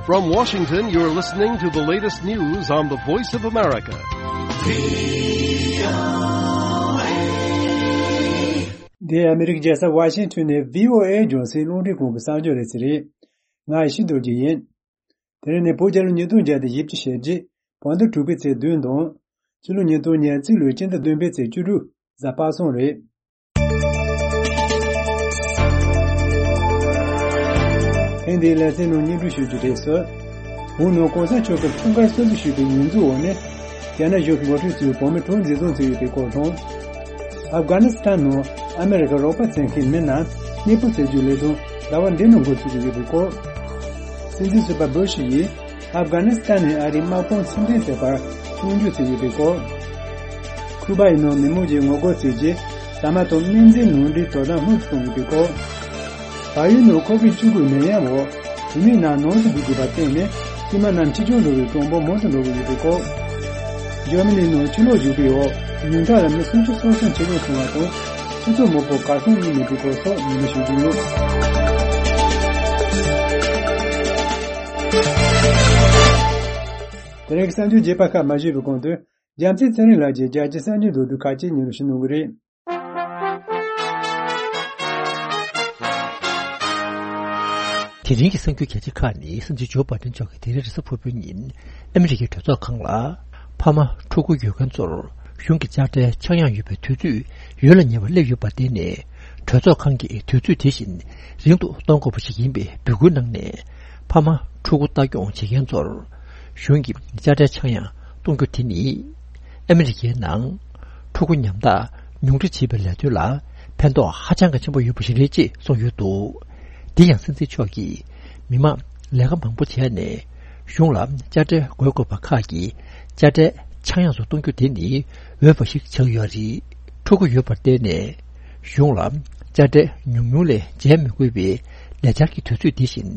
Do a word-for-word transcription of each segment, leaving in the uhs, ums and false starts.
From Washington, you're listening to the latest news on the Voice of America. འདི་ཨ་མི་རི་ཀའི་རྒྱལ་ས་ཝ་ཤིང་ཊོན་ནས་བྷི་ཨོ་ཨེ་རྒྱང་སྲིང་རླུང་འཕྲིན་ཁང་གི་གསར་འགྱུར་རེ་ཞིག་རེད། ང་ཡེ་ཤེས་རྡོ་རྗེ་ཡིན། དེ་རིང་ནི་བོད་རྒྱལ་ལོ་ཉིས་སྟོང་བརྒྱ་དང་བཞི་བཅུ་ཞེ་གཅིག་བོད་ཟླ་དྲུག་པའི་ཚེས་བདུན་དང་། ཕྱི་ལོ་ཉིས་སྟོང་ཉེར་གཅིག་ལོའི་སྤྱི་ཟླ་བདུན་པའི་ཚེས་བཅུ་དྲུག་གཟའ་པ་སངས་རེད། ཐེངས་འདིའི་ལེ་ཚན་ནང་སྙན་སྒྲོན་ཞུ་རྒྱུ་རེད་ཟེར། བོད་ནང་གོང་ས་མཆོག་གིས་འཁྲུངས་སྐར་གསོལ་རས་ཞུས་པའི་ཉིན་མཚན་འོག་ནས། རྒྱ་ནག་གཞུང་གིས་ངོ་སྤྲོད་བྱས་པའི་བོད་མི་གྲངས་འཛིན་བཟུང་བྱས་ཡོད་པའི་སྐོར་དང་། ཨབ་གྷ་ནི་སི་ཐན་ནང་ཨ་མེ་རི་ཁ་རོགས་པ་བཙལ་མཁན་མི་རྣམས་གནས་སྤོ་བྱེད་རྒྱུའི་ལས་དོན་ཟླ་བ་འདིའི་ནང་འགོ་ཚུགས་ཀྱི་ཡོད་པའི་སྐོར། སྲིད་འཛིན་ཟུར་པ་སྦུ་ཤི་ཡིས་ཨབ་གྷ་ནི་སི་ཐན་ནས་ཨ་རིའི་དམག་དཔུང་ཕྱིར་འཐེན་བྱེད་པར་སྐྱོན་བརྗོད་བྱས་ཡོད་པའི་སྐོར། ཁུ་པ་ཡི་ནང་མི་མང་གིས་ངོ་རྒོལ་བྱས་རྗེས་ཟ་མ་དང་སྨན་རྫས་ནང་འདྲེན་དོ་དམ་སྔོན་དུ་གཏོང་དགོས་པའི་སྐོར། བལ་ཡུལ་ནང་ཁོ་བིད་བཅུ་དགུ་ནད་ཡམས་འོག་བུད་མེད་རྣམས་ནང་དུ་སྡོད་དགོས་པར་བརྟེན་ནས་སྐྱེས་མ་རྣམས་ཕྱི་རྒྱལ་འགྲོ་བའི་གྲངས་འབོར་མང་དུ་འགྲོ་གི་ཡོད་པའི་སྐོར། འཇར་མ་ནི་ནང་ཆུ་ལོག་བརྒྱུགས་པའི་འོག་ཉུང་མཐའ་ལ་མི་སུམ་ཅུ་སོ་གསུམ་འཆི་གྲོངས་སོང་བ་དང་། སྤྱི་ཚོགས་མང་པོ་གར་སོང་མྱོང་མེད་པའི་སྐོར་སོགས་ཉན་པ་ཞུ་རྒྱུ་ཡིན། དེ་རིང་གི་གསར་འགྱུར་རྒྱས་པ་ཁག་མ་ཞུས་པའི་གོང་དུ། རྒྱལ་མཚན་ཚེ་རིང་ལགས་ཀྱིས་རྒྱལ་སྤྱིའི་གསར་འགྱུར་མདོར་བསྡུས་ཁག་ཅིག་སྙན་སྒྲོན་ཞུ་གནང་གི་རེད། དེ་རིང་གི་གསར་འགྱུར་གལ་ཆེ་ཁག་ནི། སྲིད་འཛིན་ཇོ་བྷའི་ཏིན་མཆོག་གིས་དེ་རིང་རེས་གཟའ་ཕུར་བུའི་ཉིན་ཨ་མི་རི་ཀའི་གྲོས་ཚོགས་ཁང་ལ། ཕ་མ་ཕྲུ་གུ་ཡོད་མཁན་ཚོར་གཞུང་གི་དཔྱ་ཁྲལ་ཆག་ཡང་ཡོད་པའི་དུས་ཚོད་ཡུན་ལ་ཉེ་བར་སླེབས་ཡོད་པར་བརྟེན་ནས། གྲོས་ཚོགས་ཁང་གིས་དུས་ཚོད་དེ་བཞིན་རིང་དུ་གཏོང་དགོས་པ་ཞིག་ཡིན་པའི་འབོད་སྐུལ་གནང་ནས། ཕ་མ་ཕྲུ་གུ་ལྟ་སྐྱོང་བྱེད་མཁན་ཚོར་གཞུང་གི་དཔྱ་ཁྲལ་ཆག་ཡང་གཏོང་རྒྱུ་དེ་ནི། ཨ་མི་རི་ཀའི་ནང་ཕྲུ་གུ་ཉམ་ཐག་ཉུང་འཕྲི་བྱེད་པའི་ལས་དོན་ལ་ཕན་ཐོགས་ཧ་ཅང་གི་ཆེན་པོ་ཡོད་པ་ཞིག་རེད་ཅེས་གསུངས་ཡོད་འདུག། དེ་ཡང་སྲིད་འཛིན་མཆོག་གིས་མི་མང་ལས་ཀ་མང་པོ་བྱས་ནས་གཞུང་ལ་དཔྱ་ཁྲལ་དགོས་དགོས་པ་ཁག་གི་དཔྱ་ཁྲལ་ཆག་ཡང་སུ་གཏོང་རྒྱུ་དེ་ནི་འོས་པ་ཞིག་ཆགས་ཡོད་རེད། ཕྲུ་གུ་ཡོད་པར་བརྟེན་ནས་གཞུང་ལ་དཔྱ་ཁྲལ་ཉུང་ཉུང་ལས་འཇལ་མི་དགོས་པའི་ལས་འཆར་གྱི་དུས་ཚོད་འདི་བཞིན་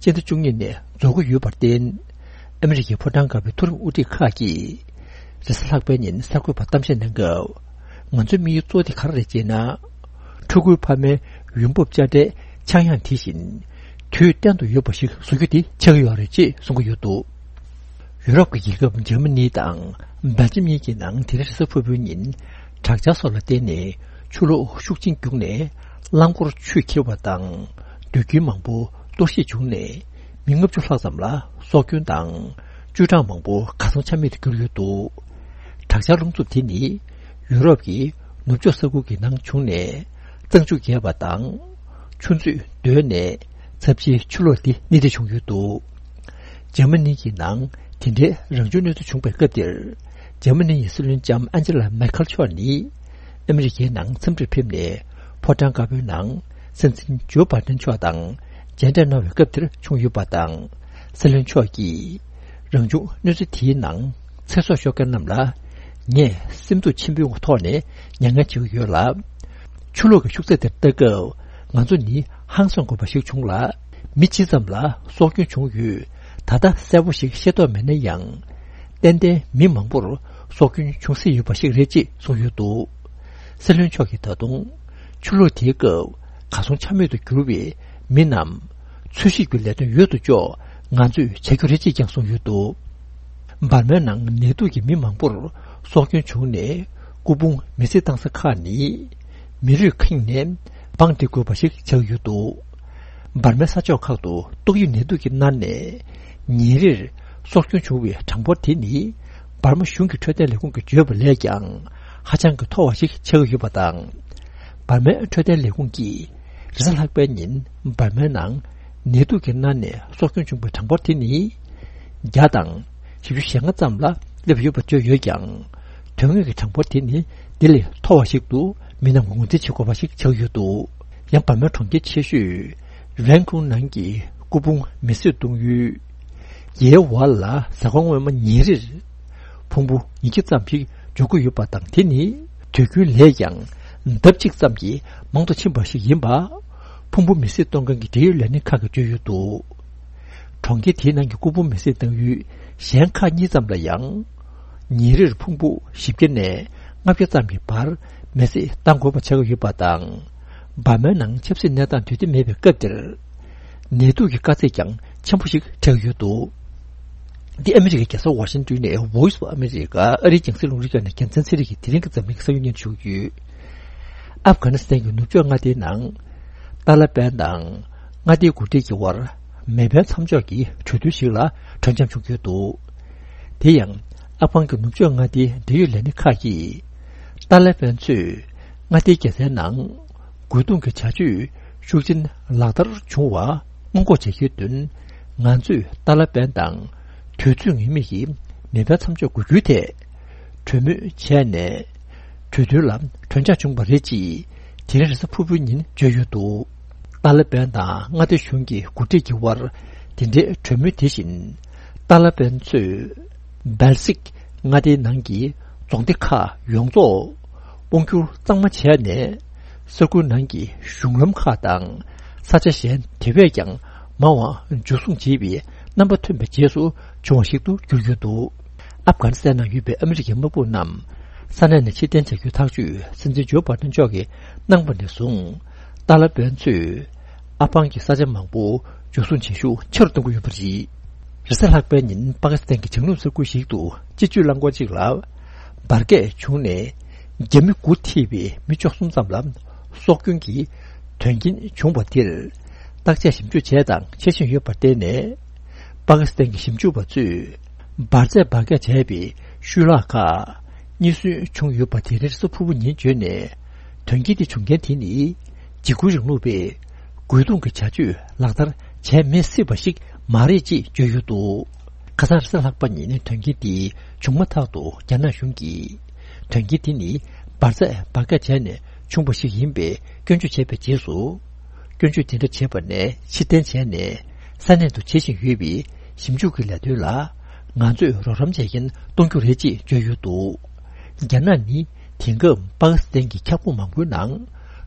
སྤྱི་ཟླ་བཅུ་གཉིས་ནས་རྫོགས་ཀྱི་ཡོད་པར་བརྟེན། ཨ་མི་རི་ཀའི་ཕོ་བྲང་དཀར་པོའི་མཐོ་རིམ་དབུ་ཁྲིད་ཁག་གིས་རེས་གཟའ་ལྷག་པའི་ཉིན་གསར་འགོད་པར་གཏམ་བཤད་གནང་སྐབས། ང་ཚོའི་དམིགས་ཡུལ་གཙོ་བོ་དེ་ག་རེ་རེད་ཅེ་ན། ཕྲུ་གུའི་ཕ་མའི་ཡོང་འབབ་དཔྱ་ཁྲལ་ཆག་ཡང་དེ་བཞིན་དུས་གཏན་དུ་ཡོད་པ་ཞིག་བཟོ་རྒྱུ་དེ་ཆགས་ཀྱི་ཡོད་རེད་ཅེས་གསུང་གི་ཡོད་འདུག། ཡུ་རོབ་ཀྱི་རྒྱལ་ཁབ་འཇར་མ་ནི་དང་སྦེལ་ཇམ་གཉིས་ཀྱི་ནང་དེ་རིང་རེས་གཟའ་ཕུར་བུའི་ཉིན་དྲག་ཆར་སོགས་ལ་བརྟེན་ནས་ཆུ་ལོག་ཤུགས་ཆེན་བརྒྱུགས་ནས་རླངས་འཁོར་ཆུས་ཁྱེར་བ་དང་། སྡོད་ཁུལ་མང་པོ་གཏོར་བཤིག་བྱུང་ནས་མི་ལྔ་བཅུ་ལྷག་ཙམ་ལ་སྲོག་སྐྱོན་དང་། བཅུ་གྲངས་མང་པོ་གར་སོང་ཆ་མེད་དུ་གྱུར་ཡོད་འདུག། དྲག་ཆར་རླུང་འཚུབ་དེ་ནི་ཡུ་རོབ་ཀྱི་ནུབ་ཕྱོགས་ས་ཁུལ་གྱི་ནང་བྱུང་ནས་གཙང་ཆུ་རྒྱས་པ་དང་། ཆུ་མཛོད་རྡོལ་ནས་ཚབས་ཆེའི་ཆུ་ལོག་འདི་སྣེ་ཁྲིད་བྱུང་ཡོད་འདུག། འཇར་མ་ནི་གི་ནང་དེ་འདྲའི་རང་བྱུང་གནོད་འཚེ་བྱུང་བའི་སྐབས་དེར། འཇར་མ་ནི་ཡི་སྲིད་བློན་ལྕམ་ཨན་ཇེ་ལ་མེར་ཁལ་མཆོག་ནི་ཨ་མི་རི་ཀའི་ནང་འཚམས་འདྲིར་ཕེབས་ནས་ཕོ་བྲང་དཀར་པོའི་ནང་སྲིད་འཛིན་ཇོ་བྷའི་ཏིན་མཆོག་དང་མཇལ་འཕྲད་གནང་བའི་སྐབས་དེར་བྱུང་ཡོད་པ་དང་། སྲིད་བློན་མཆོག་གིས་རང་བྱུང་གནོད་འཚེ་དེའི་ནང་ཚེ་སྲོག་ཤོར་མཁན་རྣམས་ལ་ངས་སེམས་སྡུག་ཆེན་པོའི་ཐོག་ནས་མྱ་ངན་བྱེད་ཀྱི་ཡོད་ལ། ཆུ་ལོག་གི་ཤུགས་ཚད་དེར་ལྟ་སྐབས་ང་ཚོ་ནི་ཧང་སང་དགོས་པ་ཞིག་བྱུང་ལ། མི་ཇི་ཙམ་ལ་སྲོག་སྐྱོན་བྱུང་ཡོད། ད་ལྟ་གསལ་པོ་ཞིག་ཤེས་རྟོགས་མེད་ན་ཡང་། ཏན་ཏན་མི་མང་པོར་སྲོག་སྐྱོན་བྱུང་སྲིད་ཡོད་པ་ཞིག་རེད་ཅེས་གསུངས་ཡོད་འདུག། སྲིད་བློན་མཆོག་གིས་ད་དུང་ཆུ་ལོག་དེའི་སྐབས་གར་སོང་ཆ་མེད་དུ་གྱུར་བའི་མི་རྣམས་འཚོལ་ཞིབ་ཀྱི་ལས་དོན་ཡོད་དོ་ཅོག་ང་ཚོས་བྱ་རྒྱུ་རེད་ཅེས་ཀྱང་གསུངས་ཡོད་འདུག། འབར་མའི་ནང་ནད་དུག་གིས་མི་མང་པོར་སྲོག་སྐྱོན་བྱུང་ནས་སྐུ་ཕུང་མེ་བསྲེགས་བཏང་ས་ཁག་ནི་མི་རུས་ཁེངས་ནས་སྦང་སྟེ་བཀོད་པ་ཞིག་ཆགས་ཡོད་འདུག། འབར་མའི་ས་ཕྱོགས་ཁག་ཏུ་ཏོག་དབྱིབས་ནད་དུག་གིས་མནར་ནས་ཉིན་རེར་སྲོག་སྐྱོན་བྱུང་བའི་གྲངས་འབོར་དེ་ནི་འབར་མ་གཞུང་གི་འཕྲོད་བསྟེན་ལས་ཁུངས་ཀྱིས་བརྗོད་པ་ལས་ཀྱང་ཧ་ཅང་གི་མཐོ་བ་ཞིག་ཆགས་ཀྱི་ཡོད་པ་དང་། འབར་མའི་འཕྲོད་བསྟེན་ལས་ཁུངས་ཀྱིས་རེས་གཟའ་ལྷག་པའི་ཉིན་འབར་མའི་ནང་ནད་དུག་གིས་མནར་ནས་སྲོག་སྐྱོན་བྱུང་བའི་གྲངས་འབོར་དེ་ནི་བརྒྱ་དང་བཞི་བཅུ་ཞེ་ལྔ་ཙམ་ལ་སླེབས་ཡོད་པ་བརྗོད་ཡོད་ཀྱང་། དོན་དངོས་ཀྱི་གྲངས་འབོར་དེ་ནི་དེ་ལས་མཐོ་བ་ཞིག་ཏུ་མི་རྣམས་ངོས་འཛིན་བྱེད་དགོས་པ་ཞིག་ཆགས་ཡོད་འདུག། ཡང་འབར་མའི་གྲོང་ཁྱེར་ཆེ་ཤོས་རན་ཀུན་ནང་གི་སྐུ་ཕུང་མེ་བསྲེགས་གཏོང་ཡུལ་ཡའེ་ཝལ་ལ་ཟ་ཁང་ངོ་མ་ཉིན་རེར་ཕུང་པོ་ཉིས་བརྒྱ་ཙམ་ཞིག་འཇོག་གི་ཡོད་པ་དང་། དེ་ནི་དུས་རྒྱུན་ལས་ཀྱང་ལྡབ་གཅིག་ཙམ་གྱིས་མང་དུ་ཕྱིན་པ་ཞིག་ཡིན་པ་ཕུང་པོ་མེ་བསྲེགས་གཏོང་མཁན་གྱི་འབྲེལ་ཡོད་ལས་སྣེ་ཁག་གིས་བརྗོད་ཡོད་འདུག། གྲོང་ཁྱེར་དེའི་ནང་གི་སྐུ་ཕུང་མེ་བསྲེགས་གཏང་ཡུལ་གཞན་ཁག་གཉིས་ཙམ་ལ་ཡང་ཉིན་རེར་ཕུང་པོ་བཞི་བརྒྱ་ནས་ལྔ་བརྒྱ་ཙམ་གྱི་བར་མེ་བསྲེགས་གཏང་དགོས་པ་ཆགས་ཀྱི་ཡོད་པ་དང་། འབར་མའི་ནང་ཆབ་སྲིད་གནས་སྟངས་དུས་བདེ་མེད་པའི་སྐབས་དེར། ནད་དུག་གི་དཀའ་ཚེགས་ཀྱང་ ཆེན་པོ་ཞིག་འཕྲད་ཡོད་འདུག། འདི་ཨ་མི་རི་ཀའི་རྒྱལ་ས་ཝ་ཤིང་ཏོན་ནས་Voice of America ཨ་རིའི་རྒྱང་སྲིང་རླུང་འཕྲིན་ཁང་ནས་རྒྱལ་མཚན་ཚེ་རིང་གིས་དེ་རིང་གི་འཛམ་གླིང་གི་ས་ཡོམ་སྙན་ཞུ་ཡོད། ཨབ་གྷ་ནི་སི་ཐན་གྱི་ནུབ་ཕྱོགས་མངའ་སྡེའི་ནང་ཏཱ་ལ་པན་དང་མངའ་སྡེའི་འགོ་ཁྲིད་ཀྱི་དབར་མེ་འཕེན་མཚམས་འཇོག་གི་གྲོས་མཐུན་ཞིག་ལ་གྲོས་འཆམ་བྱུང་ཡོད་འདུག། དེ་ཡང་ཨབ་གྷན་གྱི་ནུབ་ཕྱོགས་མངའ་སྡེའི་འབྲེལ་ཡོད་ལས་སྣེ་ཁག་གིས་ཏཱ་ལ་པན་ཚོས་མངའ་སྡེའི་རྒྱལ་སའི་ནང་རྒོལ་རྡུང་གི་བྱ་སྤྱོད་ཤུགས་ཆེན་ལག་བསྟར་བྱུང་བ་སྔོན་འགོག་བྱེད་རྒྱུའི་དོན། ང་ཚོས་ཏཱ་ལ་པན་དང་དུས་ཚོད་ངེས་མེད་ཀྱི་མེ་འཕེན་མཚམས་འཇོག་དགོས་རྒྱུའི་ཐད་གྲོས་མོལ་བྱས་ནས། གྲོས་མཐུན་ལ་གྲོས་འཆར་བྱུང་བ་རེད་ཅེས་དེ་རིང་རེས་གཟའ་ཕུར་བུའི་ཉིན་བརྗོད་ཡོད་འདུག། ཏཱ་ལ་པན་དང་མངའ་སྡེ་གཞུང་གི་འགོ་ཁྲིད་ཀྱི་དབར་དེ་འབྲེལ་གྲོས་མོལ་དེ་བཞིན། ཏཱ་ལ་པན་ཚོས་སྦལ་སིག་མངའ་སྡེའི་ནང་གི་རྫོང་སྡེ་ཁག་ཡོངས་རྫོགས་དབང་སྒྱུར་གཙང་མ་བྱས་ནས། ས་ཁུལ་ནང་གི་གཞུང་ལམ་ཁག་དང་ས་ཆ་གཞན་དེ་བས་ཀྱང་མང་བ་འཇུ་བཟུང་བྱས་པའི་རྣམ་པ་ཐོན་པའི་རྗེས་སུ་བྱུང་བ་ཞིག་ཏུ་གྱུར་ཡོད་འདུག། ཨབ་གྷ་ནི་སི་ཐན་ནང་ཡོད་པའི་ཨ་མི་རི་ཀའི་དམག་དཔུང་རྣམས་ས་གནས་ནས་ཕྱིར་འཐེན་བྱ་རྒྱུའི་ཐག་གཅོད་སྲིད་འཛིན་ཇོ་བྷ་ཏན་མཆོག་གིས་གནང་བ་ནས་བཟུང་། ཏཱ་ལ་པན་ཚོས་ཨབ་གྷན་གྱི་ས་ཆ་མང་པོ་འཇུ་བཟུང་བྱེད་ཤུགས་ཆེ་རུ་གཏོང་གི་ཡོད་པ་རེད། རེས་གཟའ་ལྷག་པའི་ཉིན་པ་ཀི་སི་ཐན་གྱི་བྱང་ནུབ་ས་ཁུལ་ཞིག་ཏུ་སྤྱི་སྤྱོད་རླངས་འཁོར་གཅིག་ལ་འབར་གས་བྱུང་ནས་རྒྱ་མི་དགུ་ཐེ་བའི་མི་བཅུ་གསུམ་ཙམ་ལ་སྲོག་སྐྱོན་གྱི་དོན་རྐྱེན་བྱུང་བ་དེར་བརྟག་དཔྱད་ཞིབ་འཇུག་བྱས་དང་བྱེད་བཞིན་ཡོད་པར་བརྟེན་ནས། པ་ཀི་སི་ཐན་གྱི་ཞིབ་འཇུག་པ་ཚོས་འབར་རྫས་འབར་གས་བྱས་པའི་ཤུལ་ལྷག་ཁག་རྙེད་སོན་བྱུང་ཡོད་པ་དེ་རིང་རེས་གཟའ་ཕུར་བུ་ཉིན་བརྗོད་ནས། དོན་རྐྱེན་དེ་བྱུང་རྐྱེན་དེ་ནི་འཇིགས་སྐུལ་རིང་ལུགས་པས་རྒོལ་རྡུང་གི་བྱ་སྤྱོད་ལག་བསྟར་བྱས་མེད་སྲིད་པ་ཞིག་མ་རེད་ཅེས་བརྗོད་ཡོད་འདུག། ཁ་སང་རེས་གཟའ་ལྷག་པ་ཉིན་དོན་རྐྱེན་དེ་བྱུང་མ་ཐག་ཏུ་རྒྱ་ནག་གཞུང་གིས་དོན་རྐྱེན་དེ་ནི་འབར་རྫས་འབར་གས་བྱས་ནས་བྱུང་བ་ཞིག་ཡིན་པའི་སྐྱོན་བརྗོད་བྱས་པའི་རྗེས་སུ། སྐྱོན་བརྗོད་དེ་འདྲ་བྱས་པ་ནས་ཕྱིར་འཐེན་བྱས་ནས་ས་གནས་དུ་བྱེད་བཞིན་ཡོད་པའི་ཞིབ་འཇུག་གི་ལས་དོན་ལ་ང་ཚོས་རོགས་རམ་བྱེད་མཁན་གཏོང་རྒྱུ་རེད་ཅེས་བརྗོད་ཡོད་འདུག། རྒྱ་ནག་ནི་དེང་སྐབས་པ་ཀི་སི་ཐན་གྱི་ཁྱབ་ཁོངས་མང་པོའི་ནང་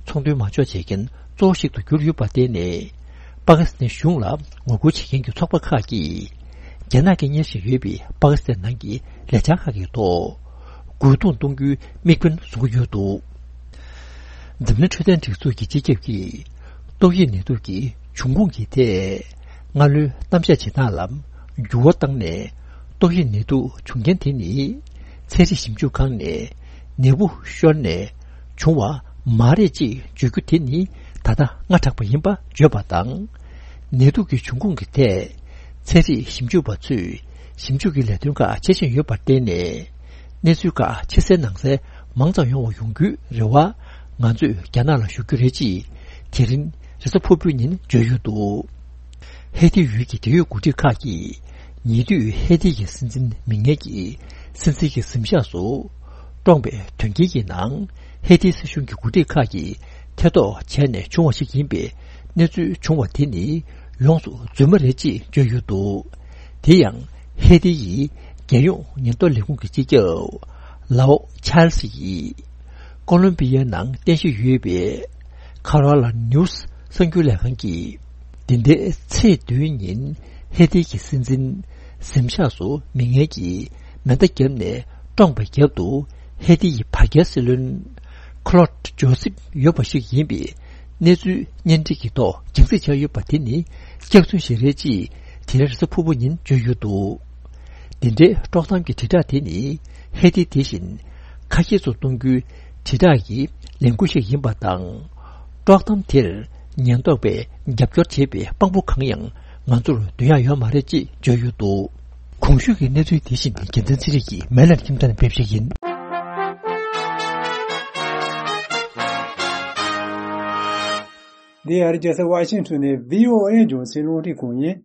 ཚོང་དོན་མ་འཇོག་བྱེད་མཁན་གཙོ་བོ་ཞིག་ཏུ་གྱུར་ཡོད་པར་བརྟེན་ནས། པ་ཀི་སི་ཐན་གཞུང་ལ་ངོ་རྒོལ་བྱེད་མཁན་གྱི་ཚོགས་པ་ཁག་གིས་རྒྱ་ནག་གིས་གཉེར་བཞིན་ཡོད་པའི་པ་ཀི་སི་ཐན་ནང་གི་ལས་འཆར་ཁག་གི་ཐོག་རྒོལ་རྡུང་གཏོང་རྒྱུའི་དམིགས་འབེན་བཟུང་གི་ཡོད་འདུག། འཛམ་གླིང་འཕྲོད་བསྟེན་སྒྲིག་འཛུགས་ཀྱི་སྤྱི་ཁྱབ་ཀྱིས་ཏོག་དབྱིབས་ནད་དུག་གི་འབྱུང་ཁུངས་ཀྱི་ཐད་སྔ་ལོའི་གཏམ་བཤད་བྱེད་སྟངས་ལ་འགྱུར་བ་བཏང་ནས། ཏོག་དབྱིབས་ནད་དུག་བྱུང་རྐྱེན་དེ་ནི་ཚན་རིག་ཞིབ་འཇུག་ཁང་ནས་ནད་འབུ་ཤོར་ནས་བྱུང་བ་མ་རེད་ཅེས་བརྗོད་རྒྱུ་དེ་ནི་ད་ལྟ་སྔ་དྲགས་པ་ཡིན་པ་བརྗོད་པ་དང་། ནད་དུག་གི་འབྱུང་ཁུངས་ཀྱི་ཐད་ཚན་རིག་ཞིབ་འཇུག་པ་ཚོས་ཞིབ་འཇུག་གི་ལས་དོན་ཁག་བྱེད་བཞིན་ཡོད་པར་བརྟེན་ནས། གནས་ཚུལ་ཁག་ཕྱི་གསལ་ནང་གསལ་མང་ཙམ་ཡོང་བ་ཡོང་རྒྱུའི་རེ་བ་ང་ཚོས་རྒྱ་ནག་ལ་ཞུ་རྒྱུ་རེད་ཅེས་དེ་རིང་རེས་གཟའ་ཕུར་བུའི་ཉིན་བརྗོད་ཡོད་འདུག། ཧེ་ཏི་ཡུལ་གྱི་འབྲེལ་ཡོད་འགོ་ཁྲིད་ཁག་གིས་ཉེ་དུས་ཧེ་ཏི་ཡི་སྲིད་འཛིན་མི་ངན་གྱིས་སྲིད་འཛིན་གྱི་གཟིམ་ཤག་སུ་བཀྲོངས་པའི་དོན་རྐྱེན་གྱི་ནང་ཧེ་ཏི་སྲིད་གཞུང་གི་འགོ་ཁྲིད་ཁག་གིས་ཐེ་གཏོགས་བྱས་ནས་བྱུང་བ་ཞིག་ཡིན་པས། གནས་ཚུལ་བྱུང་བ་དེ་ནི་ཡོངས་སུ་རྫུན་མ་རེད་ཅེས་བརྗོད་ཡོད་འདུག། དེ་ཡང་ཧེ་ཏི་ཡི་རྒྱལ་ཡོངས་ཉེན་རྟོག་ལས་ཁུངས་ཀྱི་སྤྱི་ཁྱབ་ལའོ་ཆཱལ་སི་ཡིས་ཀོ་ལོམ་པི་ཡའི་ནང་རྟེན་གཞི་ཡོད་པའི་ཁ་རོ་ལ་ནིའུ་སི་གསར་འགྱུར་ལས་ཁང་གིས། འདི་ཟླའི་ཚེས་བདུན་ཉིན་ཧེ་ཏི་གི་སྲིད་འཛིན་གཟིམ་ཤག་སུ་མི་ངན་གྱིས་མེ་མདའ་བརྒྱབ་ནས་བཀྲོངས་པའི་རྒྱབ་ཏུ་ཧེ་ཏི་ཡི་བར་བརྒལ་སྲིད་བློན་ཁ་ལོད་ཇོ་སིབ་ཡོད་པ་ཞིག་ཡིན་པའི་གནས་ཚུལ་གཉེན་སྒྲིག་གི་ཐོག་རྒྱང་སྲིང་བྱས་ཡོད་པ་དེ་ནི་སྐྱག་རྫུན་ཞིག་རེད་ཅེས་དེ་རིང་རེས་གཟའ་ཕུར་བུ་ཉིན་བརྗོད་ཡོད་འདུག། འདི་འདྲའི་དཀྲོག་གཏམ་གྱི་དྲིལ་བསྒྲགས་དེ་ནི་ཧེ་ཏི་དེ་བཞིན་ཁ་གྱེས་སུ་གཏོང་རྒྱུའི་དྲིལ་བསྒྲགས་ཀྱི་ལས་འགུལ་ཞིག་ཡིན་པ་དང་། དཀྲོག་གཏམ་དེར་ཉེན་རྟོག་པས་རྒྱབ་སྐྱོར་བྱེད་པའི་དཔང་པོ་གང་ཡང་ང་ཚོར་འདོན་ཡག་ཡོད་མ་རེད་ཅེས་བརྗོད་ཡོད་འདུག། གོང་ཞུས་ཀྱི་གནས་ཚུལ་དེ་བཞིན་རྒྱལ་མཚན་ཚེ་རིང་གིས་མེ་ལན་ཁྱིམ་ཚང་ནས་ཕེབས་བཞག་ཡིན། འདི་ཨ་རི་རྒྱལ་ས་ཝ་ཤིང་ཊོན་ནས་བྷི་ཨོ་ཨེ་རྒྱང་སྲིང་རླུང་འཕྲིན་ཁང་ཡིན།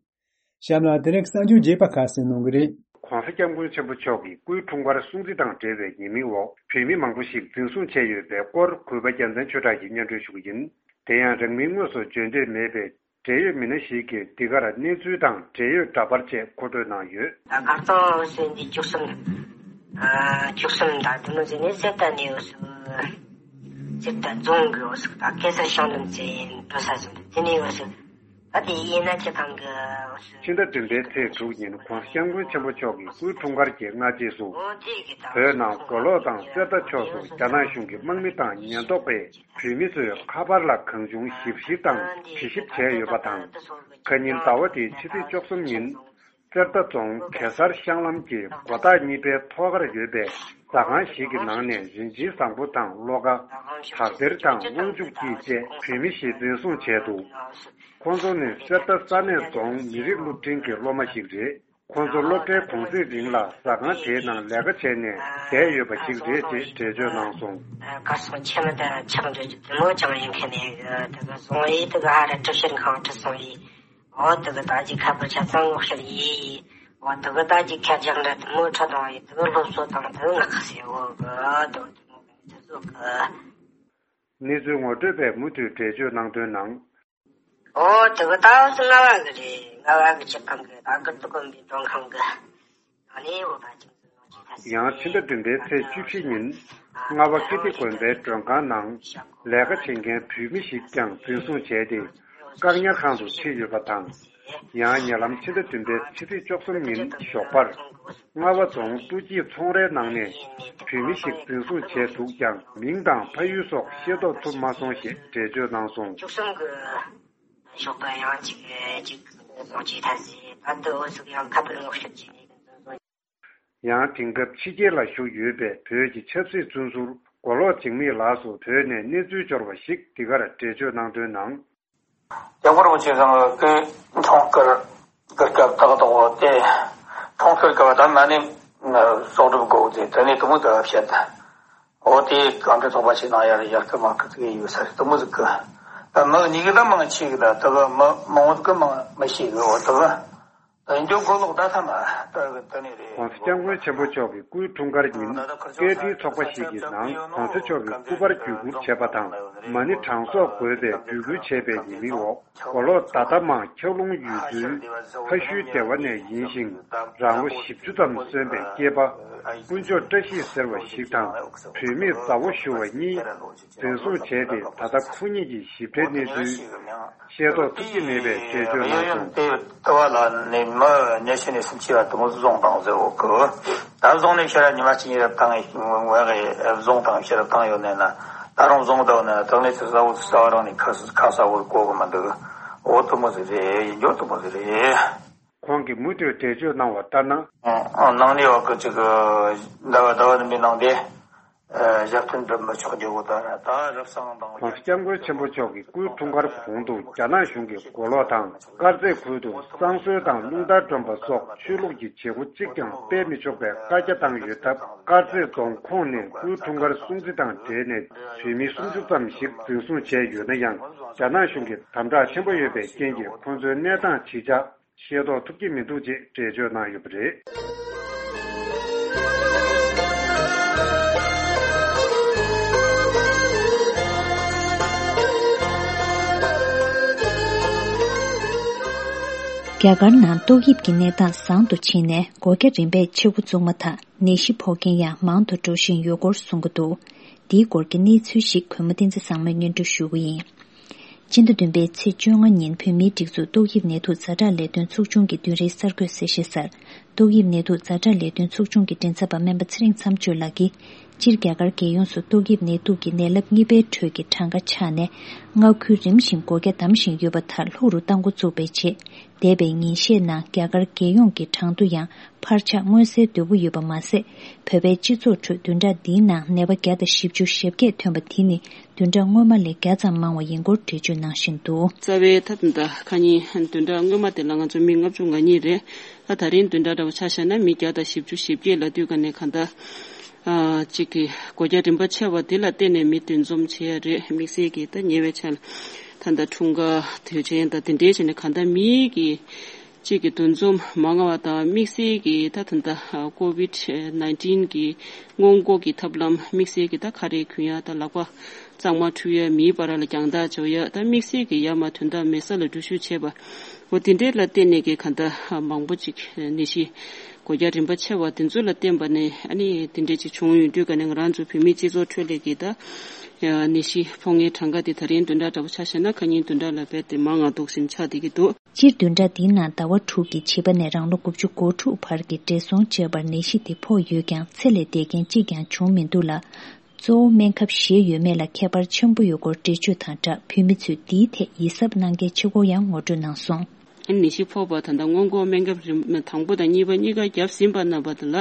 གཤམ་ལ་དེ་རིང་གསར་འགྱུར་རྒྱས་པ་ཁ་གསལ་གནང་གི་རེད། ྋགོང་ས་ྋསྐྱབས་མགོན་ཆེན་པོ་མཆོག་གིས་སྐུའི་འཁྲུངས་སྐར་སྲུང་བརྩི་དང་འབྲེལ་བའི་ཉེས་མིང་འོག་བོད་མི་མང་པོ་ཞིག་འཛིན་བཟུང་བྱས་ཡོད་པའི་སྐོར་གུས་པ་རྒྱལ་མཚན་ཆོས་གྲགས་ཀྱིས་སྙན་སྒྲོན་ཞུ་གི་ཡིན། དེ་ཡང་རིང་མིན་དངོས་སུ་བརྗོད་འདོད་མེད་པའི་འབྲེལ་ཡོད་མི་སྣ་ཞིག་གིས་འདི་གར་གནས་ཚུལ་དང་འབྲེལ་ཡོད་འདྲ་པར་བཅས་མཁོ་སྤྲོད་གནང་ཡོད། ད་གར་སྟོང་འོ་སོ་འདི་བཅུ་གསུམ། ཨ། བཅུ་གསུམ་དང་དེ་མོ་ཟེར་ནས་གསེར་རྟ་ནས་འོ་སོ། གསེར་རྟ་རྫོང་གི་འོ་སོ་ད་གེ་སར་ཤང་ལམ་ཚེ་འགྲོ་ས་སོ་དེ་ནས་འོ་སོ། ཨ་དེ་ཡིན་ན་ཁྱེད་རང་གི་འོ་སོ། ཕྱི་ཟླ་བདུན་པའི་ཚེས་དྲུག་ཉིན་ྋགོང་ས་ྋསྐྱབས་མགོན་ཆེན་པོ་མཆོག་གི་སྐུའི་འཁྲུངས་སྐར་གྱི་སྔ་རྗེས་སུ། འོ་དེ་གི་ད་བོད་ནང་མགོ་ལོག་དང་གསེར་རྟ་ཕྱོགས་སུ་རྒྱ་ནག་གཞུང་གི་དམག་མི་དང་ཉེན་རྟོག་པས་བོད་མི་ཚོའི་ཁ་པར་ལ་གང་བྱུང་ཞིབ་བཤེར་དང་དྲི་ཞིབ་བྱས་ཡོད་པ་དང་། ཁ་ཉིན་ཟླ་བ་འདིའི་ཕྱི་ཚེས་བཅུ་གསུམ་ཉིན། རྩེ་མདའ་རྫོང་གེ་སར་ཤང་ལམ་གྱི་སྒོ་ཐག་གཉིས་པའི་ཐོག་ཁར་ཡོད་པའི་ཟ་ཁང་ཞིག་གི་ནང་ནས་རིན་ཆེན་བཟང་པོ་དང་བློ་དགའ། དག་སྡེར་དང་དབང་ཕྱུག་སྐྱིད་བཅས་བོད་མི་བཞི་འཛིན་བཟུང་བྱས་འདུག། ཁོང་ཚོ་ནི་གསེར་རྟ་ས་གནས་རྫོང་མི་རིགས་སློབ་འབྲིང་གི་སློབ་མ་ཞིག་རེད། ཁོང་ཚོ་སློབ་གྲྭའི་གུང་གསེང་རིང་ལ་ཟ་ཁང་དེའི་ནང་ལས་ཀ་བྱས་ནས་བསྡད་ཡོད་པ་ཞིག་རེད་ཅེས་འགྲེལ་བརྗོད་གནང་སོང་། གར་སོང་ཆེ་མི་དང་ཆག་འགྲོ་རྒྱུ་དེ་མོ་ཅང་ཡིན་མཁན་ནས་དེ་ག་སོང་ཡིས་དེ་ག་ཧ་ར་གྲུ་བཞིར་ཁང་ཁྲི་སོང་ཡིས། འོ་དེ་གི་ད་ཅི་ཁ་པར་ཆ་ཚང་ངོ་ཤེས་ཡིན། འོ་དེ་གི་ད་ཅི་ཁ་རྒྱག་འདྲ་དེ་མོ་ཁྲ་དང་ཡིན་དེ་གི་སློབ་གསོ་དང་དེ་གི་ངག་ཁ་ཟེར་འོ་གི་དེ་གི་དེ་མོ་གི་དེ་ཚོ་གི། གནས་ཚུལ་ངོ་སྤྲོད་པས་མུ་མཐུད་འགྲེལ་བརྗོད་གནང་དོན་ནང་། འོ་དེ་གི་ད་ང་བ་གི་རེད། ང་བ་གི་སྤྱི་ཁང་གི་ད་གི་དུ་དགོན་པའི་མགྲོན་ཁང་གི་ནང་ནས་འོ་ད་ཅི། ཡང་ཕྱི་ཟླ་བདུན་པའི་ཚེས་བཅུ་བཞི་ཉིན་རྔ་བ་ཀིརྟི་དགོན་པའི་མགྲོན་ཁང་ནང་ལས་ཀ་བྱེད་མཁན་བོད་མི་ཞིག་ཀྱང་འཛིན་བཟུང་བྱས་ཏེ་བཀག་ཉར་ཁང་དུ་ཁྲིད་ཡོད་པ་དང་། ཡང་ཉེ་ལམ་ཕྱི་ཟླ་བདུན་པའི་ཕྱི་ཚེས་བཅུ་གསུམ་ཉིན་ཞོགས་པར་རྔ་བ་རྫོང་ཀྲུ་ཅི་ཚོང་རའི་ནང་ནས་བོད་མི་ཞིག་འཛིན་བཟུང་བྱས་འདུག་ཀྱང་མིང་དང་ཕ་ཡུལ་སོགས་ཤེས་རྟོགས་ཐུབ་མ་སོང་ཞེས་འགྲེལ་བརྗོད་གནང་སོང་། བཅུ་གསུམ་གི་ཞོགས་པ་ཡང་གཅིག་གཅིག་སོང་གཅིག་ཐ་སི་ད་དུ་འོ་ཟུག་ཡང་ཁ་པར་ངོ་ཤེས་བྱས་ནས། ཡང་དེང་སྐབས་ཕྱི་རྒྱལ་ལ་བཞུགས་ཡོད་པའི་བོད་ཀྱི་ཆབ་སྲིད་བཙོན་ཟུར་མགོ་ལོག་འཇིགས་མེད་ལགས་སུ་བོད་ནས་གནས་ཚུལ་འབྱོར་བ་ཞིག་འདི་གར་འགྲེལ་བརྗོད་གནང་དོན་ནང་། སྐྱབས་མགོན་རིན་པོ་ཆེ་ཚང་གི་འཁྲུངས་སྐར་གི་སྐབས་ཏག་ཏག་འོ་དེ་འཁྲུངས་སྐར་སྐབས་ད་ན་ནི་སྲོག་སྒྲུབ་དགོས་དེ་དེ་ནས་དུ་མོ་དུ་བཤད་ད་འོ་དེ་གང་དྲི་ཚོགས་པ་ཞིག་ནང་ཡར་ཡར་སྐུལ་མ་སྐུལ་དུ་ཡོད་ས་རེད། དུ་མོ་ཟིག་གི་ད་མི་གཉིས་གི་ད་མང་ཆེ་གི་ད་དུ་གི་མི་མང་བོ་གི་མང་མི་ཤེས་གི་འོ་དུ་གི། འདི་མགོ་ལོག་ད་ཐ་མ་ད་གི་ད་ནི་རེད། ྋགོང་ས་ྋསྐྱབས་མགོན་ཆེན་པོ་མཆོག་གི་སྐུའི་འཁྲུངས་སྐར་ཉིན་སྐད་འཕྲིན་ཚོགས་པ་ཞིག་གི་ནང་ྋགོང་ས་མཆོག་གི་སྐུ་པར་བརྒྱུད་བསྐུར་བྱས་པ་དང་མ་ཎི་གྲངས་གསོག་དགོས་པའི་འབོད་སྐུལ་བྱས་པའི་ཉེས་མིང་འོག་མགོ་ལོག་ད་ལྟ་མང་འཁྱགས་ལུང་ཡུལ་ཚོའི་ཕ་ཤུལ་སྡེ་བ་ནས་ཡིན་ཞིང་རང་ལོ་བཞི་བཅུ་ཙམ་སོན་པའི་སྐྱེས་པ་དཀོན་མཆོག་བཀྲ་ཤིས་ཟེར་བ་ཞིག་དང་བུད་མེད་མཛའ་བོ་ཞུ་བ་གཉིས། འཛིན་བཟུང་བྱས་ཏེ་ད་ལྟ་ཁོ་གཉིས་ཀྱི་ཞིབ་ཕྲའི་གནས་ཚུལ་ཤེས་རྟོགས་ཐུབ་ཀྱི་མེད་པའི་འགྲེལ་བརྗོད་གནང་སོང་། དེ་ལྟ་བ་ལ་ནི་མི་ཉི་ཤུ་ནས་སུམ་ཅུ་བར་དུ་མོ་བཟུང་བཏང་ཟེར་འོ་གི། ད་བཟུང་ནས་ཤེས་རབ་ཉི་མ་གཅིག་ཉིད་རབ་བཏང་ངས་བཟུང་བཏང་ཤེས་རབ་བཏང་ཡོད་ནས་ན་ད་རུང་བཟུང་བཏང་ན་དང་ནས་ཚུར་ས་འོག་ས་བ་རང་ནས་ཁ་ཁ་ས་འོག་གོ་གི་མ་འདུག་འོ་དུ་མོ་ཟེར་རེད། ཡིན་རྒྱུ་དུ་མོ་ཟེར་རེད། ཁོང་གིས་མུ་མཐུད་འགྲེལ་བརྗོད་གནང་བ་ལྟར་ན། ནང་ནས་བ་གི་ཅིག་ཟླ་བ་ཟླ་བ་ནི་མི་ནང་དེ། ཞབས་བརྟན་འགྲུབ་མི་ཆོག་རྒྱུ་བོ་ད་ད་རབ་གསང་དང་། ྋགོང་ས་ྋསྐྱབས་མགོན་ཆེན་པོ་མཆོག་གི་སྐུའི་འཁྲུངས་སྐར་གོང་དུ་རྒྱ་ནག་གཞུང་གིས་མགོ་ལོག་དང་དཀར་མཛེས་ཁུལ་དུ་བསང་གསོལ་དང་རླུང་རྟ་སྒྲོན་པ་སོགས་ཆོས་ལུགས་ཀྱི་བྱེད་སྒོ་གཅིག་ཀྱང་སྤེལ་མི་ཆོག་པའི་བཀའ་རྒྱ་བཏང་ཡོད་སྟབས། དཀར་མཛེས་རྫོང་ཁོངས་ནས་སྐུའི་འཁྲུངས་སྐར་སྲུང་བརྩི་དང་འབྲེལ་ནས་བོད་མི་སུམ་ཅུ་ཙམ་ཞིག་འཛིན་བཟུང་བྱས་ཡོད་ན་ཡང་། རྒྱ་ནག་གཞུང་གིས་དམ་དྲག་ཆེན་པོ་ཡོད་པའི་རྐྱེན་གྱིས་ཁོང་ཚོའི་གནས་སྟངས་ཇི་ཆགས། ཤེས་རྟོགས་ཐུབ་ཀྱི་མི་འདུག་ཅེས་འགྲེལ་བརྗོད་གནང་ཡོད་པ་རེད། རྒྱ་གར་ནང་ཏོག་དབྱིབས་ཀྱི་གནས་སྟངས་བཟང་དུ་ཕྱིན་ནས་སྒོ་རྒྱ་རིམ་པས་ཕྱེ་འགོ་བཙུགས་མ་ཐག་ནད་གཞི་ཕོག་མཁན་ཡང་མང་དུ་འགྲོ་བཞིན་ཡོད་སྐོར་གསུང་གི་འདུག་འདིའི་སྐོར་གྱི་གནས་ཚུལ་ཞིག་གུས་མོ་བསྟན་འཛིན་བཟང་མོས་སྙན་སྒྲོན་ཞུ་གི་ཡིན། སྤྱི་ཟླ་བདུན་པའི་ཚེས་བཅོ་ལྔ་ཉིན་བོད་མིའི་སྒྲིག་འཛུགས་ཏོག་དབྱིབས་ནད་དུག་ཛ་དྲག་ལས་དོན་ཚོགས་ཆུང་གི་བདུན་རེའི་གསར་འགོད་གསལ་བཤད་གསར། ཏོག་དབྱིབས་ནད་དུག་ཛ་དྲག་ལས་དོན་ཚོགས་ཆུང་གི་མགྲིན་ཚབ་པ་སྨན་པ་ཚེ་རིང་མཚམས་གཅོད་ལགས་ཀྱིས། སྤྱིར་རྒྱ་གར་རྒྱལ་ཡོངས་སུ་ཏོག་དབྱིབས་ནད་དུག་གི་ནད་རླབས་གཉིས་པའི་ཁྲོད་ཀྱི་གྲངས་ཀ་ཆག་ནས། མངའ་ཁུལ་རིམ་བཞིན་སྒོ་རྒྱ་བསྡམ་བཞིན་ཡོད་པ་དག་ལྷུག་རུ་གཏང་འགོ་བཙུགས་པའི་རྗེས། འདས་པའི་ཉིན་ཤས་ནང་རྒྱ་གར་རྒྱལ་ཡོངས་ཀྱི་གྲངས་ཐོ་ཡང་འཕར་ཆག་མངོན་གསལ་དོད་པོ་ཡོད་པ་མ་ཟད། བོད་པའི་སྤྱི་ཚོགས་ཁྲོད་བདུན་ཕྲག་འདིའི་ནང་ནད་པ་བརྒྱ་དང་བཞི་བཅུ་ཞེ་བརྒྱད་ཐོན་པ་དེ་ནི་བདུན་ཕྲག་སྔོན་མ་ལས་བརྒྱ་ཙམ་མང་བ་ཡིན་སྐོར་འགྲེལ་བརྗོད་གནང་བཞིན་འདུག་རྩ་བའི་ཐབས་ད་ཁ་ཉིན་བདུན་ཕྲག་སྔོན་མ་དེ་ལ་ང་ཚོ་མི་ལྔ་བཅུ་ང་གཉིས་རེད། ད་ད་རིང་བདུན་ཕྲག་འདྲ་བོ་ཆ་བཞག་ན་མི་བརྒྱ་དང་བཞི་བཅུ་ཞེ་བརྒྱད་ལ་དུས་ག་ནས་ག་འདྲ། ཨ་གཅིག་གི་སྒོ་རྒྱ་རིམ་པ་ཆད་པ་དེ་ལ་བརྟེན་ནས་མི་འདུ་འཛོམས་བྱེད་ཡ་རེད། དམིགས་བསལ་གྱི་ད་ཉེ་བའི་ཆར་ད་ལྟ་འཁྲུངས་སྐར་དུས་ཆེན་དང་དེ་འདྲའི་བྱས་ནས་ག་འདྲ་མིའི་གི་གཅིག་གི་འདུ་འཛོམས་མང་བ་དང་དམིགས་བསལ་གྱི་ད་ད་ལྟ་ཀོ་བིད་ནའིན་ཊིན་གི་སྔོན་འགོག་གི་ཐབས་ལམ་དམིགས་བསལ་གྱི་ད་ཁ་རས་གོན་ཡ་ད་ལག་པ་གཙང་མ་འཁྲུ་ཡ་མིའི་བར་ལ་རྒྱང་ཐག་འཇོག་ཡ་ད་དམིགས་བསལ་གྱི་ཡ་མ་དོན་དག་མེད་ས་ལ་འགྲུལ་བཞུད་བྱེད་པ། འོ་དེ་འདྲའི་ལ་བརྟེན་ནས་ཀྱི་ག་འདྲ་མང་པོ་ཅིག་ནད་གཞི་སྒོ་རྒྱ་རིམ་པ་ཆེ་བ་དེ་ཚོ་ལ་བརྟེན་པ་ནས་ཨ་ནི་དེ་འདྲའི་ཅིག་བྱུང་ཡོང་དུས་ག་ནས་ང་རང་ཚོ་བོད་མིའི་སྤྱི་ཚོགས་ཁྲོད་ལས་ཀྱི་ད་ནད་གཞི་ཕོག་མཁན་གྲངས་ཀ་དེ་ད་རིང་བདུན་ཕྲག་འདྲ་པོ་ཆ་བཞག་ན་ཁ་ཉིན་བདུན་ཕྲག་ལ་རྦད་དེ་མང་ང་འདུག་བཞིན་ཆགས་བསྡད་ཀྱི་འདུག་སྤྱིར་བདུན་ཕྲག་འདིའི་ནང་ཟླ་བ་དྲུག་གི་བྱིས་པ་ནས་རང་ལོ་དགུ་བཅུ་གོ་དྲུག་བར་གྱི་བགྲེས་སོང་བཅས་པར་ནད་གཞི་དེ་ཕོག་ཡོད་ཀྱང་ཚེ་ལས་འདས་མཁན་གཅིག་ཀྱང་བྱུང་མི་འདུག་ལ། གཙོ་བོ་སྨན་ཁབ་བཞེས་ཡོད་མེད་ལ་ཁྱད་པར་ཆེན་པོ་ཡོད་སྐོར་འགྲེལ་བརྗོད་དང་སྦྲགས་བོད་མི་ཚོས་འདིའི་ཐད་ཡིད་གཟབ་གནང་གལ་ཆེ་སྐོར་ཡང་ངོ་སྤྲོད་གནང་སོང་། ནད་གཞི་ཕོག་པ་ད་ལྟ་སྔོན་འགོག་སྨན་ཁབ་རིམ་དང་པོ་དང་གཉིས་པ་གཉིས་ཀ་བརྒྱབ་ཟིན་པ་རྣམ་པ་དེ་ལ་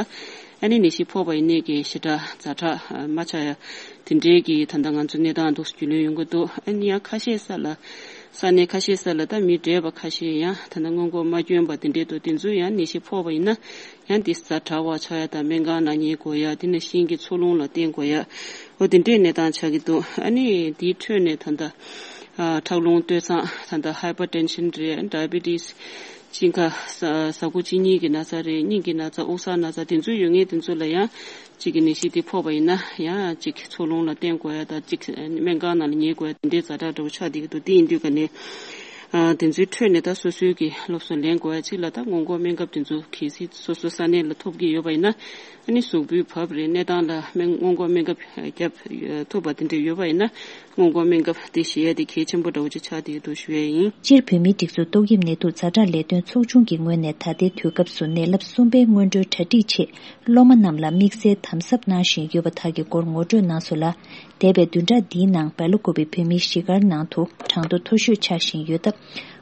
ཨ་ནི་ནད་གཞི་ཕོག་པ་ཡིན་ནའི་གི་ཞེ་དྲག་ཛ་དྲག་མ་ཆགས་ཡ་དེ་འདྲའི་གི་ད་ལྟ་ང་ཚོ་གནས་སྟངས་འདུག་རྒྱུས་ལོན་ཡོང་གི་འདུག་ཨ་ནི་ཡང་ཁ་ཤས་ས་ལ་ས་གནས་ཁ་ཤས་ས་ལ་ད་མི་བགྲེས་པ་ཁ་ཤས་ཡང་ད་ལྟ་སྔོན་འགོག་མ་བསྐྱོན་པ་དེ་འདྲའི་འདུག་དེ་ཚོ་ཡང་ནད་གཞི་ཕོག་པ་ཡིན་ན་ཡང་དེ་ཛ་དྲག་པ་ཆགས་ཡ་དང་སྨན་ཁང་ནང་ཉལ་དགོས་ཡ་དེ་ནས་གཞན་གྱི་འཚོ་རླུང་ལ་བརྟེན་དགོས་ཡ། འོ་དེ་འདྲའི་གནས་སྟངས་ཆགས་ཀྱི་འདུག་ཨ་ནི་དེའི་ཁྲོད་ནས་ད་ལྟ་ཨ་ཁྲག་རླུང་སྟོད་འཚངས་ད་ལྟ་ཧའི་པར་ཊེན་ཤན་རེད། ཌའི་བི་ཊི་སི། གཅིན་ཁ་ཟ་ཟ་ཁུ་གཅིན་སྙི་གི་ན་ཚ་རེད། སྙིང་གི་ན་ཚ་དབུགས་བཟང་ན་ཚ་དེ་ཚོ་ཡོད་མཁན་དེ་ཚོ་ལ་ཡང་གཅིག་གི་ནད་གཞི་དེ་ཕོག་པ་ཡིན་ན་ཡང་གཅིག་འཚོ་རླུང་ལ་བརྟེན་དགོས་ཡ་དང་གཅིག་སྨན་ཁང་ནང་ལ་ཉལ་དགོས་ཡ་དེ་འདྲའི་ཛ་དྲག་འདྲ་བོ་ཆགས་བསྡད་ཀྱི་འདུག་དེ་ཡིན་དུས་ཀ་ནས་ཨ་དེ་ཚོའི་ཁྲོད་ནས་ད་སོ་སོའི་གི་སློབ་གསོ་ལེན་དགོས་ཡ་གཅིག་ལ་ད་སྔོན་འགོག་སྨན་ཁབ་དེ་ཚོ་གལ་སྲིད་སོ་སོ་ས་གནས་ལ་ཐོབ་ཀྱི་ཡོད་པ་ཡིན་ན། ཨ་ནི་གཟུགས་པོའི་བབ་རེད་གནས་སྟངས་ལ་སྨན་སྔོན་འགོག་སྨན་ཁབ་བརྒྱབ་ཐུབ་པ་དེ་འདྲ་ཡོད་པ་ཡིན་ན་སྔོན་འགོག་སྨན་ཁབ་དེ་བཞེས་ཡ་དེ་གལ་ཆེན་པོ་འདྲ་བོ་ཅིག་ཆགས་བསྡད་འདུག་ཞུ་ཡ་ཡིན། སྤྱིར་བོད་མིའི་སྒྲིག་འཛུགས་ཏོག་དབྱིབས་ནད་དུག་ཛ་དྲག་ལས་དོན་ཚོགས་ཆུང་གི་ངོས་ནས་ད་ལྟའི་དུས་སྐབས་སུ་ནད་རླབས་གསུམ་པའི་སྔོན་འགྲོའི་གྲ་སྒྲིག་ཆེད་སློབ་མ་རྣམས་ལ་དམིགས་བསལ་དམ་ཟབ་གནང་བཞིན་ཡོད་པ་དག་གི་སྐོར་ངོ་སྤྲོད་གནང་སོང་ལ། འདས་པའི་བདུན་ཕྲག་འདིའི་ནང་སྦེལ་ཀོབ་བོད་མིའི་གཞིས་སྒར་ནང་དུ་གྲངས་ཐོ་མཐོ་ཤོས་ཆགས་བཞིན་ཡོད་སྟབས།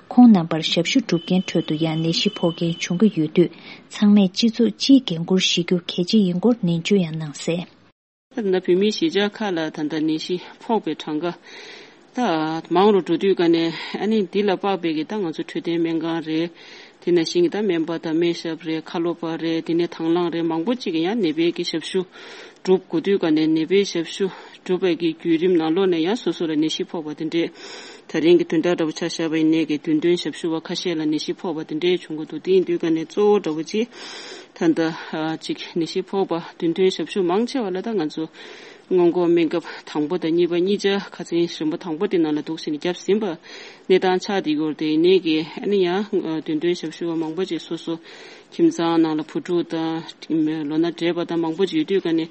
ཁོང་རྣམ་པར་ཞབས་ཞུ་སྒྲུབ་མཁན་ཁྲོད་དུ་ཡང་ནད་གཞི་ཕོག་མཁན་བྱུང་གི་ཡོད་དུས། ཚང་མས་སྤྱི་ཚོགས་སྤྱིའི་འགན་འཁུར་བཞེས་རྒྱུ་གལ་ཆེ་ཡིན་སྐོར་ནན་བརྗོད་ཡང་གནང་གསལ། ད་ལྟ་བོད་མིའི་གཞིས་ཆགས་ཁག་ལ་ད་ལྟ་ནད་གཞི་ཕོག་པའི་གྲངས་ཀ་ད་མང་རུ་འགྲོ་དུས་ཀ་ནས་ཨ་ནི་འདི་ལ་དཔག་པའི་གི་ད་ང་ཚོ་འཕྲོད་བསྟེན་སྨན་ཁང་རེད། དེ་ནང་བཞིན་གྱི་ད་སྨན་པ་དང་སྨན་ཞབས་རེད། ཁ་ལོ་པ་རེད། དེ་ནས་དང་བླངས་རེད། མང་པོ་ཅིག་གིས་ཡང་ནད་པའི་གི་ཞབས་ཞུ་སྒྲུབ་དགོས་དུས་ཀ་ནས་ནད་པའི་ཞབས་ཞུ་སྒྲུབ་པའི་གི་བརྒྱུད་རིམ་ནང་ལོགས་ནས་ཡང་སོ་སོ་ལ་ནད་གཞི་ཕོག་པ་དེ་འདྲས་ད་རིང་གི་བདུན་ཕྲག་འདྲ་བོ་ཆ་བཞག་པ་ཡིན་ནའི་གི་བདུན་སྟོན་ཞབས་ཞུ་བ་ཁ་ཤས་ལ་ནད་གཞི་ཕོག་པ་དེ་འདྲས་བྱུང་གི་འདུག་དེ་ཡིན་དུས་ཀ་ནས་གཙོ་བོ་འདྲ་བོ་ཅིག་ད་ལྟ་ཨ་ཅིག་ནད་གཞི་ཕོག་པ་བདུན་སྟོན་ཞབས་ཞུ་མང་ཆེ་བ་ལ་ད་ང་ཚོ་སྔོན་འགོག་སྨན་ཁབ་དང་པོ་དང་གཉིས་པ་གཉིས་ཆ་ཁ་སང་རིམ་པ་དང་པོ་དེ་ནང་ལ་འདུག་བྱས་ནས་བརྒྱབ་ཟིན་པ་གནས་སྟངས་ཆགས་བསྡད་ཡོད་རེད། དེ་ཡིན་ནའི་གི་ཨ་ནི་ཡང་བདུན་སྟོན་ཞབས་ཞུ་བ་མང་པོ་ཅིག་སོ་སོ་ཁྱིམ་ཚང་ནང་ལ་བུ་ཕྲུག་དང་ལོ་ན་བགྲེས་པ་དང་མང་པོ་ཅིག་ཡོད་དུས་ཀ་ནས་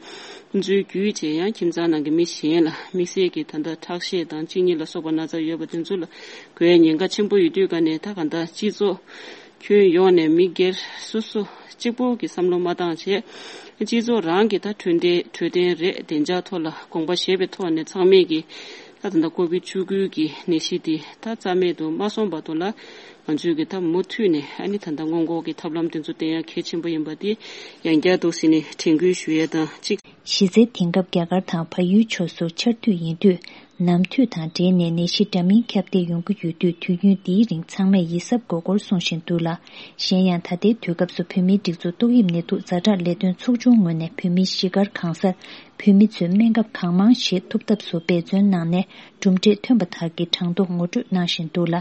ཁོང་ཚོའི་བརྒྱུད་བྱས་ཡང་ཁྱིམ་ཚང་ནང་གི་མི་གཞན་ལ་དམིགས་བསལ་གྱི་ད་ལྟ་ཁྲག་ཤེད་དང་གཅིན་སྙི་ལ་སོགས་པ་ན་ཚ་ཡོད་པ་དེ་ཚོ་ལ་འགོས་ཉེན་ཁ་ཆེན་པོ་ཡོད་དུས་ཀ་ནས་ད་ག་ད་སྤྱི་ཚོགས་ཁྱོན་ཡོངས་ནས་མི་སྒེར་སོ་སོ་གཅིག་པོ་གི་བསམ་བློ་མ་བཏང་བྱས་སྤྱི་ཚོགས་རང་གི་ད་འཕྲོད་བསྟེན་འཕྲོད་བསྟེན་རེད། བདེ་འཇགས་ཐོག་ལ་དགོངས་པ་བཞེས་པའི་ཐོག་ནས་ཚང་མས་ཀྱི་ད་ད་ལྟ་ཀོ་བིད་བཅུ་དགུ་གི་ནད་གཞི་དེ་ད་རྩ་མེད་དུ་མ་སོང་བར་དུ་ལ་ང་ཚོས་ཀྱི་ད་མུ་མཐུད་ནས་ཨ་ནི་ད་ལྟ་སྔོན་འགོག་གི་ཐབས་ལམ་དེ་ཚོ་བསྟེན་ཡ་གལ་ཆེན་པོ་ཡིན་པ་དེ་ཡང་བསྐྱར་དུ་ཟིན་ནས་དྲན་སྐུལ་ཞུ་ཡ་དང་གཅིག་གཞི་རྩའི་དེང་སྐབས་རྒྱ་གར་དང་བལ་ཡུལ་ཕྱོགས་སུ་ཆར་དུས་ཡིན་དུས་ནམ་དུས་དང་འབྲེལ་ནས་ནད་གཞི་འདྲ་མིན་ཁྱབ་གདལ་ཡོང་གི་ཡོད་དུས་དུས་ཡུན་འདིའི་རིང་ཚང་མས་ཡིད་གཟབ་དགོས་སྐོར་གསུང་བཞིན་འདུག་ལ། གཞན་ཡང་ད་ལྟའི་དུས་སྐབས་སུ་བོད་མིའི་སྒྲིག་འཛུགས་ཏོག་དབྱིབས་ནད་དུག་ཛ་དྲག་ལས་དོན་ཚོགས་ཆུང་ངོས་ནས་བོད་མིའི་གཞིས་སྒར་གང་སར་བོད་མི་ཚོས་སྨན་ཁབ་གང་མང་བཞེས་ཐུབ་ཐབས་སུ་འབད་བརྩོན་གནང་ནས་གྲུབ་འབྲས་ཐོན་པ་དག་གི་གྲངས་ཐོ་ངོ་སྤྲོད་གནང་བཞིན་འདུག་ལ།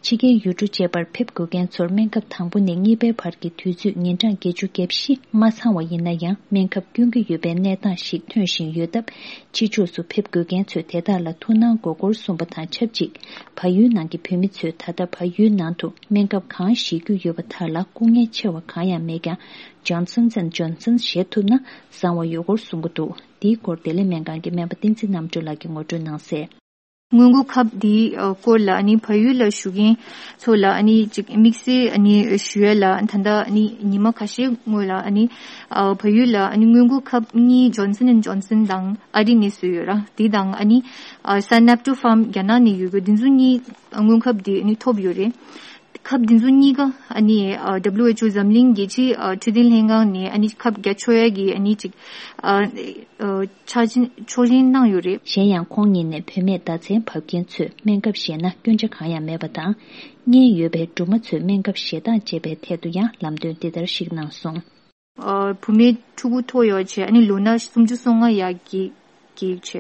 ཕྱི་རྒྱལ་ཡུལ་གྲུ་བཅས་པར་ཕེབས་དགོས་མཁན་ཚོར་སྨན་ཁབ་དང་པོ་ནས་གཉིས་པའི་བར་གྱི་དུས་ཚོད་ཉིན་གྲངས་བརྒྱད་ཅུ་གྱ་བཞི་མ་ཚང་བ་ཡིན་ན་ཡང་སྨན་ཁབ་སྐྱོན་གྱི་ཡོད་པའི་གནས་སྟངས་ཤིག་ཐོན་བཞིན་ཡོད་སྟབས། ཕྱི་ཕྱོགས་སུ་ཕེབས་དགོས་མཁན་ཚོས་དེ་དག་ལ་ཐུགས་སྣང་དགོས་སྐོར་གསུངས་པ་དང་ཆབས་ཅིག་བལ་ཡུལ་ནང་གི་བོད་མི་ཚོས་ད་ལྟ་བལ་ཡུལ་ནང་དུ་སྨན་ཁབ་གང་བཞེས་རྒྱུ་ཡོད་པ་དག་ལ་སྐུ་ངལ་ཆེ་བ་གང་ཡང་མེད་ཀྱང་། Johnson and Johnson བཞེས་ཐུབ་ན་བཟང་བ་ཡོད་སྐོར་གསུང་གི་འདུག་འདིའི་སྐོར་བདེ་ལེགས་སྨན་ཁང་གི་སྨན་པ་བསྟན་འཛིན་རྣམ་གྲོལ་ལགས་ཀྱིས་ངོ་སྤྲོད་གནང་གསལ། སྔོན་འགོག་ཁབ་འདིའི་ཨ་སྐོར་ལ་ཨ་ནི་བལ་ཡུལ་ལ་བཞུགས་མཁན་ཚོ་ལ་ཨ་ནི་ཅིག་དམིགས་བསལ་ཨ་ནི་ཞུ་ཡ་ལ་ད་ལྟ་ཨ་ནི་ཉི་མ་ཁ་ཤས་སྔོན་ལ་ཨ་ནི་ཨ་བལ་ཡུལ་ལ་ཨ་ནི་སྔོན་འགོག་ཁབ་གཉིས་Johnson and Johnson དང་ཨ་རི་ནས་བཟོས་ཡོད་ར། དེ་དང་ཨ་ནི་ཨ་Sanapto Pharm རྒྱ་ནག་ནས་ཡོད་དགོས། དེ་ཚོ་གཉིས་སྔོན་ཁབ་དེ་ཨ་ནི་ཐོབ་ཡོད་རེད། ཁབ་འདི་ཚོ་གཉིས་ཀ་ཨ་ནི་ཨ་W H O འཛམ་གླིང་རྒྱལ་སྤྱིའི་ཨ་འཕྲོད་བསྟེན་ལྷན་ཁང་ནས་ཨ་ནི་ཁབ་རྒྱག་ཆོག་ཡ་གི་ཨ་ནི་ཅིག་ཨ་ཨ་ཆ་ཆོག་མཆན་གནང་ཡོད་རེད། གཞན་ཡང་ཁོང་ཉིད་ནས་བུད་མེད་ཟླ་མཚན་བབས་མཁན་ཚོས་སྨན་ཁབ་བཞེས་ན་སྐྱོན་ཆ་གང་ཡང་མེད་པ་དང་། མངལ་ཡོད་པའི་སྦྲུམ་མ་ཚོས་སྨན་ཁབ་བཞེས་སྟངས་བཅས་པའི་ཐད་དུ་ཡང་ལམ་སྟོན་འདི་ལྟར་ཞིག་གནང་སོང་། ཨ་བུད་མེད་ཕྲུ་གུ་ཐོ་ཡོད་བྱས་ཨ་ནི་ལོ་ན་སུམ་ཅུ་སོ་ལྔ་ཡར་གྱི་གེགས་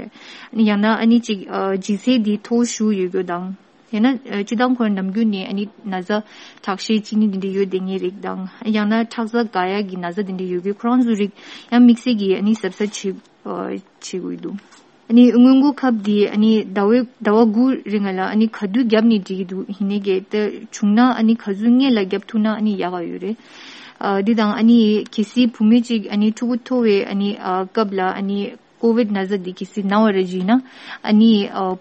བྱས། ཡང་ན་ཨ་ནི་ཅིག་ཨ་ལྗིད་ཚད་དེ་མཐོ་ཤོས་ཡོད་རྒྱུ་དང་། ཡང་ན་ཨ་སྤྱིར་བཏང་ཁོ་རང་ནམ་རྒྱུན་ནས་ཨ་ནི་ན་ཚ་ཁྲག་ཤེད་གཅིན་སྙི་དེ་འདྲ་ཡོད་བསྡད་མཁན་རིགས་དང་། ཡང་ན་ཁྲག་རྩ་འགག་ཡ་གི་ན་ཚ་དེ་འདྲ་ཡོད་རྒྱུ་ཁོ་རང་ཚོ་རིགས་ཡང་དམིགས་བསལ་གྱི་ཨ་ནི་གཟབ་གཟབ་བྱེད་ཨ་བྱེད་དགོས་འདུག་ཨ་ནི་སྔོན་འགོག་ཁབ་དེ་ཨ་ནི་ཟླ་བའི་ཟླ་བ་དགུ་རིང་ལ་ཨ་ནི་ག་དུས་བརྒྱབ་ནས་འགྲིག་གི་འདུག་ཡིན་ནའི་གལ་ཏེ་བྱུང་ན་ཨ་ནི་ག་ཚོད་སྔོན་ལ་བརྒྱབ་ཐུབ་ན་ཨ་ནི་ཡག་ག་ཡོད་རེད། ཨ་འདི་དང་ཨ་ནི་གལ་སྲིད་བུད་མེད་ཅིག་ཨ་ནི་ཕྲུ་གུ་ཐོ་བའི་ཨ་ནི་ཨ་སྐབས་ལ་ཨ་ནི་ཀོ་བིད་ན་ཚ་འདི་གལ་སྲིད་ན་བ་རེད་བྱས་ན་ཨ་ནི་ཨ་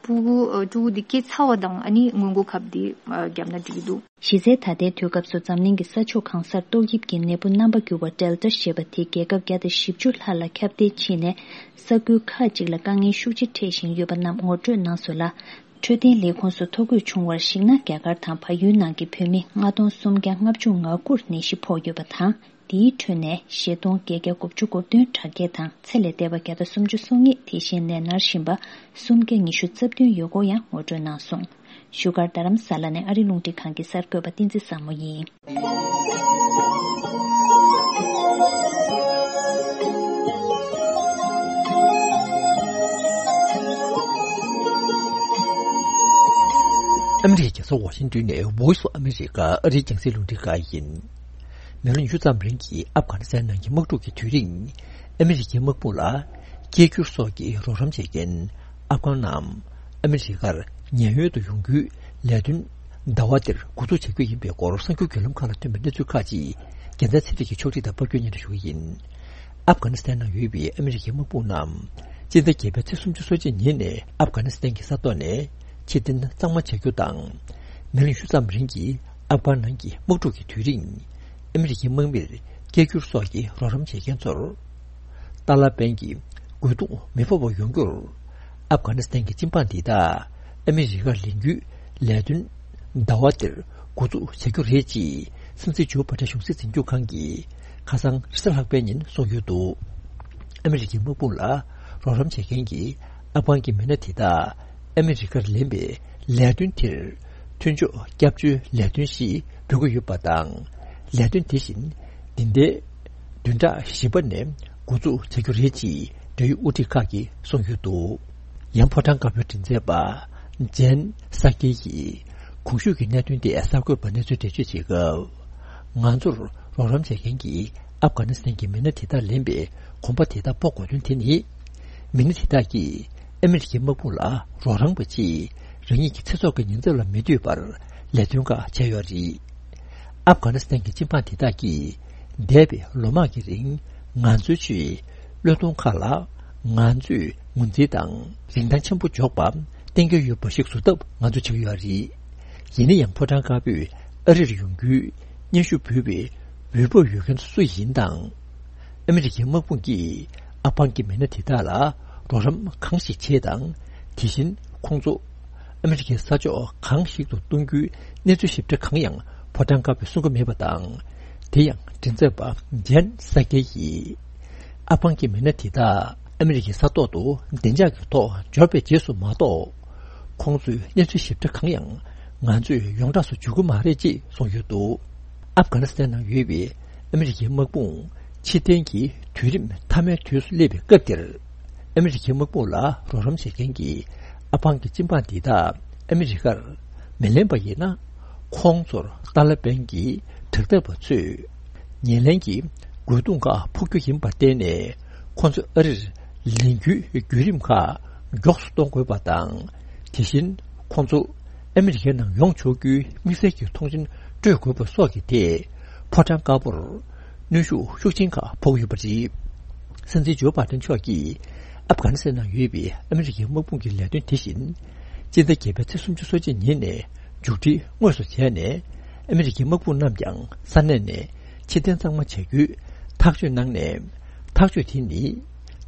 ཕྲུ་གུ་ཨ་ཕྲུ་གུ་འདི་སྐྱེས་ཚར་བ་དང་ཨ་ནི་སྔོན་འགོག་ཁབ་འདི་ཨ་བརྒྱབ་ན་འགྲིག་གི་འདུག་གཞི་རྩའི་ད་ལྟའི་དུས་སྐབས་སུ་འཛམ་གླིང་གི་ས་ཕྱོགས་གང་སར་ཏོག་དབྱིབས་ཀྱི་ནད་འབུ་རྣམ་པ་འགྱུར་བ་Delta ཞེས་པ་དེ་རྒྱལ་ཁབ་བརྒྱ་དང་བཞི་བཅུ་ལྷག་ལ་ཁྱབ་གདལ་ཕྱིན་ནས་ས་ཁུལ་ཁག་ཅིག་ལ་དཀའ་ངལ་ཤུགས་ཆེ་འཕྲད་བཞིན་ཡོད་པ་རྣམས་ངོ་སྤྲོད་གནང་སོང་ལ། འཕྲོད་བསྟེན་ལས་ཁུངས་སུ་ཐོ་འགོད་བྱུང་བར་གཞིགས་ན། རྒྱ་གར་དང་བལ་ཡུལ་ནང་གི་བོད་མི་ལྔ་སྟོང་སུམ་བརྒྱ་ལྔ་བཅུ་ང་དགུར་ནད་གཞི་ཕོག་ཡོད་པ་དང་། དེའི་ཁྲོད་ནས་བཞི་སྟོང་བརྒྱད་བརྒྱ་དགུ་བཅུ་གོ་བདུན་དྲག་སྐྱེད་དང་ཚེ་ལས་འདས་པ་བརྒྱ་དང་སུམ་ཅུ་སོ་གཉིས། དེ་བཞིན་ནད་མནར་བཞིན་པ་སུམ་བརྒྱ་ཉི་ཤུ་རྩ་བདུན་ཡོད་སྐོར་ཡང་ངོ་སྤྲོད་གནང་སོང་། བཞུགས་སྒར་རྡ་རམ་ས་ལ་ནས་ཨ་རི་རླུང་འཕྲིན་ཁང་གི་གསར་འགོད་པ་བསྟན་འཛིན་བཟང་མོ་ཡིན། ཨ་མི་རི་ཀའི་རྒྱལ་ས་ཝ་ཤིང་ཏོན་ནས་Voice of America ཨ་རིའི་རྒྱང་སྲིང་རླུང་འཕྲིན་ཁང་ཡིན། མི་ལོ་ཉི་ཤུ་ཙམ་རིང་གི་ཨབ་གྷ་ནི་སི་ཐན་ནང་གི་དམག་འཁྲུག་གི་དུས་རིང་། ཨ་མི་རི་ཀའི་དམག་དཔུང་ལ་སྐད་སྒྱུར་སོགས་ཀྱི་རོགས་རམ་བྱེད་མཁན་ཨབ་གྷན་ནམ་ཨ་མི་རི་ཀར་ཉེན་གཡོལ་དུ་ཡོང་རྒྱུའི་ལས་དོན་ཟླ་བ་འདིར་འགོ་འཛུགས་བྱ་རྒྱུ་ཡིན་པའི་སྐོར་གསར་འགྱུར་བརྒྱུད་ལམ་ཁག་ལ་ཐོན་པའི་གནས་ཚུལ་ཁག་ཅིག་རྒྱལ་མཚན་ཚེ་རིང་གིས་ཕྱོགས་སྒྲིག་དང་པར་བསྐྱོན་སྙན་སྒྲོན་ཞུ་གི་ཡིན། ཨབ་གྷ་ནི་སི་ཐན་ནང་ཡོད་པའི་ཨ་མི་རི་ཀའི་དམག་དཔུང་རྣམས་སྤྱི་ཟླ་བརྒྱད་པའི་ཚེས་སུམ་ཅུ་སོ་གཅིག་ཉིན་ནས་ཨབ་གྷ་ནི་སི་ཐན་གྱི་ས་ཐོག་ནས་ཕྱིར་འཐེན་གཙང་མ་བྱ་རྒྱུ་དང་། མི་ལོ་ཉི་ཤུ་ཙམ་རིང་གི་ཨབ་གྷན་ནང་གི་དམག་འཁྲུག་གི་དུས་རིང་ཨ་མི་རི་ཀའི་དམག་མིར་སྐད་སྒྱུར་སོགས་ཀྱི་རོགས་རམ་བྱེད་མཁན་ཚོར། ཏཱ་ལ་པན་གྱི་རྒོལ་རྡུང་མི་ཕོག་པ་ཡོང་རྒྱུར། ཨབ་གྷ་ནི་སི་ཐན་གྱི་སྤྱི་འབངས་འདི་དག་ཨ་མི་རི་ཀར་ལེན་རྒྱུའི་ལས་དོན་ཟླ་བ་འདིར་འགོ་འཛུགས་བྱ་རྒྱུ་རེད་ཅེས་སྲིད་འཛིན་ཇོ་བྷ་ཏན་གཞུང་སྲིད་འཛིན་སྐྱོང་ཁང་གིས་ཁ་སང་རེས་གཟའ་ལྷག་པའི་ཉིན་གསུངས་ཡོད་འདུག་ཨ་མི་རི་ཀའི་དམག་དཔུང་ལ་རོགས་རམ་བྱེད་མཁན་གྱི་ཨབ་གྷན་གྱི་མི་སྣ་དེ་དག་ཨ་མི་རི་ཀར་ལེན་པའི་ལས་དོན་དེར་མཐུན་ཕྱོགས་སྐྱབས་བཅོལ་ལས་དོན་ཞེས་འབོད་ཀྱི་ཡོད་པ་དང་། ལས་དོན་དེ་བཞིན་འདི་ཟླའི་བདུན་ཕྲག་བཞི་པ་ནས་འགོ་འཛུགས་བྱ་རྒྱུ་རེད་ཅེས་འབྲེལ་ཡོད་དབུ་ཁྲིད་ཁག་གིས་གསུངས་ཡོད་འདུག་ཡང་ཕོ་བྲང་དཀར་པོའི་མགྲིན་ཚབ་པ་ཇན་སཱ་ཀེ་ཡིས་གོང་ཞུས་ཀྱི་གནད་དོན་དེ་གསར་འགོད་པར་གནས་ཚུལ་འགྲེལ་བརྗོད་བྱེད་སྐབས། ང་ཚོར་རོགས་རམ་བྱེད་མཁན་གྱི་ཨབ་གྷ་ནི་སི་ཐན་གྱི་མི་སྣ་དེ་དག་ལེན་པའི་གོམ་པ་དེ་དག་སྤོ་དགོས་དོན་དེ་ནི། མི་སྣ་དེ་དག་གིས་ཨ་མི་རི་ཀའི་དམག་དཔུང་ལ་རོགས་རམ་པ་ཆེད་རང་ཉིད་ཀྱི་ཚེ་སྲོག་གི་ཉེན་ཚབས་ལ་མི་ལྟོས་པར་ལས་དོན་ཁག་བྱས་ཡོད་རེད། ཨབ་གྷ་ནི་སི་ཐན་གྱི་སྤྱི་འབངས་དེ་དག་གིས་འདས་པའི་ལོ་མང་གི་རིང་ང་ཚོའི་ཆེད་བློས་གཏོང་ཁག་ལ་ང་ཚོས་ངོས་འཛིན་དང་རིན་ཐང་ཆེན་པོ་འཇོག་པ་གཏན་འཁེལ་ཡོད་པ་ཞིག་བཟོ་ཐབས་ང་ཚོས་བྱེད་ཀྱི་ཡོད་རེད། ཡིན་ན་ཡང་ཕོ་བྲང་དཀར་པོས་ཨ་རིར་ཡོང་རྒྱུའི་སྙན་ཞུ་འབུལ་བའི་འོས་བབ་ཡོད་མཁན་སུ་ཡིན་དང་། ཨ་མི་རི་ཀའི་དམག་དཔུང་གིས་ཨབ་གྷན་གྱི་མི་སྣ་དེ་དག་ལ་རོགས་རམ་གང་ཞིག་བྱས་དང་། དེ་བཞིན་ཁོང་ཚོ་ཨ་མི་རི་ཀའི་ས་ཕྱོགས་གང་ཞིག་ཏུ་གཏོང་རྒྱུའི་གནས་ཚུལ་ཞིབ་ཕྲ་གང་ཡང་ཕོ་བྲང་དཀར་པོས་གསུང་གི་མེད་པ་དང་། དེ་ཡང་མགྲིན་ཚབ་པ་ཇན་སཱ་ཀེ་ཡིས་ཨབ་གྷན་གྱི་མི་སྣ་དེ་དག་ཨ་མི་རི་ཀའི་ས་ཐོག་ཏུ་བདེ་འཇགས་ཀྱི་ཐོག་འབྱོར་བའི་རྗེས་སུ་མ་གཏོགས། ཁོང་ཚོའི་གནས་ཚུལ་ཞིབ་ཕྲ་གང་ཡང་ང་ཚོས་ཡོངས་གྲགས་སུ་འཇུག་གི་མ་རེད་ཅེས་གསུངས་ཡོད་འདུག་ཨབ་གྷ་ནི་སི་ཐན་ནང་ཡོད་པའི་ཨ་མི་རི་ཀའི་དམག་དཔུང་ཕྱིར་འཐེན་གྱི་དུས་རིམ་མཐའ་མའི་དུས་སུ་སླེབས་པའི་སྐབས་དེར། ཨ་མི་རི་ཀའི་དམག་དཔུང་ལ་རོགས་རམ་བྱེད་མཁན་གྱི་ཨབ་གྷན་གྱི་སྤྱི་འབངས་འདི་དག་ཨ་མི་རི་ཀར་མི་ལེན་པ་ཡིན་ན། ཁོང་ཚོར་ཏཱ་ལ་པན་གྱི་དྲག་འཐབ་པ་ཚོས་ཉེར་ལེན་གྱི་རྒོལ་རྡུང་ཁག་ཕོག་རྒྱུ་ཡིན་པར་བརྟེན་ནས། ཁོང་ཚོ་ཨ་རིར་ལེན་རྒྱུའི་བརྒྱུད་རིམ་ཁག་མགྱོགས་སུ་གཏོང་དགོས་པ་དང་། དེ་བཞིན་ཁོང་ཚོ་ཨ་མི་རི་ཀའི་ནང་ཡོང་ཆོག་རྒྱུའི་དམིགས་བསལ་གྱི་ཐོངས་མཆན་སྤྲོད་དགོས་པ་སོགས་ཀྱི་ཐད་ཕོ་བྲང་དཀར་པོར་གནོན་ཤུགས་ཤུགས་ཆེན་ཁག་ཕོག་ཡོད་པ་རེད། སྲིད་འཛིན་ཇོ་བྷ་ཏན་མཆོག་གིས་ཨབ་གྷ་ནི་སི་ཐན་ནང་ཡོད་པའི་ཨ་མི་རི་ཀའི་དམག་དཔུང་གི་ལས་དོན་དེ་བཞིན་སྤྱི་ཟླ་བརྒྱད་པའི་ཚེས་སུམ་ཅུ་སོ་གཅིག་ཉིན་ནས་མཇུག་སྒྲིལ་དངོས་སུ་བྱས་ནས། ཨ་མི་རི་ཀའི་དམག་དཔུང་རྣམས་ཀྱང་ས་གནས་ནས་ཕྱིར་འཐེན་གཙང་མ་བྱ་རྒྱུའི་ཐག་གཅོད་གནང་ནས། ཐག་གཅོད་དེ་ནི་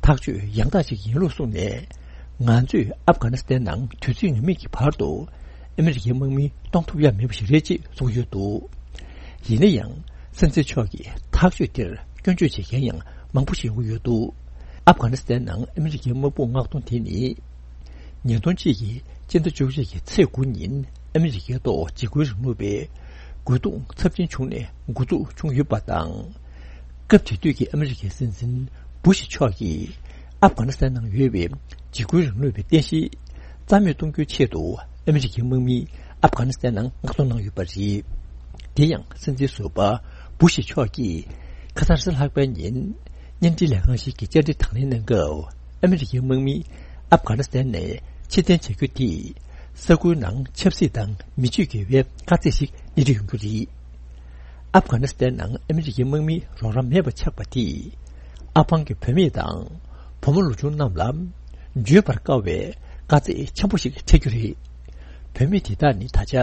ཐག་གཅོད་ཡང་དག་ཅིག་ཡིན་ལུགས་གསུངས་ནས། ང་ཚོས་ཨབ་གྷ་ནི་སི་ཐན་ནང་དུས་ཚོད་ངེས་མེད་ཀྱི་བར་དུ་ཨ་མི་རི་ཀའི་དམག་མི་གཏོང་ཐུབ་ཡ་མེད་པ་ཞིག་རེད་ཅེས་གསུངས་ཡོད་འདུག་ཡིན་ན་ཡང་། སྲིད་འཛིན་མཆོག་གིས་ཐག་གཅོད་དེར་སྐྱོན་བརྗོད་བྱེད་མཁན་ཡང་མང་པོ་ཞིག་ཡོང་གི་ཡོད་འདུག་ཨབ་གྷ་ནི་སི་ཐན་ནང་ཨ་མི་རི་ཀའི་དམག་དཔུང་མངགས་གཏོང་དེ་ནི། ཉིས་སྟོང་གཅིག་གི་སྤྱི་ཟླ་བཅུ་གཅིག་གི་ཚེས་དགུ་ཉིན་ཨ་མི་རི་ཀའི་ཐོག་འཇིགས་སྐུལ་རིང་ལུགས་པའི་རྒོལ་རྡུང་ཚབས་ཆེན་བྱུང་ནས་འགོ་འཛུགས་བྱུང་ཡོད་པ་དང་། སྐབས་དེ་དུས་ཀྱི་ཨ་མི་རི་ཀའི་སྲིད་འཛིན་བུ་ཤི་མཆོག་གིས་ཨབ་གྷ་ནི་སི་ཐན་ནང་ཡོད་པའི་འཇིགས་སྐུལ་རིང་ལུགས་པའི་རྟེན་གཞི་རྩ་མེད་གཏོང་རྒྱུའི་ཆེད་དུ་ཨ་མི་རི་ཀའི་དམག་མི་ཨབ་གྷ་ནི་སི་ཐན་ནང་མངགས་གཏོང་གནང་ཡོད་པ་རེད། དེ་ཡང་སྲིད་འཛིན་ཟུར་པ་བུ་ཤི་མཆོག་གིས་ཁ་སང་རེས་གཟའ་ལྷག་པའི་ཉིན་བརྙན་འཕྲིན་ལས་ཁང་ཞིག་གི་བཅར་འདྲི་དང་ལེན་གནང་སྐབས། ཨ་མི་རི་ཀའི་དམག་མི་ཨབ་གྷ་ནི་སི་ཐན་ནས་ཕྱིར་འཐེན་བྱ་རྒྱུ་དེས་ས་ཁུལ་ནང་ཆབ་སྲིད་དང་མི་ཆོས་འགལ་བའི་དཀའ་ཚེགས་ཤིག་སྣེ་ཁྲིད་ཡོང་རྒྱུ་རེད། ཨབ་གྷ་ནི་སི་ཐན་ནང་ཨ་མི་རི་ཀའི་དམག་མིའི་རོགས་རམ་མེད་པ་ཆགས་པ་དེས། ཨབ་གྷན་གྱི་བུད་མེད་དང་བུ་མོ་ལོ་ཆུང་རྣམས་ལ་བརྗོད་པར་དཀའ་བའི་དཀའ་ཚེགས་ཆེན་པོ་ཞིག་འཕྲད་རྒྱུ་རེད། བུད་མེད་དེ་དག་ནི་ད་ཆ་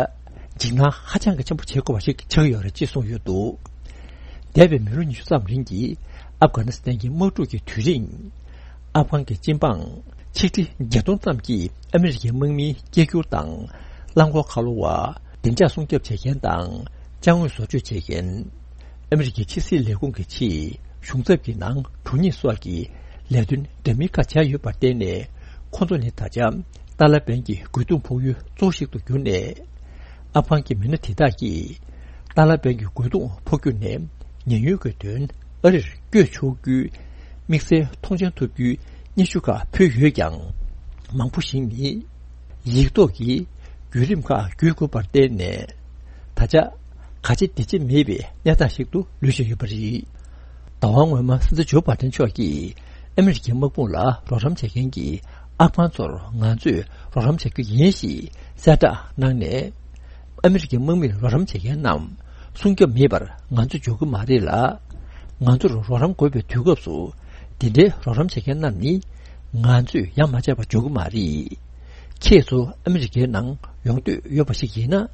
འཇིགས་སྣང་ཧ་ཅང་གི་ཆེན་པོ་བྱེད་དགོས་པ་ཞིག་ཆགས་ཀྱི་ཡོད་རེད་ཅེས་གསུངས་ཡོད་འདུག་འདས་པའི་མི་ལོ་ཉི་ཤུ་ཙམ་རིང་གི་ཨབ་གྷ་ནི་སི་ཐན་གྱི་དམག་འཁྲུག་གི་དུས་རིང་། ཨབ་གྷན་གྱི་སྤྱི་འབངས་ ཆིག་ཁྲི་བརྒྱད་སྟོང་ཙམ་གྱིས་ཨ་མི་རི་ཀའི་དམག་མིའི་སྐད་སྒྱུར་དང་། རླངས་འཁོར་ཁ་ལོ་བ། བདེ་འཇགས་སྲུང་སྐྱོབ་བྱེད་མཁན་དང་། ཅ་དངོས་བཟོ་བཅོས་བྱེད་མཁན། ཨ་མི་རི་ཀའི་ཕྱི་སྲིད་ལས་ཁུངས་ཀྱི་ཆེད་གཞུང་ཚབ་ཀྱི་ནང་དྲུང་ཉིད་སོགས་ཀྱི་ལས་དོན་འདྲ་མིན་ཁག་བྱས་ཡོད་པར་བརྟེན་ནས། ཁོ་ཚོ་ནི་ད་ཆ་ཏཱ་ལ་པན་གྱི་རྒོལ་རྡུང་ཕོག་ཡུལ་གཙོ་བོ་ཞིག་ཏུ་གྱུར་ནས། ཨབ་གྷན་གྱི་མི་སྣ་དེ་དག་གིས་ཏཱ་ལ་པན་གྱི་རྒོལ་རྡུང་ཕོག་རྒྱུ་ནས་ཉེན་གཡོལ་གྱི་དོན་ཨ་རིར་བསྐྱོད་ཆོག་རྒྱུའི་དམིགས་བསལ་ཐོངས་མཆན་ཐོབ་རྒྱུའི་སྙན་ཞུ་ཁག་ཕུལ་ཡོད་ཀྱང་། མང་པོ་ཞིག་ནི་ཡིག་ཐོག་གི་བརྒྱུད་རིམ་ཁག་བརྒྱུད་དགོས་པར་བརྟེན་ནས། ད་ཆ་ག་ཆེ་འདི་ཆེ་མེད་པའི་གནས་སྟངས་ཤིག་ཏུ་ལུས་བཞིན་ཡོད་པ་རེད། ཟླ་བ་སྔོན་མ་སྲིད་འཛིན་ཇོ་བྷའི་ཏན་མཆོག་གིས་ཨ་མི་རི་ཀའི་དམག་དཔུང་ལ་རོགས་རམ་བྱེད་མཁན་གྱི་ཨབ་གྷན་ཚོར་ང་ཚོས་རོགས་རམ་བྱ་རྒྱུ་ཡིན་ཞེས་གསལ་བསྒྲགས་གནང་ནས། ཨ་མི་རི་ཀའི་དམག་མིར་རོགས་རམ་བྱེད་མཁན་རྣམས་སྲུང་སྐྱོབ་མེད་པར་ང་ཚོ་འཇོག་གི་མ་རེད་ལ། ང་ཚོར་རོགས་རམ་དགོས་པའི་དུས་སྐབས་སུ་འདི་འདྲའི་རོགས་རམ་བྱེད་མཁན་རྣམས་ནི་ང་ཚོས་ཡ་མ་བྱས་པ་འཇོག་གི་མ་རེད། ཁྱེད་ཚོ་ཨ་མི་རི་ཀའི་ནང་ཡོང་འདོད་ཡོད་པ་ཞིག་ཡིན་ན།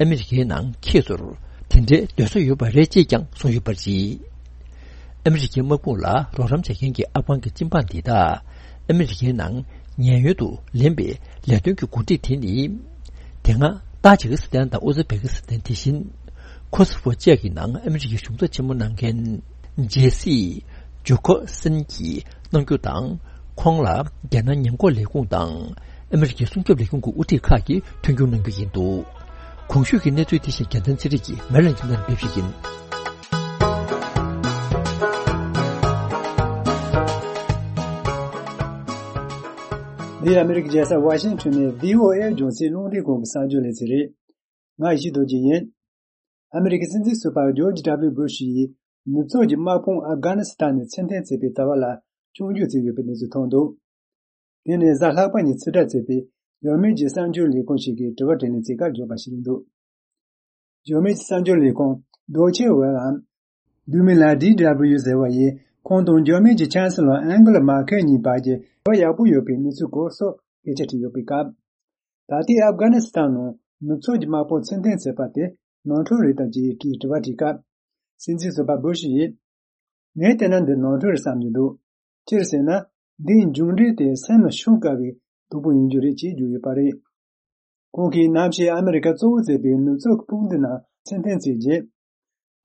ཨ་མི་རི་ཀའི་ནང་ཁྱེད་ཚོར་དེ་འདྲའི་སྡོད་ས་ཡོད་པ་རེད་ཅེས་ཀྱང་གསུངས་ཡོད་པ་རེད། ཨ་མི་རི་ཀའི་དམག་དཔུང་ལ་རོགས་རམ་བྱེད་མཁན་གྱི་ཨབ་གྷན་གྱི་སྤྱི་འབངས་འདི་དག་ཨ་མི་རི་ཀའི་ནང་ཉེན་གཡོལ་དུ་ལེན་པའི་ལས་དོན་གྱི་འགོ་ཁྲིད་དེ་ནི། དེ་སྔ་ཏཱ་ཇི་ཀི་སི་ཐན་དང་ཨུ་ཛི་བེ་ཀི་སི་ཐན། དེ་བཞིན་ཁོ་སི་ཧྥོ་བཅས་ཀྱི་ནང་ཨ་མི་རི་ཀའི་གཞུང་ཚབ་ཆེན་མོ་གནང་མཁན་ཇེ་སི་ཇོ་ཁོ་སན་གྱིས་གནང་རྒྱུ་དང་། ཁོང་ལ་རྒྱལ་ནང་ཉེན་འགོག་ལས་ཁུངས་དང་ཨ་མི་རི་ཀའི་སྲུང་སྐྱོབ་ལས་ཁུངས་ཀྱི་དབུ་ཁྲིད་ཁག་གིས་མཐུན་འགྱུར་གནང་རྒྱུ་ཡིན་འདུག། གོང་ཞུས་ཀྱི་གནས་ཚུལ་དེ་བཞིན་རྒྱལ་མཚན་ཚེ་རིང་གིས་མེ་ལན་ཁྱིམ་ཚང་ནས་ཕེབས་ཞིག་ཡིན། འདི་ཨ་མི་རི་ཀའི་རྒྱལ་ས་ཝ་ཤིང་ཊོན་ནས་བྷི་ཨོ་ཨེ་རྒྱང་སྲིང་རླུང་འཕྲིན་ཁང་གི་གསར་འགྱུར་ལེ་ཚན་རེད། ང་ཡེ་ཤེས་རྡོ་རྗེ་ཡིན། ཨ་མི་རི་ཀའི་སྲིད་འཛིན་ཟུར་པ་ཇོརྗ་ཌབ་ལིའུ་བུ་ཤི་ཡིས་ནུབ་ཕྱོགས་ཀྱི་དམག་དཔུང་ཨབ་གྷ་ནི་སི་ཐན་ནས་ཕྱིར་འཐེན་བྱས་པའི་ཟླ་བ་ལ་བཅུ་མཇུག་ཚུད་ཡོད་པའི་གནས་ཚུལ་ཐོན་འདུག། དེ་ནི་གཟའ་ལྷག་པ་ཉིན་ཕྱིར་བསྒྲགས་བྱས་པའི་འཇར་མན་གྱི་གསར་འགྱུར་ལས་ཁང་ཞིག་གི་དྲི་བ་དྲིས་ལན་གྱི་སྐབས་བརྗོད་པ་ཞིག་རེད་འདུག། འཇར་མན་གྱི་གསར་འགྱུར་ལས་ཁང་Deutsche Welle་འམ། བསྡུས་མིང་ལ་ཌི་ཌབ་ལིའུ་ཟེར་བ་ཡིས་ཁོང་དང་འཇར་མན་གྱི་ཆན་སི་ལོར་ཨན་གེ་ལ་མར་ཁེལ་གཉིས་བར་གྱི་འབྲེལ་བ་ཡག་པོ་ཡོད་པའི་གནས་ཚུལ་སྐོར་སོགས་སྐད་ཆ་དྲིས་ཡོད་པའི་སྐབས། ད་ལྟའི་ཨབ་གྷ་ནི་སི་ཐན་ནང་ནུབ་ཕྱོགས་ཀྱི་དམག་དཔུང་ཕྱིར་འཐེན་བྱས་པ་དེ་ནོར་འཁྲུལ་རེད་དམ་ཅེས་དྲི་བ་དྲིས་སྐབས། སྲིད་འཛིན་ཟུར་པ་བུ་ཤི་ཡིས། ངས་བལྟས་ན་འདི་ནོར་འཁྲུལ་རེད་བསམ་གྱི་འདུག། སྤྱིར་ཟེར་ན། འདིའི་མཇུག་འབྲས་དེ་སེམས་ལ་ཤོང་དཀའ་བའི་སྡུག་པོ་ཡིན་རྒྱུ་རེད་ཅེས་བརྗོད་ཡོད་པ་རེད། ཁོང་གིས་གནམ་གཤིས་ཨ་མི་རི་ཀ་གཙོ་བོ་བྱས་པའི་ནུབ་ཕྱོགས་ཀྱི་དཔུང་སྡེ་ནང་ཕྱིར་འཐེན་བྱས་རྗེས།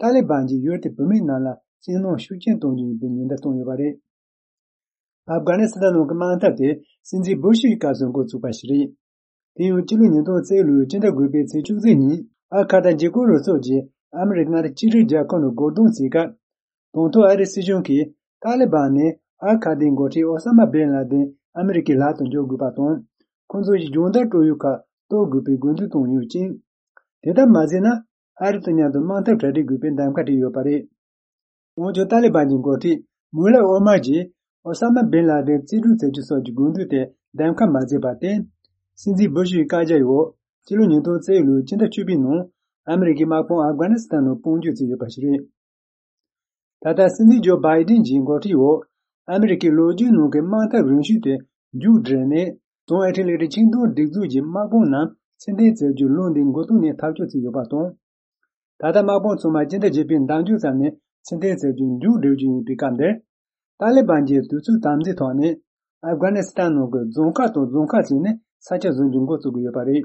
ཏཱ་ལི་བན་གྱིས་ཡུལ་དེའི་བུད་མེད་རྣམས་ལ་སྐྱིད་སྣང་ཤུགས་ཆེན་གཏོང་རྒྱུ་ཡིན་པའི་ཉེན་བརྡ་བཏང་ཡོད་པ་རེད། ཨབ་གྷ་ནི་སི་ཐན་ནང་གི་དམག་འཐབ་དེ་སྲིད་འཛིན་བུ་ཤི་ཡི་སྐབས་སུ་འགོ་ཚུགས་པ་ཞིག་རེད། དེ་ཡང་སྤྱི་ལོ་ཉིས་སྟོང་རྩ་བཞི་ལོའི་སྤྱི་ཟླ་དགུ་པའི་ཚེས་བཅུ་གཅིག་ཉིན་ཨལ་ཁ་ད་འཇིགས་སྐུལ་རུ་ཚོགས་ཀྱིས་ཨ་མི་རི་ཀ་མངའ་སྡེ་གཅིག་སྒྲིལ་རྒྱལ་ཁབ་ནང་རྒོལ་རྡུང་བྱས་སྐབས། དང་ཐོག་ཨ་རིའི་སྲིད་གཞུང་གིས་ཏཱ་ལི་བན་ནས་ཨལ་ཁ་ད་ཡི་འགོ་ཁྲིད་ཨོ་ས་མ་བྷིན་ལ་དིན་ཨ་མི་རི་ཀའི་ལག་ཏུ་འཇོག་དགོས་པ་དང་། ཁོང་ཚོ་ཡི་སྦྱོང་བརྡར་སྤྲོད་ཡུལ་ཁག་གཏོར་དགོས་པའི་དགོས་འདུན་བཏང་ཡོད་ཅིང་། དེ་ལྟར་མ་བྱས་ན་ཨ་རི་དང་མཉམ་དུ་དམག་འཐབ་གྲ་སྒྲིག་དགོས་པའི་གདམ་ཁ་སྤྲད་ཡོད་པ་རེད། འོན་ཀྱང་ཏཱ་ལི་བན་གྱི་འགོ་ཁྲིད་མུ་ལ་ཨོ་མར་གྱིས་ཨོ་ས་མ་བྷིན་ལ་དིན་རྩིས་སྤྲོད་བྱ་རྒྱུ་སོགས་ཀྱི་དགོས་འདུན་དེ་གདམ་ཁ་མ་བྱས་པར་བརྟེན། སྲིད་འཛིན་བུ་ཤི་ཡི་བཀའ་རྒྱ་འོག་སྤྱི་ལོ་ཉིས་སྟོང་རྩ་བཞི་ལོའི་སྤྱི་ཟླ་བཅུ་པའི་ནང་ཨ་མི་རི་ཀའི་དམག་དཔུང་ཨབ་གྷ་ནི་སི་ཐན་ནང་དཔུང་འཇུག་བྱས་ཡོད་པ་ཞིག་རེད། ད་ལྟ་སྲིད་འཛིན་ཇོ་བྷའི་ཏིན་གྱི་འགོ་ཁྲིད་འོག་ཨ་མི་རི་ཀའི་ལོ་རྒྱུས་ནང་གི་དམག་འཐབ་རིམ་བྱོན་དེ་མཇུག་བསྒྲིལ་ནས། བྱང་ཨེ་ཤི་ཡའི་ལེ་ཊི་ཆིང་ཏོག་སྒྲིག་འཛུགས་ཀྱི་དམག་དཔུང་རྣམས་ཕྱིར་འཐེན་བྱ་རྒྱུའི་ལུང་འདི་མགོ་ཐོག་ནས་ཐག་གཅོད་བྱས་ཡོད་པ་དང་། ད་ལྟ་དམག་དཔུང་ཚང་མ་སྤྱི་ཟླ་བརྒྱད་པའི་ཟླ་མཇུག་ཙམ་ནས་ཕྱིར་འཐེན་བྱ་རྒྱུ་མཇུག་བསྒྲིལ་རྒྱུ་ཡིན་པའི་སྐབས་འདིར། ཏཱ་ལི་བན་གྱིས་དུས་ཚོད་དམ་འཛིན་ཐོག་ནས་ཨབ་གྷ་ནི་སི་ཐན་ནང་གི་རྫོང་ཁག་དང་རྫོང་ཁག་བྱས་ནས་ས་ཆ་བཟུང་རྒྱུ་འགོ་བཙུགས་ཀྱི་ཡོད་པ་རེད།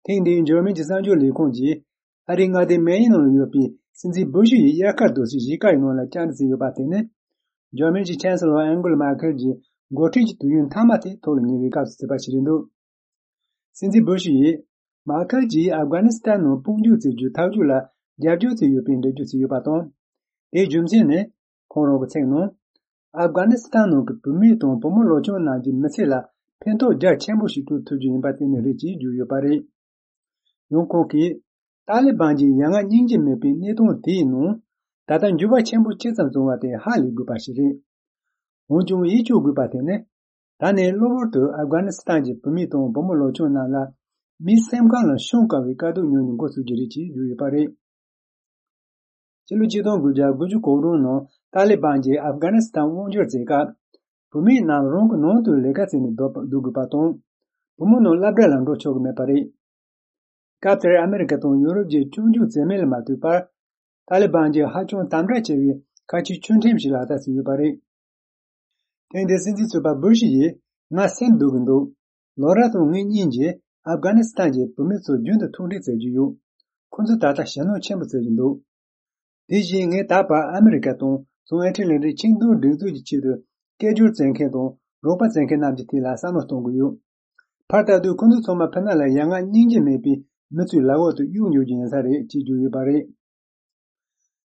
ཐེངས་འདིའི་འཇར་མན་གྱི་གསར་འགྱུར་ལས་ཁུངས་ཀྱིས་ཨ་རིའི་མངའ་སྡེ་མེ་ཡི་ནང་ལ་ཡོད་པའི་སྲིད་འཛིན་བུ་ཤི་ཡི་དབྱར་ཁ་རྡོ་སོལ་གཞིས་ཀ་ཡི་ནང་ལ་བཅར་འདྲི་བྱས་ཡོད་པ་དེ་ནི། འཇར་མན་གྱི་ཆན་སི་ལོར་ཨན་གེ་ལ་མར་ཁེལ་གྱི་འགོ་ཁྲིད་ཀྱི་དུས་ཡུན་མཐའ་མ་དེ་ཐོག་ལ་ཉེ་བའི་སྐབས་སུ་བྱས་པ་ཞིག་རེད་འདུག། སྲིད་འཛིན་བུ་ཤི་ཡིས་མར་ཁེལ་གྱིས་ཨབ་གྷ་ནི་སི་ཐན་ནང་དཔུང་འཇུག་བྱེད་རྒྱུའི་ཐག་གཅོད་ལ་རྒྱབ་སྐྱོར་བྱས་ཡོད་པའི་འགྲེལ་བརྗོད་བྱས་ཡོད་པ་དང་། དེའི་རྒྱུ་མཚན་ནི། ཁོང་རང་གིས་ཚིག་ནང་། ཨབ་གྷ་ནི་སི་ཐན་ནང་གི་བུད་མེད་དང་བུ་མོ་ལོ་ཆུང་རྣམས་ཀྱི་མི་ཚེ་ལ་ཕན་ཐོགས་རྒྱ་ཆེན་པོ་ཞིག་སྤྲོད་ཐུབ་རྒྱུ་ཡིན་པ་དེ་ནི་རེད་ཅེས་བརྗོད་ཡོད་པ་རེད། ཡང་ཁོང་གིས། ཏཱ་ལི་བན་གྱི་ཡ་ང་སྙིང་རྗེ་མེད་པའི་གནས་སྟངས་དེའི་ནང་། ད་ལྟ་འགྱུར་བ་ཆེན་པོ་ཇི་ཙམ་བྱུང་བ་དེ་ཧ་ལས་དགོས་པ་ཞིག་རེད། འོན་ཀྱང་ཡིད་སྐྱོ་དགོས་པ་དེ་ནི། ད་ནས་གློ་བུར་དུ་ཨབ་གྷ་ནི་སི་ཐན་གྱི་བུད་མེད་དང་བུ་མོ་ལོ་ཆུང་རྣམས་ལ། མིའི་སེམས་ཁམས་ལ་ཤོང་དཀའ་བའི་དཀའ་སྡུག་མྱོང་རྒྱུ་འགོ་ཚུགས་ཀྱི་རེད་ཅེས་བརྗོད་ཡོད་པ་རེད། ཕྱི་ལོ་ཆིག་སྟོང་དགུ་བརྒྱ་དགུ་བཅུ་གོ་དྲུག་ནང་ཏཱ་ལི་བན་གྱིས་ཨབ་གྷ་ནི་སི་ཐན་དབང་སྒྱུར་བྱེད་སྐབས། བུད་མེད་རྣམས་རང་གི་ནང་དུ་ལས་ཀ་བྱས་ནས་སྡོད་པ་སྡོད་དགོས་པ་དང་། བུ་མོ་རྣམས་སློབ་གྲྭ་ལ་འགྲོ་ཆོག་གི་མེད་པ་རེད། སྐབས་དེར་ཨ་མི་རི་ཀ་དང་ཡོ་རོབ་ཀྱིས་སྐྱོན་བརྗོད་བྱས་མིན་ལ་མ་ལྟོས་པར། ཏཱ་ལི་བན་གྱིས་ཧ་ཅང་དམ་དྲག་ཆེ་བའི་ཁ་ཆེའི་ཆོས་ཁྲིམས་ཤིག་ལག་བསྟར་བྱས་ཡོད་པ་རེད། ཐེངས་འདིའི་སྲིད་འཛིན་གཙོས་པ་བུ་ཤི་ཡིས། ང་སེམས་སྡུག་གི་འདུག་ལོ་ར་དང་ངེད་གཉིས་ཀྱིས་ཨབ་གྷ་ནི་སི་ཐན་གྱི་བུད་མེད་ཚོ་རྒྱུན་དུ་ཐུགས་འཕྲད་མཛད་ཀྱི་ཡོད། ཁོ་ཚོས་ད་ལྟ་ཞེད་སྣང་ཆེན་པོ་བྱེད་ཀྱི་འདུག་དེ་བཞིན་ངས་ད་བར་ཨ་མི་རི་ཀ་དང་བྱང་ཨེ་ཤི་ཡའི་ལས་འབྲེལ་ཆིངས་འཐུས་སྒྲིག་འཛུགས་ཀྱི་ཆེད་དུ་སྐད་སྒྱུར་བྱེད་མཁན་དང་རོགས་པ་བྱེད་མཁན་རྣམས་ཀྱི་ཐད་ལ་བསམ་བློ་གཏོང་གི་ཡོད། ཕར་ལྟ་དུས་ཁོ་ཚོ་ཚང་མ་ཕི་ནང་ལ་ཡ་ང་སྙིང་རྗེ་མེད་པའི་མི་ཚོའི་ལག་འོག་ཏུ་གཡུག་འགྱོ་རྒྱུ་ཡིན་ས་རེད་ཅེས་བརྗོད་ཡོད་པ་རེད།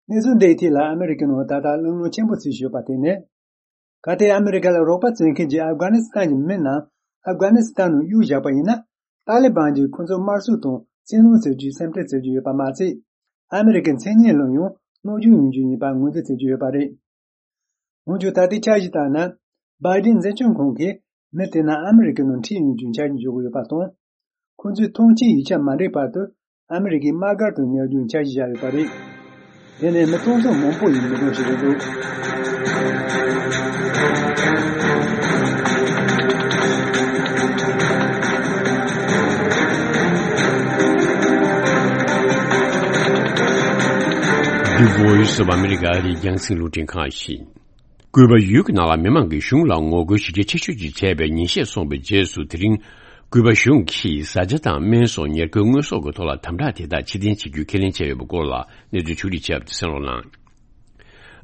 གནས་ཚུལ་འདིའི་ཐད་ལ་ཨ་མི་རི་ཀའི་ནང་ད་ལྟ་གླེང་སློང་ཆེན་པོ་བྱེད་བཞིན་ཡོད་པ་དེ་ནི། གལ་ཏེ་ཨ་མི་རི་ཀ་ལ་རོགས་པ་བྱེད་མཁན་གྱི་ཨབ་གྷ་ནི་སི་ཐན་གྱི་མི་རྣམས་ཨབ་གྷ་ནི་སི་ཐན་ནང་གཡུགས་བཞག་པ་ཡིན་ན། ཏཱ་ལི་བན་གྱིས་ཁོ་ཚོ་དམར་གསོད་དང་བཙན་གནོན་བྱེད་རྒྱུའི་སེམས་ཁྲལ་བྱེད་ཀྱི་ཡོད་པ་མ་ཟད། ཨ་མི་རི་ཀའི་མཚན་སྙན་ལ་ཡང་གནོད་སྐྱོན་ཡོང་རྒྱུ་ཡིན་པ་ངོས་འཛིན་བྱེད་ཀྱི་ཡོད་པ་རེད། འོན་ཀྱང་ད་ལྟའི་འཆར་གཞི་ལྟར་ན། བྷའི་ཌེན་འཛིན་སྐྱོང་ཁང་གིས་མི་དེ་རྣམས་ཨ་མི་རི་ཀའི་ནང་ཁྲིད་ཡོང་རྒྱུའི་འཆར་གཞི་འཇོག་གི་ཡོད་པ་དང་། ཁོང་ཚོས་ཐོངས་མཆན་ཡིག་ཆ་མ་འགྲིག་བར་དུ་ཨ་མི་རི་ཀའི་དམག་སྒར་དུ་ཉར་རྒྱུའི་འཆར་གཞི་བཞག་ཡོད་པ་རེད། དེ་ནས་མི་སྟོང་ཚོ་མང་པོ་ཡི་མི་གྲངས་ཤིག་རེད་འདུག The Voice of America ཨ་རིའི་རྒྱང་སྲིང་རླུང་འཕྲིན་ཁང་ཞིག་སྐུད་པ་ཡུལ་གྱི་ནང་ལ་མི་མང་གིས་གཞུང་ལ་ངོ་རྒོལ་ཞི་རྒྱས་ཆེ་ཤོས་ཅིག་བྱས་པའི་ཉིན་ཤས་སོང་བའི་རྗེས་སུ། དེ་རིང་སྐུད་པ་གཞུང་གིས་བཟའ་བཅའ་དང་སྨན་སོགས་ཉེར་མཁོའི་དངོས་ཟོག་གི་ཐོག་ལ་དམ་དྲག་དེ་དག་ཕྱིར་འཐེན་བྱེད་རྒྱུའི་ཁས་ལེན་བྱས་ཡོད་པའི་སྐོར་ལ་གནས་ཚུལ་ཕྱོགས་སྒྲིག་བྱས་པ་དེ་གསན་རོགས་གནང་།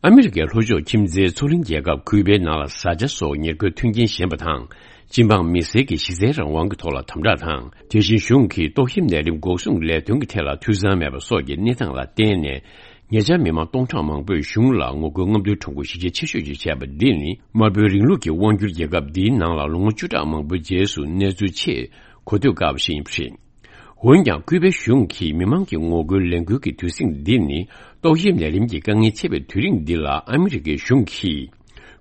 ཨ་མི་རི་ཀའི་ལྷོ་ཕྱོགས་ཁྱིམ་མཚེས་མཚོ་གླིང་རྒྱལ་ཁབ་ཀུའུ་པའི་ནང་ལ་བཟའ་བཅའ་སོགས་ཉེར་མཁོའི་མཐུན་རྐྱེན་ཞན་པ་དང་། སྤྱི་འབངས་མི་སེར་གྱི་གཞི་རྩའི་རང་དབང་གི་ཐོག་ལ་དམ་དྲག་དང་། དེ་བཞིན་གཞུང་གིས་ཏོག་དབྱིབས་ནད་རིམས་འགོག་སྲུང་ལས་དོན་གྱི་ཐད་ལ་འཐུས་ཚང་མེད་པ་སོགས་ཀྱི་གནས་སྟངས་ལ་བརྟེན་ནས། ཉེ་ཆར་མི་མང་སྟོང་ཕྲག་མང་པོས་གཞུང་ལ་ངོ་རྒོལ་རྔམ་སྟོན་ཁྲོམ་སྐོར་ཞི་རྒྱས་ཆེ་ཤོས་ཤིག་བྱས་པ་འདི་ནི། དམར་པོའི་རིང་ལུགས་ཀྱི་དབང་སྒྱུར་རྒྱལ་ཁབ་འདིའི་ནང་ལ་ལོ་ངོ་བཅུ་ཕྲག་མང་པོའི་རྗེས་སུ་གནས་ཚུལ་ཆེས་གོ་ཐོས་དཀའ་བ་ཞིག་ཡིན་པ་རེད། འོན་ཀྱང་། ཀུའུ་པའི་གཞུང་གིས་མི་མང་གི་ངོ་རྒོལ་ལས་འགུལ་གྱི་དུས་ཟིང་འདི་ནི། ཏོག་དབྱིབས་ནད་རིམས་ཀྱི་དཀའ་ངལ་ཆེ་བའི་དུས་རིང་འདི་ལ་ཨ་མི་རི་ཀའི་གཞུང་གིས།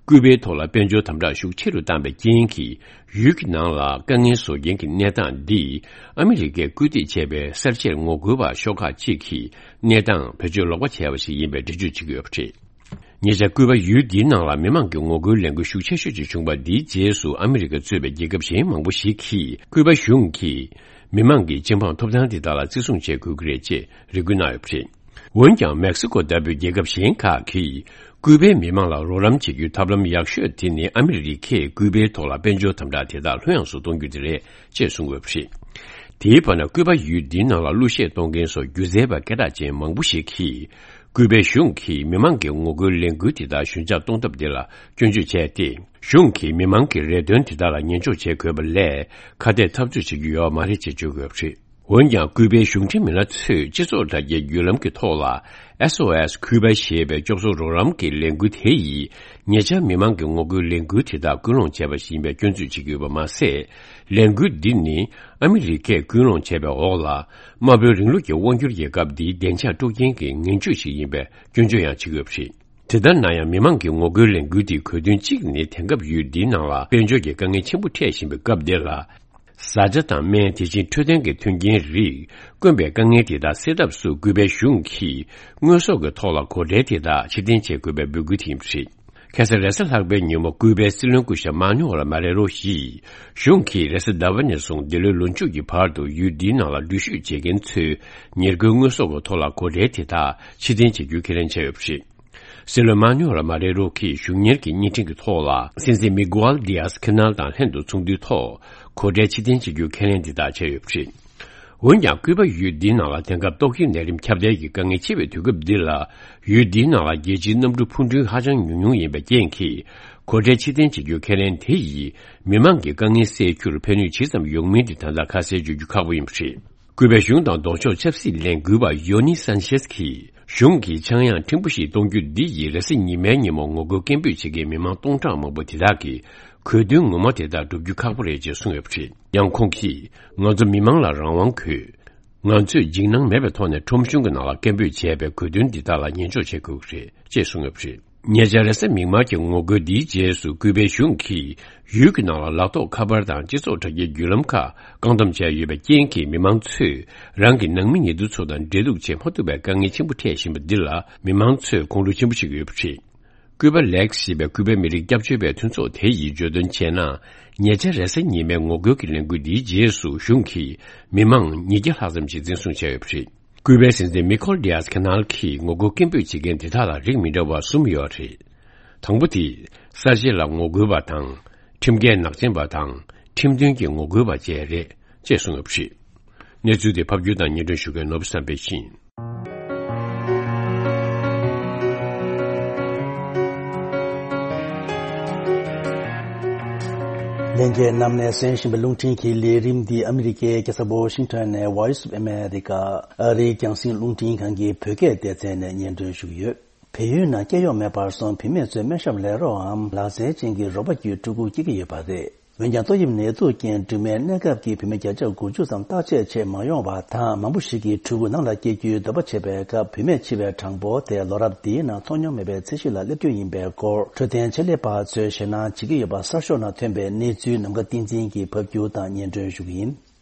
ཀུའུ་པའི་ཐོག་ལ་དཔལ་འབྱོར་དམ་དྲག་ཤུགས་ཆེ་རུ་བཏང་བའི་རྐྱེན་གྱིས། ཡུལ་གྱི་ནང་ལ་དཀའ་ངལ་བཟོ་མཁན་གྱི་གནས་སྟངས་འདིས། ཨ་མི་རི་ཀས་སྐུལ་འདེད་བྱས་པའི་གསར་བརྗེར་ངོ་རྒོལ་བ་ཤོག་ཁག་ཅིག་གིས་གནས་སྟངས་བེད་སྤྱོད་ལོག་པ་བྱས་པ་ཞིག་ཡིན་པའི་འགྲེལ་བརྗོད་བྱེད་ཀྱི་ཡོད་པ་རེད། ཉེ་ཆར་ཀུའུ་པ་ཡུལ་འདིའི་ནང་ལ་མི་མང་གི་ངོ་རྒོལ་ལས་འགུལ་ཤུགས་ཆེ་ཤོས་ཅིག་བྱུང་བ་འདིའི་རྗེས་སུ། ཨ་མི་རི་ཀ་གཙོས་པའི་རྒྱལ་ཁབ་གཞན་མང་པོ་ཞིག་གིས་ཀུའུ་པ་གཞུང་གིས་མི་མང་གི་སྤྱི་འབངས་ཐོབ་ཐང་དེ་དག་ལ་བརྩི་སྲུང་བྱེད་དགོས་ཀྱི་རེད་ཅེས་རེ་སྐུལ་གནང་ཡོད་པ་རེད། འོན་ཀྱང་། མེག་སི་ཀོ་ལྟ་བུའི་རྒྱལ་ཁབ་གཞན་ཁག་གིས་ཀུའུ་པའི་མི་མང་ལ་རོགས་རམ་བྱེད་རྒྱུའི་ཐབས་ལམ་ཡག་ཤོས་དེ་ནི། ཨ་མི་རི་ཀས་ཀུའུ་པའི་ཐོག་ལ་དཔལ་འབྱོར་དམ་དྲག་དེ་དག་ལྷོད་ཡངས་སུ་གཏོང་རྒྱུ་དེ་རེད་ཅེས་གསུངས་ཡོད་པ་རེད། དེའི་བར་ན། ཀུའུ་པ་ཡུལ་འདིའི་ནང་ལ་གླུ་གཞས་གཏོང་མཁན་སོགས་སྒྱུ་རྩལ་པ་སྐད་གྲགས་ཅན་མང་པོ་ཞིག་གིས། ཀུའུ་པའི་གཞུང་གིས་མི་མང་གི་ངོ་རྒོལ་ལས་འགུལ་དེ་དག་ཞོད་འཇགས་གཏོང་ཐབས་དེ་ལ་སྐྱོན་བརྗོད་བྱས་ཏེ། གཞུང་གིས་མི་མང་གི་རེ་འདུན་དེ་དག་ལ་ཉན་འཇོག་བྱེད་དགོས་པ་ལས། ཁ་གཏད་འཐབ་རྩོད་བྱེད་རྒྱུ་ཡོད་མ་རེད་ཅེས་བརྗོད་ཀྱི་ཡོད་པ་རེད། འོན་ཀྱང་། ཀུའུ་པའི་གཞུང་འབྲེལ་མི་སྣ་ཚོས་སྤྱི་ཚོགས་དྲ་རྒྱའི་བརྒྱུད་ལམ་གྱི་ཐོག་ལ། ཨེས་ཨོ་ཨེས་ཀུའུ་པ་ཞེས་པའི་སྐྱོབ་གསོ་རོགས་རམ་གྱི་ལས་འགུལ་དེ་ཡིས། ཉེ་ཆར་མི་མང་གི་ངོ་རྒོལ་ལས་འགུལ་དེ་དག་སྐུལ་སློང་བྱས་པ་ཞིག་ཡིན་པའི་སྐྱོན་བརྗོད་བྱེད་ཀྱི་ཡོད་པ་མ་ཟད། ལས་འགུལ་འདི་ནི། ཨ་མི་རི་ཀས་སྐུལ་སློང་བྱས་པའི་འོག་ལ། དམར་པོའི་རིང་ལུགས་ཀྱི་དབང་སྒྱུར་རྒྱལ་ཁབ་འདིའི་བདེ་འཇགས་དཀྲུག་རྐྱེན་གྱི་ངན་ཇུས་ཤིག་ཡིན་པའི་སྐྱོན་བརྗོད་ཡང་བྱེད་ཀྱི་ཡོད་པ་རེད། དེ་ལྟར་ན་ཡང་། མི་མང་གི་ངོ་རྒོལ་ལས་འགུལ་འདིའི་གོ་དོན་གཅིག་ནི། དེང་སྐབས་ཡུལ་འདིའི་ནང་ལ་དཔལ་འབྱོར་གྱི་དཀའ་ངལ་ཆེན་པོ་འཕྲད་བཞིན་པའི་སྐབས་འདི་ལ། བཟའ་བཅའ་དང་སྨན། དེ་བཞིན་འཕྲོད་བསྟེན་གྱི་མཐུན་རྐྱེན་རིགས་དཀོན་པའི་དཀའ་ངལ་དེ་དག་སེལ་ཐབས་སུ། ཀུའུ་པའི་གཞུང་གིས་དངོས་ཟོག་གི་ཐོག་ལ་གོ་ཁྲལ་དེ་དག་ཕྱིར་འཐེན་བྱེད་དགོས་པའི་འབོད་སྐུལ་དེ་ཡིན་པ་རེད། ཁ་སང་རེས་གཟའ་ལྷག་པའི་ཉིན་མོ། ཀུའུ་པའི་སྲིད་བློན་སྐུ་ཞབས་མཱ་ནུ་ཨེལ་མཱ་རེ་རོ་ཡིས། གཞུང་གིས་རེས་གཟའ་ཟླ་བ་ནས་བཟུང་འདི་ལོའི་ལོ་མཇུག་གི་བར་དུ་ཡུལ་འདིའི་ནང་ལ་འགྲུལ་བཞུད་བྱེད་མཁན་ཚོའི་ཉེར་མཁོའི་དངོས་ཟོག་གི་ཐོག་ལ་གོ་ཁྲལ་དེ་དག་ཕྱིར་འཐེན་བྱེད་རྒྱུའི་ཁས་ལེན་བྱས་ཡོད་པ་རེད། སྲིད་བློན་མཱ་ནུ་ཨེལ་མཱ་རེ་རོ་གིས་གཞུང་གཉེར་གྱི་བརྙན་འཕྲིན་གྱི་ཐོག་ལ། སྲིད་འཛིན་མི་གུ་ཨལ་ཌི་ཡཱས་ཁི་ནལ་དང་ལྷན་དུ་ཚོགས་འདུའི་ཐོག་གོ་ཁྲལ་ཕྱིར་འཐེན་བྱེད་རྒྱུའི་ཁས་ལེན་འདི་དག་བྱས་ཡོད་པ་རེད། འོན་ཀྱང་། ཀུའུ་པ་ཡུལ་འདིའི་ནང་ལ་དེང་སྐབས་ཏོག་དབྱིབས་ནད་རིམས་ཁྱབ་གདལ་གྱི་དཀའ་ངལ་ཆེ་བའི་དུས་སྐབས་འདི་ལ། ཡུལ་འདིའི་ནང་ལ་རྒྱལ་སྤྱིའི་གནམ་གྲུ་འཕུར་འགྲུལ་ཧ་ཅང་ཉུང་ཉུང་ཡིན་པའི་རྐྱེན་གྱིས། གོ་ཁྲལ་ཕྱིར་འཐེན་བྱེད་རྒྱུའི་ཁས་ལེན་དེ་ཡིས། མི་མང་གི་དཀའ་ངལ་སེལ་རྒྱུར་ཕན་ནུས་ཇི་ཙམ་ཡོང་མིན་དེ་ད་ལྟ་ཁ་གསལ་བརྗོད་རྒྱུ་ཁག་པོ་ཡིན་པ་རེད། ཀུའུ་པའི་གཞུང་དང་ལྡོག་ཕྱོགས་ཆབ་སྲིད་ལས་འགུལ་བ་ཡོ་ནི་སན་ཆེས་ཀྱིས། གཞུང་གིས་ཆག་ཡང་ཕྲན་བུ་ཞིག་གཏོང་རྒྱུ་འདི་ཡིས། རེས་གཟའ་ཉི་མའི་ཉིན་མོ་ངོ་རྒོལ་སྐད་འབོད་བྱེད་མཁན་མི་མང་སྟོང་ཕྲག་མང་པོ་དེ་དག་གི་གོ་དོན་ངོ་མ་དེ་དག་སྒྲུབ་རྒྱུ་ཁག་པོ་རེད་ཅེས་གསུངས་ཡོད་པ་རེད། ཡང་ཁོང་གིས། ང་ཚོ་མི་མང་ལ་རང་དབང་དགོས། ང་ཚོས་འཇིགས་སྣང་མེད་པའི་ཐོག་ནས་ཁྲོམ་གཞུང་གི་ནང་ལ་སྐད་འབོད་བྱས་པའི་གོ་དོན་འདི་དག་ལ་ཉན་འཇོག་བྱེད་དགོས་ཀྱི་རེད་ཅེས་གསུངས་ཡོད་པ་རེད། ཉེ་ཆར་རེས་གཟའ་མིག་དམར་གྱི་ངོ་རྒོལ་འདིའི་རྗེས་སུ། ཀུའུ་པའི་གཞུང་གིས་ཡུལ་གྱི་ནང་ལ་ལག་ཐོགས་ཁ་པར་དང་སྤྱི་ཚོགས་དྲ་རྒྱའི་བརྒྱུད་ལམ་ཁག་བཀག་སྡོམ་བྱས་ཡོད་པའི་རྐྱེན་གྱིས། མི་མང་ཚོས་རང་གི་ནང་མི་ཉེ་དུ་ཚོ་དང་འབྲེལ་གཏུག་བྱེད་མ་ཐུབ་པའི་དཀའ་ངལ་ཆེན་པོ་འཕྲད་བཞིན་པ་འདི་ལ། མི་མང་ཚོས་ཁོང་ཁྲོ་ཆེན་པོ་བྱེད་ཀྱི་ཡོད་པ་རེད། ཀུའུ་པ་ལེགས་ཞེས་པའི་ཀུའུ་པའི་མི་རིགས་སྐྱབས་བཅོལ་བའི་མཐུན་ཚོགས་དེ་ཡིས་བརྗོད་དོན་བྱས་ན། ཉེ་ཆར་རེས་གཟའ་ཉི་མའི་ངོ་རྒོལ་གྱི་ལས་འགུལ་འདིའི་རྗེས་སུ། གཞུང་གིས་མི་མང་ཉིས་བརྒྱ་ལྷག་ཙམ་ཞིག་འཛིན་བཟུང་བྱས་ཡོད་པ་རེད། ཀུའུ་པའི་སྲིད་འཛིན་མི་ཁོལ་ཌི་ཡཱས་ཁེ་ནལ་གྱིས་ངོ་རྒོལ་སྐད་འབོད་བྱེད་མཁན་དེ་དག་ལ་རིགས་མི་འདྲ་བ་གསུམ་ཡོད་རེད། དང་པོ་དེ། གསར་བརྗེ་ལ་ངོ་རྒོལ་བ་དང་། ཁྲིམས་འགལ་ནག་ཅན་པ་དང་ཁྲིམས་མཐུན་གྱི་ངོ་རྒོལ་བ་བཅས་རེད་ཅེས་གསུངས་ཡོད་པ་རེད། གནས་ཚུལ་དེ་ཕབ་སྒྱུར་དང་སྙན་སྒྲོན་ཞུ་མཁན་ནོར་བུ་བསམ་འཕེལ་ཡིན། ལྷན་རྒྱས་རྣམས་ནས་གསན་བཞིན་པའི་རླུང་འཕྲིན་གྱི་ལས་རིམ་འདི་ཨ་མི་རི་ཀའི་རྒྱལ་ས་ཝ་ཤིང་ཊོན་ནས་Voice of America ཨ་རིའི་རྒྱང་སྲིང་རླུང་འཕྲིན་ཁང་གི་བོད་སྐད་སྡེ་ཚན་ནས་སྙན་སྒྲོན་ཞུ་གི་ཡོད། བལ་ཡུལ་ནང་སྐྱེ་གཡོག་མེད་པར་སོང་བུད་མེད་ཚོའི་སྨན་ཞབས་ལས་རོགས་འམ་ལག་རྩལ་ཅན་གྱི་རོགས་པ་བརྒྱུད་ཕྲུ་གུ་སྐྱེ་གི་ཡོད་པ་རེད། འོན་ཀྱང་ཏོག་དབྱིབས་ནད་དུག་རྐྱེན་སྦྲུམ་མའི་གནས་སྐབས་ཀྱི་བུད་མེད་བརྒྱ་ཆ་དགུ་བཅུ་ཙམ་བརྟག་དཔྱད་བྱེད་མ་ཡོང་བ་དང་མང་པོ་ཞིག་གིས་ཕྲུ་གུ་ནང་ལ་སྐྱེ་རྒྱུའི་འདོད་པ་བྱེད་པའི་སྐབས་བུད་མེད་འཆི་བའི་གྲངས་འབོར་དེ་ལོ་རབས་འདིའི་ནང་མཐོང་མྱོང་མེད་པའི་ཚད་གཞི་ལ་སླེབས་རྒྱུ་ཡིན་པའི་སྐོར་འཕྲོད་བསྟེན་ཆེད་ལས་པ་ཚོས་ཞེད་སྣང་བྱེད་ཀྱི་ཡོད་པ་གསར་ཤོག་ནང་ཐོན་པའི་གནས་ཚུལ་ནམ་མཁའ་བསྟན་འཛིན་གྱིས་ཕབ་སྒྱུར་དང་སྙན་སྒྲོན་ཞུ་གི་ཡིན།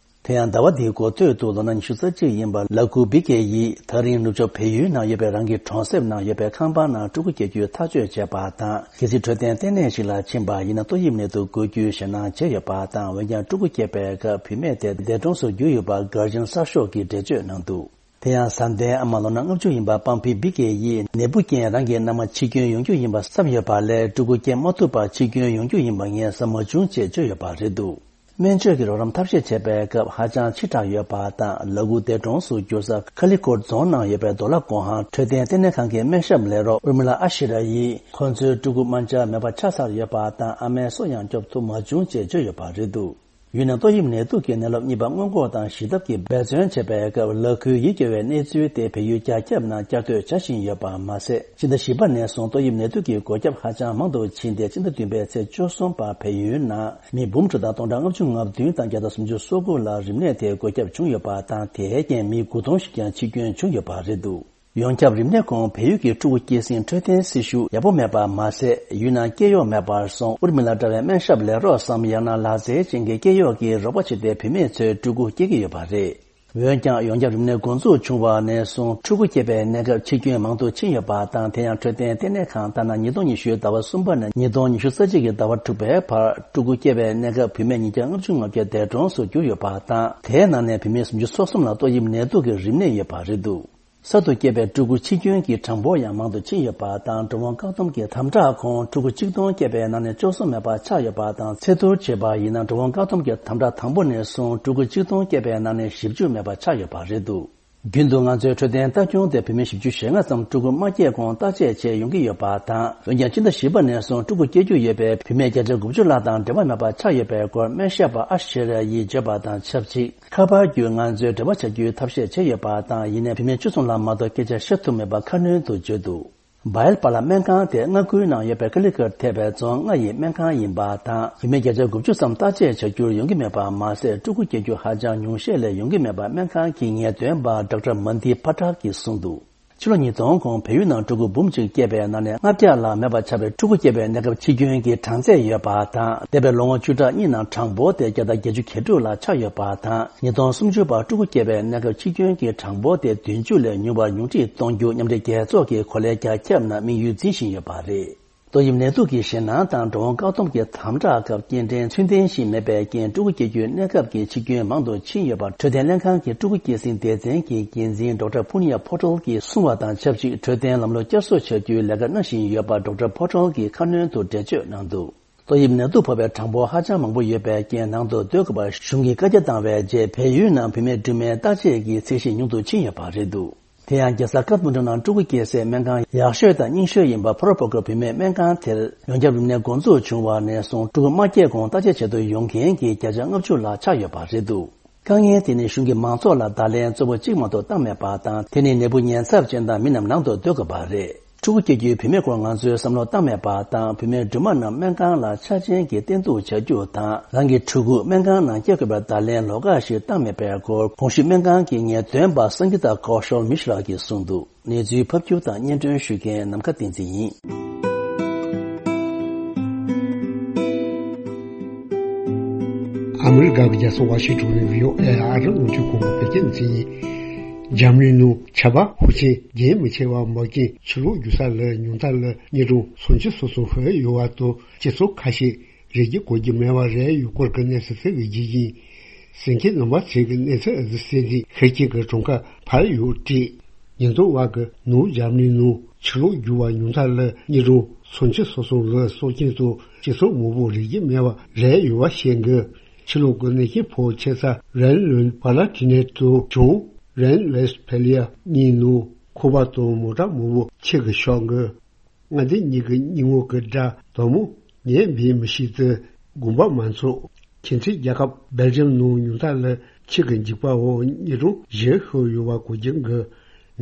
དེ་ཡང་ཟླ་བ་འདིའི་འགོ་སྟོད་དུ་ལོ་ན་ཉི་ཤུ་རྩ་གཅིག་ཡིན་པ་ལ་ཀུ་བི་ཀེ་ཡིས་ད་རིང་ནུབ་ཕྱོགས་བལ་ཡུལ་ནང་ཡོད་པའི་རང་གི་གྲོང་གསེབ་ནང་ཡོད་པའི་ཁང་པ་ནང་ཕྲུ་གུ་སྐྱེ་རྒྱུའི་ཐག་གཅོད་བྱས་པ་དང་། གལ་སྲིད་འཕྲོད་བསྟེན་ལྟེ་གནས་ཤིག་ལ་ཕྱིན་པ་ཡིན་ན་ཏོག་དབྱིབས་ནད་དུག་འགོས་རྒྱུའི་ཞེད་སྣང་བྱས་ཡོད་པ་དང་། འོན་ཀྱང་ཕྲུ་གུ་སྐྱེས་པའི་སྐབས་བུད་མེད་དེ་འདས་གྲོངས་སུ་གྱུར་ཡོད་པ་གར་ཇན་གསར་ཤོག་གིས་འགྲེལ་བརྗོད་གནང་འདུག་དེ་ཡང་བཟའ་ཟླའི་ཨ་མ་ལོ་ན་ལྔ་བཅུ་ཡིན་པ་པང་ཕི་བི་ཀེ་ཡིས་ནད་འབུ་རྐྱེན་རང་གི་མནའ་མ་འཆི་སྐྱོན་ཡོང་རྒྱུ་ཡིན་པ་བསམ་ཡོད་པ་ལས་ཕྲུ་གུ་སྐྱེ་མ་ཐུབ་པར་འཆི་སྐྱོན་ཡོང་རྒྱུ་ཡིན་པ་ངས་བསམ་མ་བྱུང་ཅེས་བརྗོད་ཡོད་པ་རེད་འདུག་སྨན་བཅོས་ཀྱི་རོགས་རམ་ཐབས་ཤེས་བྱས་པའི་སྐབས་ཧ་ཅང་ཕྱི་དྲགས་ཡོད་པ་དང་། ལ་ཀུ་འདས་གྲོངས་སུ་གྱུར་ས་ཁ་ལི་ཀོཊ་རྫོང་ནང་ཡོད་པའི་རྡོ་ལ་སྒོ་ཧང་འཕྲོད་བསྟེན་ལྟེ་གནས་ཁང་གི་སྨན་ཞབས་ལས་རོགས་ཨུར་མི་ལ་ཨ་ཤི་ར་ཡིས་ཁོང་ཚོའི་ཕྲུ་གུ་རྨ་བྱ་མེད་པ་ཆགས་ཚར་ཡོད་པ་དང་། ཨ་མའི་སྲོག་ཡང་སྐྱོབ་ཐུབ་མ་བྱུང་ཅེས་བརྗོད་ཡོད་པ་རེད་འདུག་ཡུལ་ནང་ཏོག་དབྱིབས་ནད་དུག་གི་ནད་རླབས་གཉིས་པ་སྔོན་འགོག་དང་ཞི་ཐབས་ཀྱི་འབད་བརྩོན་བྱས་པའི་སྐབས་ལ་ཁུའི་ཡིད་སྐྱོ་བའི་གནས་ཚུལ་དེ་བལ་ཡུལ་རྒྱ་ཁྱབ་ནང་བསྐྱར་ཟློས་བྱ་བཞིན་ཡོད་པ་མ་ཟད། ཕྱི་ཟླ་བཞི་པ་ནས་བཟུང་ཏོག་དབྱིབས་ནད་དུག་གི་འགོས་ཁྱབ་ཧ་ཅང་མང་དུ་ཕྱིན་ཏེ་ཕྱི་ཟླ་བདུན་པའི་ཚེས་བཅུ་གསུམ་བར་བལ་ཡུལ་ནང་མི་འབུམ་དྲུག་དང་སྟོང་ཕྲག་ལྔ་བཅུ་ང་བདུན་དང་བརྒྱ་དང་སུམ་ཅུ་སོ་དགུ་ལ་རིམས་ནད་དེ་འགོས་ཁྱབ་བྱུང་ཡོད་པ་དང་། དེའི་རྐྱེན་མི་དགུ་སྟོང་ཞིག་ཀྱང་འཆི་སྐྱོན་བྱུང་ཡོད་པ་རེད་འདུག་ཡོངས་ཁྱབ་རིམས་ནད་ཁོངས་བལ་ཡུལ་གྱི་ཕྲུ་གུ་སྐྱེ་སྲིང་འཕྲོད་བསྟེན་སྲི་ཞུ་ཡག་པོ་མེད་པ་མ་ཟད། ཡུལ་ནང་སྐྱེ་གཡོག་མེད་པར་སོང་ཨུར་མི་ལ་འདྲ་བའི་སྨན་ཞབས་ལས་རོགས་སམ། ཡང་ན་ལག་རྩལ་ཅན་གྱི་སྐྱེ་གཡོག་གིས་རོགས་པ་བྱས་ཏེ་བུད་མེད་ཚོའི་ཕྲུ་གུ་སྐྱེ་གི་ཡོད་པ་རེད། འོན་ཀྱང་ཡོངས་ཁྱབ་རིམས་ནད་འགོ་འཛུགས་བྱུང་བ་ནས་བཟུང་ཕྲུ་གུ་སྐྱེས་པའི་གནས་སྐབས་འཆི་སྐྱོན་མང་དུ་ཕྱིན་ཡོད་པ་དང་། དེ་ཡང་འཕྲོད་བསྟེན་ལྟེ་གནས་ཁང་ལྟར་ན་ཉིས་སྟོང་ཉི་ཤུའི་ཟླ་བ་གསུམ་པ་ནས་ཉིས་སྟོང་ཉི་ཤུ་རྩ་གཅིག་གི་ཟླ་བ་དྲུག་པའི་བར་ཕྲུ་གུ་སྐྱེས་པའི་གནས་སྐབས་བུད་མེད་ཉིས་བརྒྱ་ལྔ་བཅུ་ང་བརྒྱད་འདས་གྲོངས་སུ་གྱུར་ཡོད་པ་དང་། དེའི་ནང་ནས་བུད་མེད་སུམ་ཅུ་སོ་གསུམ་ལ་ཏོག་དབྱིབས་ནད་དུག་གི་རིམས་ནད་ཡོད་པ་རེད་འདུག་གསར་དུ་སྐྱེས་པའི་ཕྲུ་གུ་འཆི་སྐྱོན་གྱི་གྲངས་འབོར་ཡང་མང་དུ་ཕྱིན་ཡོད་པ་དང་། འགྲོ་འོང་བཀག་སྡོམ་གྱི་དམ་དྲག་ཁོངས་ཕྲུ་གུ་གཅིག་སྟོང་སྐྱེས་པའི་ནང་ནས་བཅུ་གསུམ་མེད་པ་ཆགས་ཡོད་པ་དང་། ཚད་བསྡུར་བྱས་པ་ཡིན་ན་འགྲོ་འོང་བཀག་སྡོམ་གྱི་དམ་དྲག་དང་པོ་ནས་བཟུང་ཕྲུ་གུ་གཅིག་སྟོང་སྐྱེས་པའི་ནང་ནས་བཞི་བཅུ་མེད་པ་ཆགས་ཡོད་པ་རེད་འདུག་རྒྱུན་དུ་ང་ཚོའི་འཕྲོད་བསྟེན་ལྟ་སྐྱོང་དེ་བུད་མེད་བཞི་བཅུ་ཞེ་ལྔ་ཙམ་ཕྲུ་གུ་མ་སྐྱེས་གོང་བརྟག་དཔྱད་བྱས་ཡོང་གི་ཡོད་པ་དང་། འོན་ཀྱང་སྤྱི་ཟླ་བཞི་པ་ནས་བཟུང་ཕྲུ་གུ་སྐྱེ་རྒྱུ་ཡོད་པའི་བུད་མེད་བརྒྱ་ཆ་དགུ་བཅུ་ལྷག་དང་འབྲེལ་བ་མེད་པ་ཆགས་ཡོད་པའི་སྐོར་སྨན་ཞབས་པ་ཨ་ཤེ་ར་ཡིས་བརྗོད་པ་དང་ཆབས་ཅིག་ཁ་པར་བརྒྱུད་ང་ཚོས་འབྲེལ་བ་བྱ་རྒྱུའི་ཐབས་ཤེས་བྱས་ཡོད་པ་དང་། ཡིན་ནའི་བུད་མེད་བཅུ་གསུམ་ལྷག་མ་གཏོགས་སྐད་ཆ་བཤད་ཐུབ་མེད་པ་ཁ་སྣོན་དུ་བརྗོད་འདུག་བཱ་ཡལ་པཱ་ལགས་སྨན་ཁང་དེ་མངའ་ཁུལ་ནང་ཡོད་པའི་ཀ་ལི་ཀཊ་ཐེ་བའི་རྫོང་ལྔ་ཡི་སྨན་ཁང་ཡིན་པ་དང་། བུད་མེད་བརྒྱ་ཆ་དགུ་བཅུ་ཙམ་བརྟག་དཔྱད་བྱ་རྒྱུར་ཡོང་གི་མེད་པ་མ་ཟད། ཕྲུ་གུ་སྐྱེ་རྒྱུ་ཧ་ཅང་ཉུང་ཤས་ལས་ཡོང་གི་མེད་པ་སྨན་ཁང་གི་ངེས་སྟོན་པ་ཌོག་ཊར་མན་དི་པ་ཊལ་གྱིས་གསུངས་འདུག་ཕྱི་ལོ་ཉིས་སྟོང་གོང་བལ་ཡུལ་ནང་ཕྲུ་གུ་འབུམ་གཅིག་སྐྱེས་པའི་ནང་ནས་ལྔ་བརྒྱ་ལྷག་མེད་པ་ཆགས་པའི་ཕྲུ་གུ་སྐྱེས་པའི་གནས་སྐབས་འཆི་སྐྱོན་གྱི་གྲངས་ཚད་ཡོད་པ་དང་། འདས་པའི་ལོ་ངོ་བཅུ་ཕྲག་གཉིས་ནང་གྲངས་འབོར་དེ་བརྒྱ་དང་བརྒྱད་ཅུ་གྱ་དྲུག་ལ་ཆགས་ཡོད་པ་དང་། ཉིས་སྟོང་སུམ་ཅུ་བར་ཕྲུ་གུ་སྐྱེས་པའི་གནས་སྐབས་འཆི་སྐྱོན་གྱི་གྲངས་འབོར་དེ་བདུན་ཅུ་ལས་ཉུང་བར་ཉུང་འཕྲི་གཏོང་རྒྱུ་མཉམ་འབྲེལ་རྒྱལ་ཚོགས་ཀྱི་གོ་ལའི་རྒྱ་ཁྱབ་ནང་དམིགས་ཡུལ་འཛིན་བཞིན་ཡོད་པ་རེད། ཏོག་དབྱིབས་ནད་དུག་གི་ཞེད་སྣང་དང་འགྲོ་འོང་བཀག་སྡོམ་གྱི་དམ་དྲག་སྐབས་སྐྱེལ་འདྲེན་ཚུལ་ལྡན་ཞིག་མེད་པའི་རྐྱེན་ཕྲུ་གུ་སྐྱེ་རྒྱུའི་གནས་སྐབས་ཀྱི་འཆི་སྐྱོན་མང་དུ་ཕྱིན་ཡོད་པ་འཕྲོད་བསྟེན་ལྷན་ཁང་གི་ཕྲུ་གུ་སྐྱེད་སྲིང་སྡེ་ཚན་གྱི་འགན་འཛིན་ཌོག་ཊར་ཕུ་ནི་ཡ་ཕོ་ཊལ་གྱིས་གསུངས་པ་དང་ཆབས་ཅིག་འཕྲོད་བསྟེན་ལམ་ལུགས་བསྐྱར་གསོ་བྱ་རྒྱུའི་ལས་ཀ་གནང་བཞིན་ཡོད་པ་ཌོག་ཊར་ཕོ་ཊལ་གྱིས་ཁ་སྣོན་དུ་འགྲེལ་བརྗོད་གནང་འདུག་ཏོག་དབྱིབས་ནད་དུག་ཕོག་པའི་གྲངས་འབོར་ཧ་ཅང་མང་པོ་ཡོད་པའི་རྐྱེན་ནང་དུ་སྡོད་དགོས་པར་གཞུང་གིས་བཀའ་རྒྱ་བཏང་བའི་རྗེས་བལ་ཡུལ་ནང་བུད་མེད་སྦྲུམ་མའི་བརྟག་དཔྱད་ཀྱི་ཚད་གཞི་ཉུང་དུ་ཕྱིན་ཡོད་པ་རེད་འདུག་དེ་ཡང་རྒྱལ་ས་ཀཏ་མན་ཌུ་ནང་ཕྲུ་གུ་སྐྱེ་སའི་སྨན་ཁང་ཡག་ཤོས་དང་རྙིང་ཤོས་ཡིན་པ་ཕོ་རོ་པོ་ཀོ་བུད་མེད་སྨན་ཁང་དེར་ཡོངས་ཁྱབ་རིམས་ནད་འགོ་འཛུགས་བྱུང་བ་ནས་བཟུང་ཕྲུ་གུ་མ་སྐྱེས་གོང་བརྟག་དཔྱད་བྱེད་དུ་ཡོང་མཁན་གྱི་བརྒྱ་ཆ་ལྔ་བཅུ་ལྷག་ཆགས་ཡོད་པ་རེད་འདུག་དཀའ་ངལ་དེ་ནི་གཞུང་གིས་མང་ཚོགས་ལ་བརྡ་ལན་གཙོ་བོ་གཅིག་མ་གཏོགས་བཏང་མེད་པ་དང་། དེ་ནི་ནད་འབུ་ཉེན་ཚབས་ཅན་དང་མི་རྣམས་ནང་དུ་སྡོད་དགོས་པ་རེད། ཕྲུ་གུ་སྐྱེ་རྒྱུའི་བུད་མེད་སྐོར་ང་ཚོས་བསམ་བློ་བཏང་མེད་པ་དང་། བུད་མེད་སྦྲུམ་མ་རྣམས་སྨན་ཁང་ལ་ཆ་རྐྱེན་གྱིས་བརྟེན་གཏུག་བྱ་རྒྱུ་དང་། རང་གི་ཕྲུ་གུ་སྨན་ཁང་ནང་སྐྱེལ་དགོས་པའི་བརྡ་ལན་ལོགས་ཀ་ཞིག་བཏང་མེད་པའི་སྐོར་གོང་ཞུས་སྨན་ཁང་གི་ངེས་སྟོན་པ་སངྒི་ཏཱ་ཀོ་ཤལ་མི་ཤྲ་གིས་གསུངས་འདུག་གནས་ཚུལ་ཕབ་སྒྱུར་དང་སྙན་སྒྲོན་ཞུ་མཁན་ནམ་མཁའ་བསྟན་འཛིན་ཡིན། ཨ་མི་རི་ཀ་གི་རྒྱལ་ས་ཝ་ཤིང་ཊོན་ནས་བྷི་ཨོ་ཨེ་ཨ་རི་རླུང་འཕྲིན་ཁང་གི་བོད་སྐད་སྡེ་ཚན་ཡིན། འཇར་མ་ནི་ནང་ཆར་པ་ཤུགས་ཆེན་རྒྱུན་མི་ཆད་པར་འབབ་ཀྱིན་ཕྱི་ལོགས་རྒྱུ་ས་ལ་ཉུང་མཐའ་ལ་ཉིས་སྟོང་སུམ་ཅུ་སོ་སོ་ཧོད་ཡོད་པ་དང་སྤྱི་ཚོགས་ཁ་ཤས་རི་རྒྱུད་གོ་རྒྱུ་མེད་པ་རེད། ཡུལ་སྐོར་གྱི་གནས་ཚུལ་ཚིག་གི་རྒྱུ་ཡིན། གསན་མཁན་རྣམ་པ་ཚོས་ཀྱི་གནས་ཚུལ་ཨ་ཟི་སེ་འདི་ཤེར་ཆེན་གྱི་གྲངས་ཀ་ཕར་ཡོད་བྲིས། ཉིན་ཐོ་བ་གི་ནུབ་འཇར་མ་ནི་ནང་ ཕྱི་ལོགས་རྒྱུ་བ་ཉུང་མཐའ་ལ་ཉིས་སྟོང་སུམ་ཅུ་སོ་གསུམ་ལོའི་སྲོག་རྐྱེན་དང་སྤྱི་ཚོགས་མང་པོ་རིག་རྒྱུ་མེད་པ་རེད་ཡོད་པ་བཤད་འགི། ཕྱི་ལོགས་ཀྱི་གནོད་སྐྱོན་ཕོག་ཆེ་ས་རན་ལུན་པ་ལ་ཏི་ནེ་དང་བྱང་རན་ཝེ་སི་ཕེ་ལི་ཡ་གཉིས་ནང་ཁང་པ་དང་མོ་ཊ་མང་པོ་ཆུ་གིས་ཤོར་འགི། མངའ་སྡེ་གཉིས་ཀྱི་སྙི་ངོ་གི་དགྲ་དོ་མོ་ཉན་པའི་མི་ཞིག་ཏུ་དགོངས་པ་མ་ཚོམས། ཁྱིམ་མཚེས་རྒྱལ་ཁབ་སྦེལ་ཇམ་ནང་ཉུང་མཐའ་ལ་ཆུ་གི་འཇིགས་པ་འོག་ཉིས་སྟོང་བཞི་ཤོར་ཡོད་པ་གོ་རྒྱུ་འགི།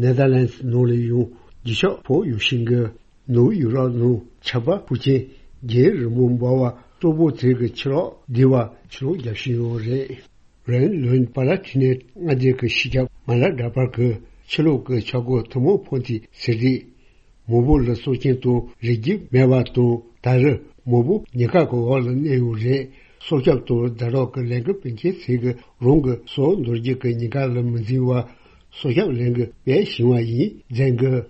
ནེ་དར་ལན་སི་ནང་ལ་ཡང་རྒྱུ་ཤོག་ཕོག་ཡོད་ཤིང་གི། ནུབ་ཡུ་རོབ་ནང་ཆར་པ་ཕུ་ཆེན་རྒྱལ་རིང་པོ་འབབ་པ་གཙོ་བོ་དེ་གི་ཕྱི་ལོགས་སྡེ་བ་ཕྱི་ལོགས་རྒྱབ་བཞིན་ཡོད་རེད། རན་ལུན་པ་ལ་ཏི་ནེ་མངའ་སྡེ་གི་སྤྱི་ཁྱབ་མ་ལ་ཌ་པར་གི་ཕྱི་ལོགས་ཀྱི་ཆག་སྒོ་ཐུན་མོང་ཕོག་ཐེངས་ཟེར་དུས། མང་པོ་ལ་སྲོག་རྐྱེན་དང་རིག་རྒྱུ་མེད་པ་དང་ད་རེས་མང་པོ་ཉེན་ཁ་གི་འོག་ལ་གནས་ཡོད་རེད། སྲོག་སྐྱོབ་དང་ཟླ་གྲོགས་ཀྱི་ལས་འགུལ་སྤེལ་མཁན་ཚོས་གི་རང་གི་སྲོག་འདོར་རྒྱུ་གི་ཉེན་ཁ་ལ་མི་འཛེམ་པར་སྲོག་སྐྱོབ་ལས་འགུལ་སྤེལ་བཞིན་པ་ཡིན་མཛད་གི།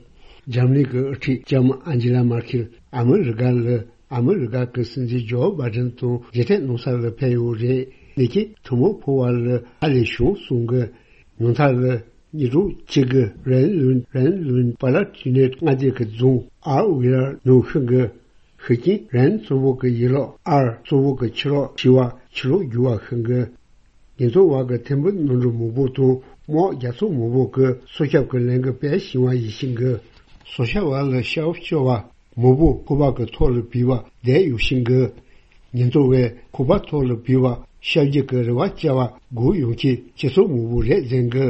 འཇར་མ་ནི་གི་དབུ་ཁྲིད་ལྕམ་ཨན་ཇི་ལ་མར་ཁེལ་ཨ་མི་རི་ཀ་ལ་ཨ་མི་རི་ཀ་གི་སྲིད་འཛིན་ཇོ་བྷའི་ཌེན་དང་མཇལ་འཕྲད་གནང་ས་ལ་ཕེབས་ཡོད་རེད། གནོད་སྐྱོན་ཐུན་མོང་ཕོག་པ་ལ་ཧ་ལས་བྱུང་གསུང་གི། ཉུང་མཐའ་ལ་ཉིས་སྟོང་གཅིག་གི་རན་ལུན་རན་ལུན་པ་ལ་ཏི་ནེ་མངའ་སྡེ་གི་རྫོང་ཨར་ཝི་ལར་ནང་ཤི་གི། ཤི་རྐྱེན་རན་གཙོ་བོ་གི་ཡུལ་ལོགས་ཨར་གཙོ་བོ་གི་ཕྱི་ལོགས་ཤི་བ་ཕྱི་ལོགས་རྒྱུ་བ་ཤི་གི། ཉེན་རྟོག་པ་གི་ཐེར་འབུམ་ནོར་འཁྲུལ་མང་པོ་དང་དམག་རྒྱག་ཚོགས་མང་པོ་གི་སྲོག་སྐྱོབ་ཀྱི་ལས་འགུལ་སྤེལ་བཞིན་པ་ཡིན་ཤིང་གི། སྲོག་སྐྱོབ་པ་ལ་ཤ་བོ་སྐྱོ་བ་མང་པོ་ཁང་པ་གི་ཐོག་ལ་བུད་པ་བསྡད་ཡོད་ཤིང་གི། ཉེན་རྟོག་པས་ཁང་པ་ཐོག་ལ་བུད་པ་ཤ་རྒྱུ་གི་རེ་བ་བཅའ་བ་སྒུག་ཡོང་མཁན་སྤྱི་ཚོགས་མང་པོ་རེད་ཟེར་གི།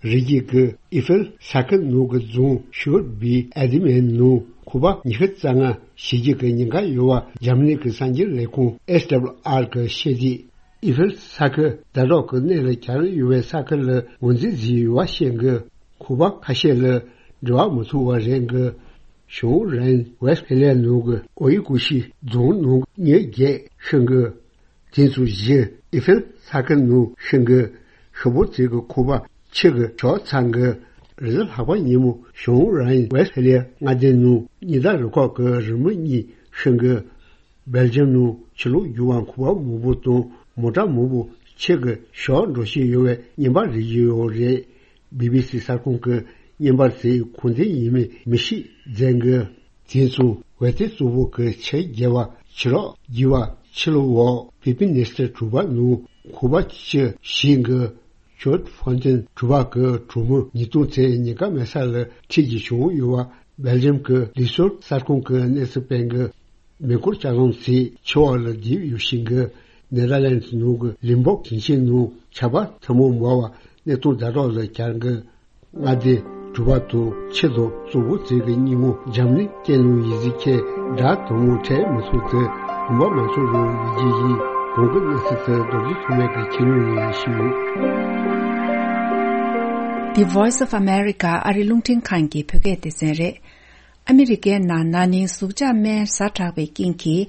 རི་རྒྱུད་ཀྱི་ཨི་ཧྥེལ་ས་ཁུལ་ནང་གི་རྫོང་ཤོར་བའི་ཨ་དི་མན་ནང་ཁང་པ་ཉི་ཤུ་རྩ་ལྔ་ཞིག་རྒྱུ་གི་ཉེན་ཁ་ཡོད་པ་འཇར་མ་ནི་གི་གསར་འགྱུར་ལས་ཁུངས་ཨེས་ཌབ་ལུ་ཨར་གི་བཤད་དུས། ཨི་ཧྥེལ་ས་ཁུལ་ཟླ་གྲོགས་ཀྱི་གནས་ལ་གྱར་ཡོད་པའི་ས་ཁུལ་ལ་ངོས་འཛིན་བཟོས་ཡོད་པ་བཤད་གི། ཁང་པ་ཁ་ཤས་ལ་འགྲོ་བ་མི་ཐུབ་པ་རེད་གི། བྱང་རན་ཝེ་སི་ཕེ་ལི་ཡ་ནང་གི་ཨོ་ཡི་ཀུ་ཤི་རྫོང་ནང་མི་བརྒྱད་ཤི་གི། དེ་ཚོ་བཞི་ཨི་ཧྥེལ་ས་ཁུལ་ནང་ཤི་གི། ཤི་བོ་ཚོའི་གི་ཁང་པ་ཆུ་གིས་ཤོར་ཚར་གི། རེས་གཟའ་ལྷག་པ་ཉིན་མོ་བྱང་རན་ཝེ་སི་ཕེ་ལི་ཡ་མངའ་སྡེ་ནང་ཉི་ཟླ་རུ་ཁག་གི་རི་མོ་གཉིས་ཤི་གི། སྦེལ་ཇམ་ནང་ཕྱི་ལོགས་རྒྱུ་བ་ཁང་པ་མང་པོ་དང་མོ་ཊ་མང་པོ་ཆུ་གིས་ཤོར་འགྲོ་བཞིན་ཡོད་པའི་བརྙན་པར་རིག་གི་ཡོད་རེད། བི་བི་སི་གསར་ཁང་གི་བརྙན་པར་དེའི་གོ་འདྲིས་ཡིན་མིན་མི་ཤེས་མཛད་གི། དེ་ཚོ་ཝེ་ཏེ་གཙོ་བོ་གི་ཆུ་རྒྱལ་བ་ཕྱི་རོགས་རྒྱུ་བ་ཕྱི་ལོགས་འོག་ཕི་ཕི་ནེ་སི་ཊར་གྲུ་པ་ནང་ཁང་པ་བཅུ་བཞི་གི། ཇོར་ཧྥོན་ཏེན་གྲུ་པ་གི་གྲོང་མི་ཉིས་སྟོང་ཙམ་ཉེན་ཁ་མེད་ས་ལ་ཁྲིད་རྒྱུ་བྱུང་ཡོད་པ་སྦེལ་ཇམ་གི་ལུག་སོར་གསར་ཁང་གི་གནས་ཚུལ་སྤེལ་གི། མེ་འཁོར་ལྕགས་ལམ་ཚོས་ཆུ་འོག་ལ་རྡིབ་ཡོད་ཤིང་གི། ནེ་དར་ལན་སི་ནང་གི་ལིམ་བོག་ཞིང་ཆེན་ནང་ཆར་པ་ཐུན་མོང་འབབ་པ་གནས་སྟངས་ཛ་དྲག་ལ་གྱར་གི། མངའ་སྡེ་གྲུ་པ་དང་ཆུ་དང་གཙོ་བོ་ཚོས་ཀྱི་སྙིང་པོ་འཇམ་ནི་སྐད་ནང་ཡི་ཟི་ཁྱེད་དགྲ་དུ་མོ་ཁྲལ་མི་ཚོགས་ཏེ་གོམ་པ་མ་ཚོགས་རུ་ཡི་ཇི་ཡི་གོང་གི་གནས་ཚུལ་དེ་རྡོ་རྗེ་ཐོགས་མེད་ཀྱི་ཁྱི་ནུ་ཡི་ཡི་ཤི་ཡོད། The Voice of America ཨ་རི་རླུང་འཕྲིན་ཁང་གི་བོད་སྐད་སྡེ་ཚན་རེད། ཨ་མི་རི་ཀའི་ནང་ན་ནིང་ཟུག་གཅོག་སྨན་ཟ་དྲགས་པའི་རྐྱེན་གྱིས་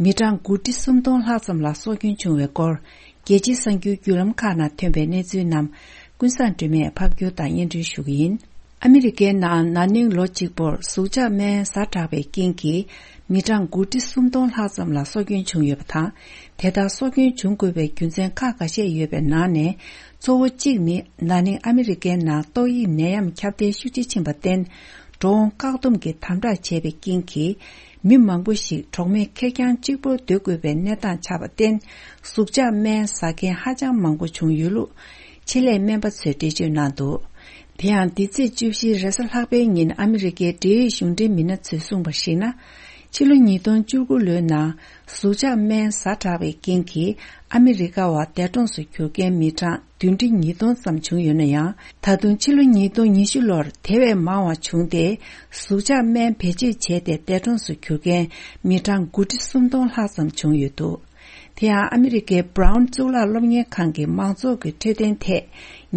མི་གྲངས་དགུ་ཁྲི་སུམ་སྟོང་ལྷག་ཙམ་ལ་སྲོག་སྐྱོན་བྱུང་བའི་སྐོར། རྒྱལ་སྤྱིའི་གསར་འགྱུར་བརྒྱུད་ལམ་ཁག་ནང་ཐོན་པའི་གནས་ཚུལ་རྣམས་ཀུན་བཟང་སྒྲོལ་མས་ཕབ་སྒྱུར་དང་སྙན་སྒྲོན་ཞུ་གི་ཡིན། ཨ་མི་རི་ཀའི་ནང་ན་ནིང་ལོ་གཅིག་པོར་ཟུག་གཅོག་སྨན་ཟ་དྲགས་པའི་རྐྱེན་གྱིས་མི་གྲངས་དགུ་ཁྲི་སུམ་སྟོང་ལྷག་ཙམ་ལ་སྲོག་སྐྱོན་བྱུང་ཡོད་པ་དང་། དེ་ལྟར་སྲོག་སྐྱོན་བྱུང་དགོས་པའི་རྒྱུ་མཚན་ཁག་འགའ་ཤས་ཡོད་པའི་ནང་ནས་གཙོ་བོ་གཅིག་ནི་ན་ནིང་ཨ་མི་རི་ཀའི་ནང་ཏོག་དབྱིབས་ནད་ཡམས་ཁྱབ་གདལ་ཤུགས་ཆེ་ཕྱིན་པར་བརྟེན། འགྲོ་འོང་བཀག་སྡོམ་གྱི་དམ་དྲག་བྱས་པའི་རྐྱེན་གྱིས། མི་མང་པོ་ཞིག་གྲོགས་མེད་ཁེར་རྐྱང་གཅིག་པོར་སྡོད་དགོས་པའི་གནས་སྟངས་ཆགས་པར་བརྟེན། ཟུག་གཅོག་སྨན་ཟ་མཁན་ཧ་ཅང་མང་པོ་བྱུང་ཡོད་ལུགས་ཆེད་ལས་སྨན་པ་ཚོས་འགྲེལ་བརྗོད་གནང་འདུག་དེ་ཡང་འདི་ཚེས་བཅུ་བཞི་རེས་གཟའ་ལྷག་པའི་ཉིན་ཨ་མི་རི་ཀའི་འབྲེལ་ཡོད་གཞུང་འབྲེལ་མི་སྣ་ཚོས་གསུངས་པར་གཞིགས་ན། ཕྱི་ལོ་ཉིས་སྟོང་བཅུ་དགུ་ལོའི་ནང་ཟུག་གཅོག་སྨན་ཟ་དྲགས་པའི་རྐྱེན་གྱིས་ཨ་མི་རི་ཀ་བ་འདས་གྲོངས་སུ་གྱུར་མཁན་མི་གྲངས་བདུན་ཁྲི་ཉིས་སྟོང་ཙམ་བྱུང་ཡོད་ན་ཡང་། ད་དུང་ཕྱི་ལོ་ཉིས་སྟོང་ཉི་ཤུ་ལོར་དེ་བས་མང་བ་བྱུང་སྟེ། ཟུག་གཅོག་སྨན་བེད་སྤྱོད་བྱས་ཏེ་འདས་གྲོངས་སུ་གྱུར་མཁན་མི་གྲངས་དགུ་ཁྲི་སུམ་སྟོང་ལྷག་ཙམ་བྱུང་ཡོད་འདུག་དེ་ཡང་ཨ་མི་རི་ཀའི་Brown་གཙུག་ལག་སློབ་གཉེར་ཁང་གི་མང་ཚོགས་ཀྱི་འཕྲོད་བསྟེན་ཐད་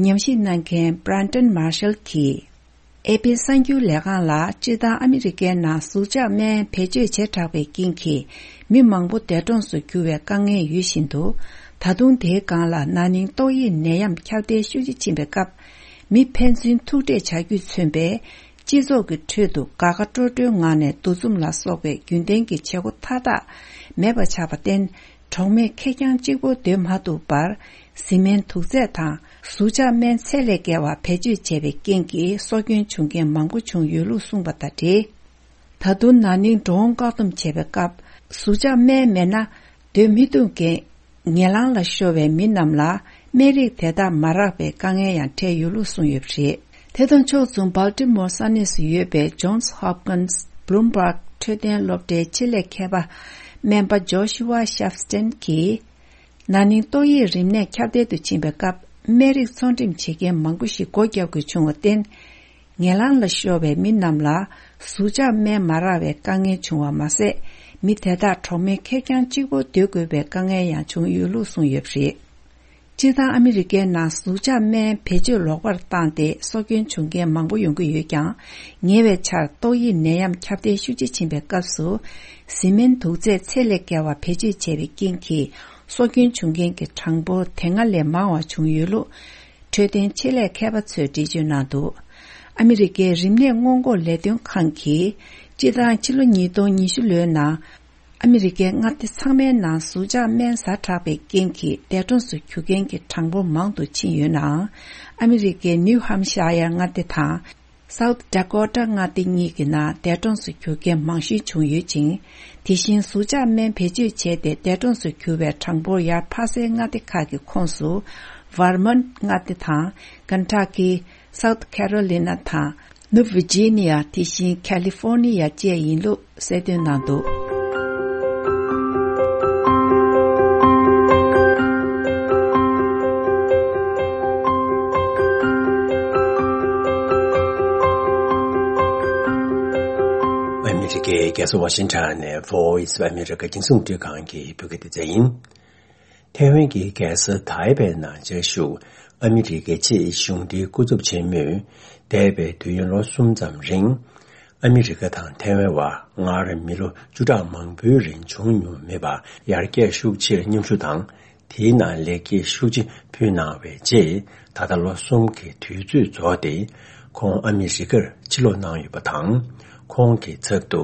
ཉམས་ཞིབ་གནང་མཁན་Brandon Marshall་གྱིས། ཨེ་པི་གསར་འགྱུར་ལས་ཁང་ལ་སྤྱིར་བཏང་ཨ་མི་རི་ཀའི་ནང་ཟུག་གཅོག་སྨན་བེད་སྤྱོད་བྱེ་བྲག་པའི་རྐྱེན་གྱིས་མི་མང་པོ་འདས་གྲོངས་སུ་གྱུར་བའི་དཀའ་ངལ་ཡོད་བཞིན་དུ། ད་དུང་དེའི་སྒང་ལ་ན་ནིང་ཏོག་དབྱིབས་ནད་ཡམས་ཁྱབ་གདལ་ཤུགས་ཆེ་ཕྱིན་པའི་སྐབས། མི་ཕན་ཚུན་ཐུག་འཕྲད་བྱ་རྒྱུས་མཚོན་པའི་སྤྱི་ཚོགས་ཀྱི་ཁྲོད་དུ་དགའ་དགའ་སྤྲོ་སྤྲོའི་ངང་ནས་འདུ་འཛོམས་ལ་སོགས་པའི་རྒྱུན་ལྡན་གྱི་བྱེད་སྒོ་མཐའ་དག་མེད་པ་ཆགས་པར་བརྟེན། གྲོགས་མེད་ཁེར་རྐྱང་གཅིག་པོ་སྡོད་མ་ཐུབ་པར། བཟི་སྨན་དུག་རྫས་དང་ ཟུག་གཅོག་སྨན་ཚད་ལས་བརྒལ་བ་བེད་སྤྱོད་བྱས་པའི་རྐྱེན་གྱིས་སྲོག་སྐྱོན་བྱུང་མཁན་མང་པོ་བྱུང་ཡོད་ལུགས་གསུངས་པ་དང་འབྲེལ། ད་དུང་ན་ནིང་འགྲོ་འོང་བཀག་སྡོམ་བྱས་པའི་སྐབས། ཟུག་གཅོག་སྨན་མེད་ན་སྡོད་མི་ཐུབ་མཁན། ངན་ལང་ལ་ཤོར་བའི་མི་རྣམས་ལ་སྨན་རིགས་དེ་དག་མ་རག་པའི་དཀའ་ངལ་ཡང་འཕྲད་ཡོད་ལུགས་གསུངས་ཡོད་པ་རེད། དེ་དང་ཕྱོགས་མཚུངས་Baltimore་ས་གནས་སུ་ཡོད་པའི་Johns Hopkins Bloomberg་འཕྲོད་བསྟེན་སློབ་གྲྭའི་ཆེད་ལས་མཁས་པ་སྨན་པ་Joshua Sharfstein་གྱིས། ན་ནིང་ཏོག་དབྱིབས་རིམས་ནད་ཁྱབ་གདལ་དུ་ཕྱིན་པའི་སྐབས། སྨན་རིགས་ཚོང་འགྲེམས་བྱེད་མཁན་མང་པོ་ཞིག་སྒོ་བརྒྱབ་དགོས་བྱུང་བར་བརྟེན། ངན་ལང་ལ་ཤོར་བའི་མི་རྣམས་ལ་ཟུག་གཅོག་སྨན་མ་རག་པའི་དཀའ་ངལ་བྱུང་བ་མ་ཟད། མི་དེ་དག་གྲོགས་མོལ་ཁེར་རྐྱང་གཅིག་པོ་སྡོད་དགོས་པའི་དཀའ་ངལ་ཡང་བྱུང་ཡོད་ལུགས་གསུངས་ཡོད་པ་རེད། སྤྱིར་བཏང་ཨ་མི་རི་ཀའི་ནང་ཟུག་གཅོག་སྨན་བེད་སྤྱོད་ལོག་པར་བཏང་སྟེ་སྲོག་སྐྱོན་བྱུང་མཁན་མང་པོ་ཡོང་གི་ཡོད་ཀྱང་། ཉེ་བའི་ཆར་ཏོག་དབྱིབས་ནད་ཡམས་ཁྱབ་གདལ་ཤུགས་ཆེ་ཕྱིན་པའི་སྐབས་སུ། བཟི་སྨན་དུག་རྫས་ཚད་ལས་བརྒལ་བ་བེད་སྤྱོད་བྱས་པའི་རྐྱེན་གྱིས་སྲོག་སྐྱོན་བྱུང་མཁན་གྱི་གྲངས་འབོར་དེ་སྔ་ལས་མང་བ་བྱུང་ཡོད་ལུགས། འཕྲོད་བསྟེན་ཆེད་ལས་མཁས་པ་ཚོས་འགྲེལ་བརྗོད་གནང་འདུག་ཨ་མི་རི་ཀའི་རིམས་ནད་སྔོན་འགོག་ལས་དོན་ཁང་གིས། སྤྱིར་བཏང་ཕྱི་ལོ་ཉིས་སྟོང་ཉི་ཤུ་ལོའི་ནང་། ཨ་མི་རི་ཀའི་མངའ་སྡེ་ཚང་མའི་ནང་ཟུག་གཅོག་སྨན་ཟ་དྲགས་པའི་རྐྱེན་གྱིས་འདས་གྲོངས་སུ་གྱུར་མཁན་གྱི་གྲངས་འབོར་མང་དུ་ཕྱིན་ཡོད་ནའང་། ཨ་མི་རི་ཀའི་ནིའུ་ཧམ་ཤ་ཡར་མངའ་སྡེ་དང་། South Dakota་མངའ་སྡེ་གཉིས་ཀྱི་ནང་འདས་གྲོངས་སུ་གྱུར་མཁན་མང་ཤོས་བྱུང་ཡོད་ཅིང་། དེ་བཞིན་ཟུག་གཅོག་སྨན་བེད་སྤྱོད་བྱས་ཏེ་འདས་གྲོངས་སུ་གྱུར་བའི་གྲངས་འབོར་ཡར་འཕར་སའི་མངའ་སྡེ་ཁག་གི་ཁོངས་སུ། Vermont་མངའ་སྡེ་དང་། Kentucky། South Carolina་དང་། ནུབ་Virginia་དེ་བཞིན་California་བཅས་ཡིན་ལུགས་གསལ་སྟོན་གནང་འདུག་ཨ་མི་རི་ཀའི་རྒྱལ་ས་ཝ་ཤིང་ཊོན་ནས་Voice of America་རྒྱང་སྲིང་རླུང་འཕྲིན་ཁང་གི་བོད་སྐད་སྡེ་ཚན་ཡིན། ཐའེ་ཝན་གྱི་རྒྱལ་ས་ཐའེ་པེ་ནང་བཅའ་བཞུགས་ཨ་མི་རི་ཀའི་ཆེས་གཞུང་འབྲེལ་སྐུ་ཚབ་ཆེན་མོས། འདས་པའི་དུས་ཡུན་ལོ་གསུམ་ཙམ་རིང་། ཨ་མི་རི་ཀ་དང་ཐའེ་ཝན་བར་སྔར་མི་ལོ་བཅུ་ཕྲག་མང་པོའི་རིང་བྱུང་མྱོང་མེད་པར་ཡར་རྒྱས་ཤུགས་ཆེར་མཉམ་ཞུགས་དང་། དེའི་ནང་ལེགས་སྐྱེས་ཤུགས་ཆེ་ཕུལ་གནང་བའི་རྗེས། ད་ལྟ་ལོ་གསུམ་གྱི་དུས་ཚོད་རྫོགས་ཏེ། ཁོང་ཨ་མི་རི་ཀར་ཕྱིར་ལོག་གནང་ཡོད་པ་དང་། ཁོང་གི་ཚབ་ཏུ།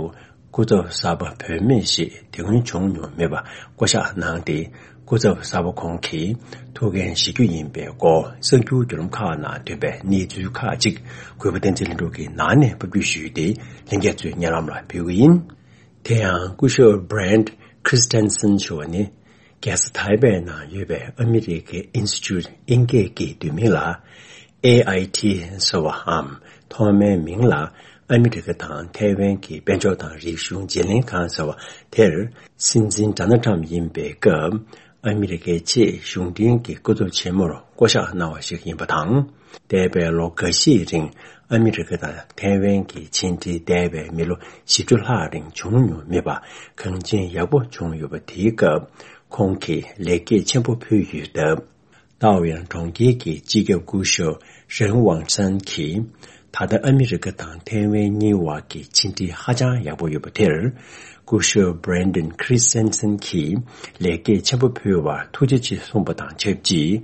སྐུ་ཚབ་གསར་པ་བུད་མེད་ཞིག་དེ་སྔོན་བྱུང་མྱོང་མེད་པ་བསྐོ་གཞག་གནང་སྟེ། སྐུ་ཚབ་གསར་པ་ཁོང་གིས་ཐུགས་འགན་བཞེས་རྒྱུ་ཡིན་པའི་སྐོར་གསར་འགྱུར་བརྒྱུད་ལམ་ཁག་ནང་ཐོན་པའི་གནས་ཚུལ་ཁག་ཅིག་གུས་པ་བསྟན་འཛིན་ལྷུན་གྲུབ་ཀྱིས་ནང་ནས་ཕབ་སྒྱུར་ཞུས་ཏེ། ལྷན་རྒྱས་ཚོའི་སྙན་ལམ་ལ་ཕུལ་གྱི་ཡིན། དེ་ཡང་སྐུ་ཞབས་Brent Christensen་ཞུ་བ་ནི། རྒྱལ་ས་ཐའེ་པེ་ནང་ཡོད་པའི་ཨ་མི་རི་ཀའི་ཨིན་སི་ཊི་ཊུཊ་དབྱིན་སྐད་ཀྱི་བསྡུས་མིང་ལ། ཨེ་ཨའི་ཊི་ཟེར་བའམ་ཐོག་མའི་མིང་ལ་ཨ་མི་རི་ཀ་དང་ཐའེ་ཝན་གྱི་དཔལ་འབྱོར་དང་རིག་གཞུང་བརྗེ་ལེན་ཁང་ཟེར་བ་དེར། སྲིད་འཛིན་ཌོ་ནལ་ཊམ་ཡིན་པའི་སྐབས། ཨ་མི་རི་ཀའི་ཆེས་གཞུང་འབྲེལ་གྱི་སྐུ་ཚབ་ཆེན་མོར་བསྐོ་གཞག་གནང་བ་ཞིག་ཡིན་པ་དང་། འདས་པའི་ལོ་འགའ་ཤས་རིང་ཨ་མི་རི་ཀ་དང་ཐའེ་ཝན་གྱི་ཕྱི་འབྲེལ་འདས་པའི་མི་ལོ་བཞི་བཅུ་ལྷག་རིང་བྱུང་མྱོང་མེད་པ་གངས་ཅན་ཡག་པོ་བྱུང་ཡོད་པ་དེའི་སྐབས། ཁོང་གིས་ལེགས་སྐྱེས་ཆེན་པོ་ཕུལ་ཡོད་སྟབས། ཏའོ་ཡན་གྲོང་ཁྱེར་གྱི་སྤྱི་ཁྱབ་སྐུ་ཞབས་རེན་ཝང་ཚན་གྱིས། ད་ལྟ་ཨ་མི་རི་ཀ་དང་ཐའེ་ཝན་གཉིས་བར་གྱི་ཕྱི་འབྲེལ་ཧ་ཅང་ཡག་པོ་ཡོད་པ་དེར། སྐུ་ཞབས་Brandon Christensen་གྱིས་ལེགས་སྐྱེས་ཆེན་པོ་ཕུལ་བར་ཐུགས་རྗེ་ཆེ་གསུངས་པ་དང་ཆབས་ཅིག་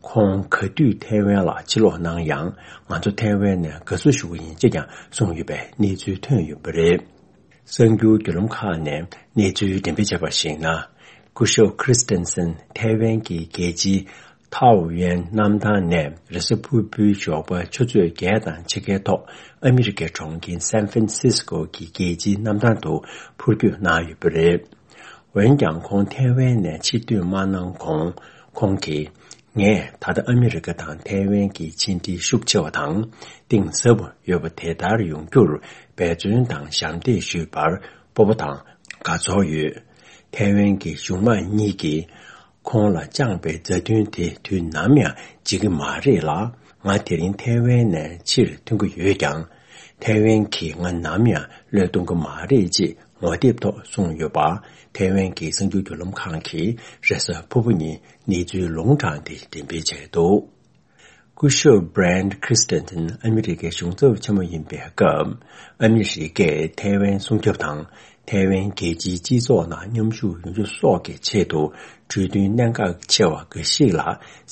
ཁོང་ག་དུས་ཐའེ་ཝན་ལ་ཕྱིར་ལོག་གནང་ཡང་། ང་ཚོ་ཐའེ་ཝན་ནས་དགའ་བསུ་ཞུ་གི་ཡིན་ཅེས་ཀྱང་གསུངས་ཡོད་པའི་གནས་ཚུལ་ཐོན་ཡོད་པ་རེད། གསར་འགྱུར་བརྒྱུད་ལམ་ཁག་ནས་གནས་ཚུལ་འགྲེམས་སྤེལ་བྱས་པར་གཞིགས་ན། སྐུ་ཞབས་Christensen་ཐའེ་ཝན་གྱི་རྒྱལ་སྤྱིའི་ཐའོ་ཡན་གནམ་ཐང་ནས་རེས་གཟའ་ཕུར་བུའི་ཞོགས་པ་ཆུ་ཚོད་བརྒྱད་དང་ཕྱེད་ཀའི་ཐོག་ཨ་མི་རི་ཀའི་གྲོང་ཁྱེར་San Francisco་གི་རྒྱལ་སྤྱིའི་གནམ་ཐང་དུ་འཕུར་སྐྱོད་གནང་ཡོད་པ་རེད། འོན་ཀྱང་ཁོང་ཐའེ་ཝན་ནས་ཕྱིར་ཐོན་མ་གནང་གོང་། ཁོང་གིས། ངས་ད་ལྟ་ཨ་མི་རི་ཀ་དང་ཐའེ་ཝན་གྱི་ཕྱི་འབྲེལ་ཤུགས་ཆེ་བ་དང་གཏིང་ཟབ་པོ་ཡོད་པ་དེ་ལྟར་ཡོང་རྒྱུར་འབད་བརྩོན་དང་ཞབས་འདེགས་ཞུས་པར་སྤོབས་པ་དང་དགའ་ཚོར་ཡོད། ཐའེ་ཝན་གྱི་གཞུང་དམངས་གཉིས་ཀྱིས་ཁོང་ལ་བཅངས་པའི་མཛའ་མཐུན་དེ་དུས་ནམ་ཡང་བརྗེད་ཀྱི་མ་རེད་ལ། ང་དེ་རིང་ཐའེ་ཝན་ནས་ཕྱིར་ཐོན་གྱི་ཡོད་ཀྱང་། ཐའེ་ཝན་གྱིས་ང་ནམ་ཡང་བློས་གཏོང་གི་མ་རེད་ཅེས་ངོ་དེབ་ཐོག་གསུངས་ཡོད་པ། ཐའེ་ཝན་གྱི་གསར་འགྱུར་བརྒྱུད་ལམ་ཁང་གིས་རེས་གཟའ་ཕུར་བུ་ཉིན་གནས་ཚུལ་ལུང་དྲངས་ཏེ་འགྲེམས་སྤེལ་བྱས་འདུག་སྐུ་ཞབས་Brent Christensen་ཨ་མི་རི་ཀའི་གཞུང་ཚབ་ཆེན་མོ་ཡིན་པའི་སྐབས། ཨ་མི་རི་ཀས་ཐའེ་ཝན་སྲུང་སྐྱོབ་དང་། ཐའེ་ཝན་རྒྱལ་སྤྱིའི་སྤྱི་ཚོགས་ནང་མཉམ་ཞུགས་ཡོང་རྒྱུ་སོགས་ཀྱི་ཆེད་དུ། གྲོས་མཐུན་གནད་འགག་ཆེ་བ་འགའ་ཞིག་ལ་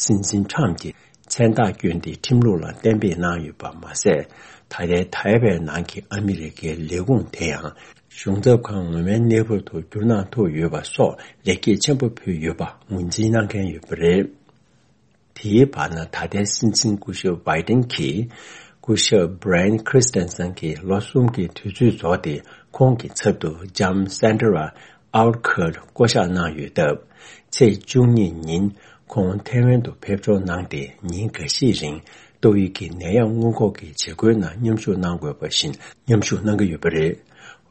སྲིད་འཛིན་ཊམ་གྱིས་མཚན་རྟགས་བསྐྱོན་ཏེ་ཁྲིམས་ལུགས་ལ་གཏན་འབེབས་གནང་ཡོད་པ་མ་ཟད། ད་ལྟའི་ཐའེ་ཝན་ནང་གི་ཨ་མི་རི་ཀའི་ལས་ཁུངས་དེ་ཡང་གཞུང་ཚབ་ཁང་ངོ་མའི་གནས་བབ་ཏུ་བསྒྱུར་གནང་ཐུབ་ཡོད་པ་སོགས་ལེགས་སྐྱེས་ཆེན་པོ་ཕུལ་ཡོད་པ་ངོས་འཛིན་གནང་མཁན་ཡོད་པ་རེད། དེའི་བར་ན་ད་ལྟའི་སྲིད་འཛིན་སྐུ་ཞབས་བྷའི་ཏིན་གྱིས་སྐུ་ཞབས་Brian Christensen་གྱི་ལོ་གསུམ་གྱི་དུས་ཚོད་རྫོགས་ཏེ། ཁོང་གི་ཚབ་ཏུ་ལྕམ་Sandra Outcurt་བསྐོ་གཞག་གནང་ཡོད་སྟབས། ཚེས་བཅུ་གཉིས་ཉིན་ཁོང་ཐའེ་ཝན་དུ་ཕེབས་འབྱོར་གནང་སྟེ། ཉིན་འགའ་ཤས་རིང་ཏོག་དབྱིབས་ཀྱི་ནད་ཡམས་སྔོན་འགོག་གི་བྱེད་སྒོའི་ནང་མཉམ་ཞུགས་གནང་དགོས་པ་བཞིན་མཉམ་ཞུགས་གནང་གི་ཡོད་པ་རེད།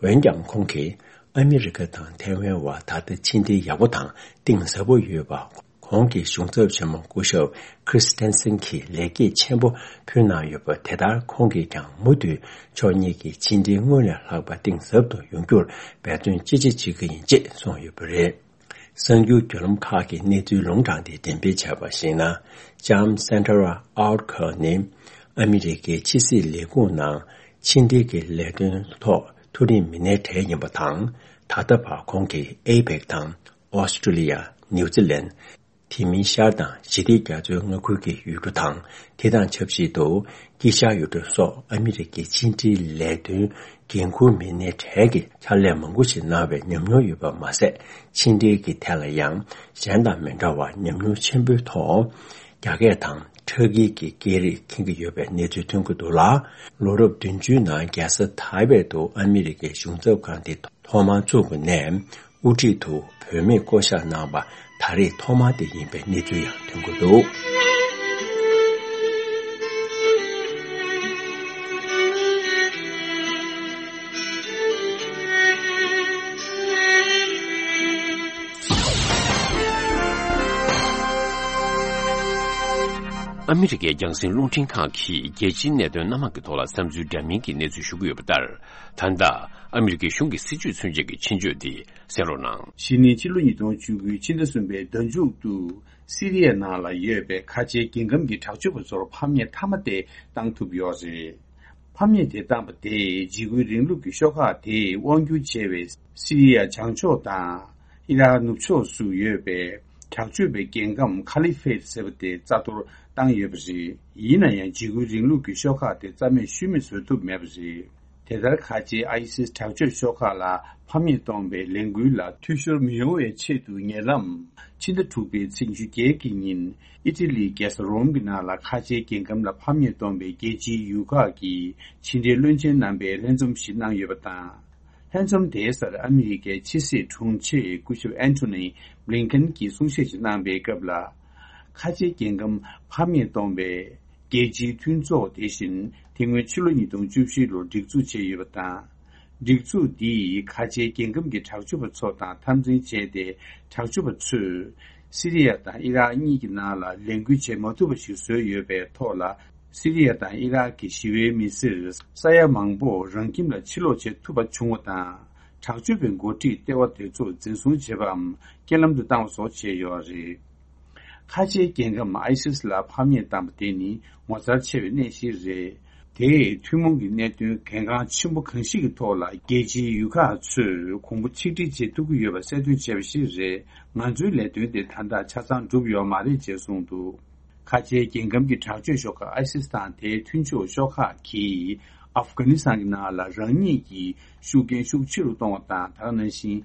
འོན་ཀྱང་ཁོང་གིས་ཨ་མི་རི་ཀ་དང་ཐའེ་ཝན་བར་ད་ལྟ་ཕྱི་འབྲེལ་ཡག་པོ་དང་གཏིང་ཟབ་པོ་ཡོད་པ། གོང་གི་གཞུང་ཚབ་ཆེན་མོ་སྐུ་ཞབས་Christensen་གྱིས་ལེགས་སྐྱེས་ཆེན་པོ་ཕུལ་གནང་ཡོད་པ། དེ་ལྟར་ཁོང་གིས་ཀྱང་མུ་མཐུད་ཕྱོགས་གཉིས་ཀྱི་ཕྱི་འབྲེལ་སྔོན་ལས་ལྷག་པ་གཏིང་ཟབ་ཏུ་ཡོང་རྒྱུར་འབད་བརྩོན་ཅི་ཆེ་བྱེད་ཀྱི་ཡིན་ཅེས་གསུངས་ཡོད་པ་རེད། གསར་འགྱུར་བརྒྱུད་ལམ་ཁག་གིས་གནས་ཚུལ་ལུང་དྲངས་ཏེ་འགྲེམས་སྤེལ་བྱས་པར་གཞིགས་ན། ལྕམ་Sandra Outcurt་ནི་ཨ་མི་རི་ཀའི་ཕྱི་སྲིད་ལས་ཁུངས་ནང་ཕྱི་འབྲེལ་གྱི་ལས་དོན་ཐོག་མཐོ་རིམ་མི་སྣའི་གྲས་ཡིན་པ་དང་། ད་ལྟ་བར་ཁོང་གིས་ཨེ་པེག་དང་ཨོ་སི་ཀྲི་ལི་ཡ། ནིའུ་ཛི་ལན། དེ་མིན་ཤར་དང་ཞི་བདེ་རྒྱ་མཚོའི་མངའ་ཁུལ་གྱི་ཡུལ་གྲུ་དང་། དེ་དང་ཆབས་ཅིག་ཏུ་དཀྱིལ་ཤར་ཡུལ་གྲུ་སོགས་ཨ་མི་རི་ཀའི་ཕྱི་འབྲེལ་ལས་དོན་འགན་འཁུར་མི་སྣའི་གྲས་ཀྱི་ཕྱག་ལས་མང་པོ་ཞིག་གནང་བའི་ཉམས་མྱོང་ཡོད་པ་མ་ཟད། ཕྱི་འབྲེལ་གྱི་ཐད་ལ་ཡང་གཞན་དང་མི་འདྲ་བར་ཉམས་མྱོང་ཆེན་པོའི་ཐོག་རྒྱ་སྐད་དང་ཁྲ་ཀིར་གྱི་སྐད་རིགས་མཁྱེན་གྱི་ཡོད་པའི་གནས་ཚུལ་ཐོན་གྱི་འདུག་ལ། ལོ་རབས་བདུན་ཅུའི་ནང་རྒྱལ་ས་ཐའེ་པེ་ཏུ་ཨ་མི་རི་ཀའི་གཞུང་ཚབ་ཁང་དེ་ཐོག་མར་བཙུགས་པ་ནས། དབུ་ཁྲིད་དུ་བུད་མེད་བསྐོ་གཞག་གནང་བ་ད་རེས་ཐོག་མ་དེ་ཡིན་པའི་གནས་ཚུལ་ཡང་ཐོན་གྱི་འདུག། ཨ་མི་རི་ཀའི་རྒྱང་སྲིང་རླུང་འཕྲིན་ཁང་གིས་རྒྱལ་སྤྱིའི་གནད་དོན་སྣ་མང་གི་ཐོག་ལ་བསམ་ཚུལ་འདྲ་མིན་གྱི་གནས་ཚུལ་ཞུ་གི་ཡོད་པ་ལྟར། ད་ལྟ་ཨ་མི་རི་ཀའི་གཞུང་གི་སྲིད་བྱུས་མཚོན་བྱེད་ཀྱི་ཆེད་བརྗོད་འདི་གསན་རོགས་གནང་། གཞེས་ནིང་ཕྱི་ལོ་ཉིས་སྟོང་བཅུ་དགུ་ཕྱི་ཟླ་གསུམ་པའི་ཟླ་མཇུག་ཏུ། སི་རི་ཡ་ནང་ལ་ཡོད་པའི་ཁ་ཆེའི་རྒྱལ་ཁམས་ཀྱི་དྲག་སྤྱོད་པ་ཚོར་ཕམ་ཉེས་མཐའ་མ་དེ་བཏང་ཐུབ་ཡོད་རེད། ཕམ་ཉེས་དེ་བཏང་པ་དེས་འཇིགས་སྐུལ་རིང་ལུགས་ཀྱི་ཤོག་ཁག་དེས་དབང་སྒྱུར་བྱས་པའི་སི་རི་ཡ་བྱང་ཕྱོགས་དང་ཨི་རག་ནུབ་ཕྱོགས་སུ་ཡོད་པའི་དྲག་སྤྱོད་པའི་རྒྱལ་ཁམས་ཁ་ལི་ཕེད་ཟེར་བ་དེ་རྩ་གཏོར་བཏང་ཡོད་པ་རེད། ཡིན་ན་ཡང་འཇིགས་སྐུལ་རིང་ལུགས་ཀྱི་ཤོག་ཁག་དེ་རྩ་མེད་ཤུལ་མེད་བཟོ་ཐུབ་མེད་པ་རེད། དེ་ལྟར་ཁ་ཆེའི་ཨའི་སིས་དྲག་སྤྱོད་ཤོག་ཁག་ལ་ཕམ་ཉེས་གཏོང་བའི་ལས་འགུལ་ལ་འཐུས་ཤོར་མི་ཡོང་བའི་ཆེད་དུ། ཉེ་ལམ་ཕྱི་ཟླ་དྲུག་པའི་ཚེས་བཅུ་བརྒྱད་ཀྱི་ཉིན་ཨི་ཊ་ལིའི་རྒྱལ་ས་རོམ་གྱི་ནང་ལ་ཁ་ཆེའི་རྒྱལ་ཁམས་ལ་ཕམ་ཉེས་གཏོང་བའི་རྒྱལ་སྤྱིའི་ཡུལ་ཁག་གི་ཕྱི་འབྲེལ་བློན་ཆེན་རྣམ་པས་ལྷན་འཛོམས་ཤིག་གནང་ཡོད་པ་དང་། ལྷན་འཛོམས་དེའི་སར་ཨ་མི་རི་ཀའི་ཕྱི་སྲིད་དྲུང་ཆེ་སྐུ་ཞབས་ཨན་ཐོ་ནི་བྷི་ལིན་ཁན་གྱིས་གསུང་བཤད་ཅིག་གནང་པའི་སྐབས་ལ། ཁ་ཆེའི་རྒྱལ་ཁམས་ཕམ་ཉེས་གཏོང་བའི་རྒྱལ་སྤྱིའི་མཐུན་ཚོགས་དེ་བཞིན་དེ་སྔོན་ཕྱི་ལོ་ཉིས་སྟོང་བཅུ་བཞི་ལོར་སྒྲིག་འཛུགས་བྱས་ཡོད་པ་དང་། སྒྲིག་འཛུགས་འདིས་ཁ་ཆེའི་རྒྱལ་ཁམས་ཀྱི་དྲག་སྤྱོད་པ་ཚོ་དང་འཐབ་འཛིང་བྱས་ཏེ། དྲག་སྤྱོད་པ་ཚོས་སི་རི་ཡ་དང་ཨི་རག་གཉིས་ཀྱི་ནང་ལ་ལས་འགུལ་བྱེད་མ་ཐུབ་པ་ཞིག་བཟོས་ཡོད་པའི་ཐོག་ལ། སི་རི་ཡ་དང་ཨི་རག་གི་ཞི་བའི་མི་སེར་ས་ཡ་མང་པོ་རང་ཁྱིམ་ལ་ཕྱིར་ལོག་བྱེད་ཐུབ་པ་བྱུང་བ་དང་། དྲག་སྤྱོད་པའི་འགོ་ཁྲིད་ལྟེ་བ་དེ་ཚོ་འཛིན་བཟུང་བྱས་པའམ་རྐྱེན་ལམ་དུ་བཏང་བ་སོགས་བྱས་ཡོད་རེད། ཁ་ཆེའི་རྒྱལ་ཁམས་ཨའི་སིས་ལ་ཕམ་ཉེས་བཏང་པ་དེ་ནི་ངོ་མཚར་ཆེ་བའི་གནས་ཤིག་རེད། དེས་ཐུན་མོང་གི་གནད་དོན་གལ་འགངས་ཆེན་པོ་གང་ཞིག་གི་ཐོག་ལ་རྒྱལ་སྤྱིའི་ཡུལ་ཁག་ཚོས་གོང་བུ་ཆིག་སྒྲིལ་བྱེད་ཐུབ་ཀྱི་ཡོད་པ་གསལ་སྟོན་བྱས་པ་ཞིག་རེད། ང་ཚོའི་ལས་དོན་དེ་ད་ལྟ་ཆ་ཚང་གྲུབ་ཡོད་མ་རེད་ཅེས་གསུངས་འདུག། ཁ་ཆེའི་རྒྱལ་ཁམས་ཀྱི་དྲག་སྤྱོད་ཤོག་ཁག་ཨའི་སིས་དང་དེའི་མཐུན་ཕྱོགས་ཤོག་ཁག་གིས་ཨབ་གྷ་ནི་སི་ཐན་གྱི་ནང་ལ་རང་ཉིད་ཀྱི་ཤུགས་རྐྱེན་ཤུགས་ཆེ་རུ་གཏོང་བ་དང་། དེ་ནང་བཞིན་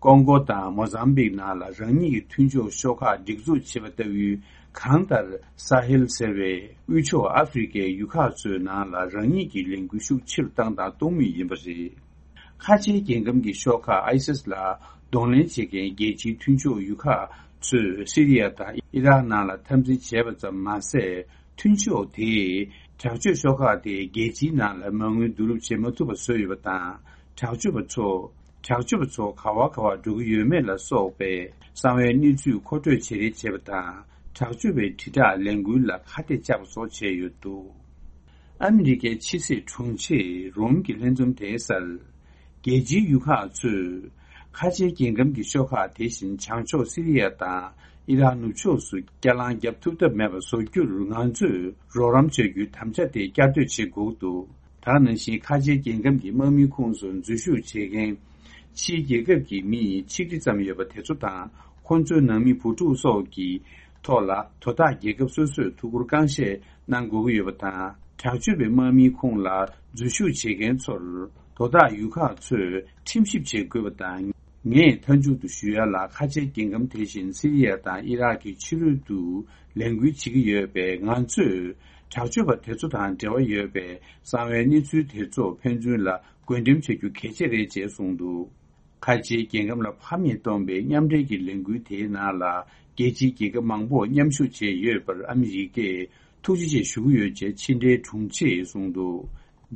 ཀོང་གོ་དང་མོ་ཟམ་བིག་ནང་ལ་རང་ཉིད་ཀྱི་མཐུན་ཕྱོགས་ཤོག་ཁག་སྒྲིག་འཛུགས་བྱེད་པ་ལྟ་བུའི། གང་ལྟར་ས་ཧེལ་ཟེར་བའི་དབུས་ཕྱོགས་ཨ་ཧྥེ་རི་ཁའི་ཡུལ་ཁག་ཚོའི་ནང་ལ་རང་ཉིད་ཀྱི་ལས་འགུལ་ཤུགས་ཆེ་རུ་བཏང་དང་གཏོང་མུས་ཡིན་པ་རེད། ཁ་ཆེའི་རྒྱལ་ཁམས་ཀྱི་ཤོག་ཁག་ཨའི་སིས་ལ་གདོང་ལེན་བྱེད་མཁན་རྒྱལ་སྤྱིའི་མཐུན་ཕྱོགས་ཡུལ་ཁག་ཚོས་སི་རི་ཡ་དང་ཨི་རག་ནང་ལ་འཐབ་འཛིང་བྱས་པ་ཙམ་མ་ཟད། མཐུན་ཕྱོགས་དེས་དྲག་སྤྱོད་ཤོག་ཁག་དེ་རྒྱལ་སྤྱིའི་ནང་ལ་མ་དངུལ་བསྡུ་རུབ་བྱེད་མ་ཐུབ་པ་བཟོས་ཡོད་པ་དང་། དྲག་སྤྱོད་པ་ཚོ། དྲག་སྤྱོད་པ་ཚོ་ག་བ་ག་བར་འགྲོ་གི་ཡོད་མེད་ལ་སོགས་པའི་གསང་བའི་གནས་ཚུལ་མཁོ་སྤྲོད་བྱེད་རེས་བྱས་པ་དང་། དྲག་སྤྱོད་པའི་དྲིལ་བསྒྲགས་ལས་འགུལ་ལ་ཁ་གཏད་བཅག་པ་སོགས་བྱས་ཡོད་འདུག། ཨ་མི་རི་ཀའི་ཕྱི་སྲིད་དྲུང་ཆེས་རོམ་གྱི་ལྷན་འཛོམས་དེའི་སར། རྒྱལ་སྤྱིའི་ཡུལ་ཁག་ཚོས་ཁ་ཆེའི་རྒྱལ་ཁམས་ཀྱི་ཤོག་ཁག་དེ་བཞིན་བྱང་ཕྱོགས་སི་རི་ཡ་དང་ཨི་རག་ནུབ་ཕྱོགས་སུ་བསྐྱར་ལངས་བརྒྱབ་ཐུབ་ཐབས་མེད་པ་བཟོ་རྒྱུར་ང་ཚོས་རོགས་རམ་བྱ་རྒྱུའི་དམ་བཅའ་དེ་བསྐྱར་ཟློས་བྱེད་དགོས་འདུག། དེ་ནང་བཞིན་ཁ་ཆེའི་རྒྱལ་ཁམས་ཀྱི་དམག་མིའི་ཁོངས་སུ་འཛུལ་ཞུགས་བྱེད་མཁན་ཕྱིའི་རྒྱལ་ཁབ་ཀྱི་མི་ཆིག་ཁྲི་ཙམ་ཡོད་པ་དེ་ཚོ་དང་ཁོང་ཚོའི་ནང་མི་བུ་ཕྲུག་སོགས་ཀྱི་ཐོག་ལ་དོ་བདག་རྒྱལ་ཁབ་སོ་སོས་ཐུགས་ཁུར་རྐང་བཞེས་གནང་དགོས་ཀྱི་ཡོད་པ་དང་། དྲག་སྤྱོད་པའི་དམག་མིའི་ཁོངས་ལ་འཛུལ་ཞུགས་བྱེད་མཁན་ཚོར་དོ་བདག་ཡུལ་ཁག་ཚོས་ཁྲིམས་ཞིབ་བྱེད་དགོས་པ་དང་ ངས་མཐའ་མཇུག་ཏུ་ཞུ་ཡ་ལ། ཁ་ཆེའི་རྒྱལ་ཁམས་དེ་བཞིན་སི་རི་ཡ་དང་ཨི་རག་གི་ཕྱི་རོལ་དུ་ལས་འགུལ་བྱེད་ཀྱི་ཡོད་པས། ང་ཚོས་དྲག་སྤྱོད་པ་དེ་ཚོ་དང་འབྲེལ་བ་ཡོད་པའི་གསང་བའི་གནས་ཚུལ་དེ་ཚོ་ཕན་ཚུན་ལ་བགོ་འགྲེམས་བྱ་རྒྱུ་གལ་ཆེ་རེད་ཅེས་གསུངས་འདུག་ཁ་ཆེའི་རྒྱལ་ཁམས་ལ་ཕམ་ཉེས་བཏོན་པའི་མཉམ་འབྲེལ་གྱི་ལས་འགུལ་དེའི་ནང་ལ། རྒྱལ་སྤྱིའི་རྒྱལ་ཁབ་མང་པོ་མཉམ་ཞུགས་བྱས་ཡོད་པར་ཨ་མི་རི་ཀས་ཐུགས་རྗེ་ཆེ་ཞུ་གི་ཡོད་ཅེས་ཕྱི་འབྲེལ་དྲུང་ཆེས་གསུངས་འདུག་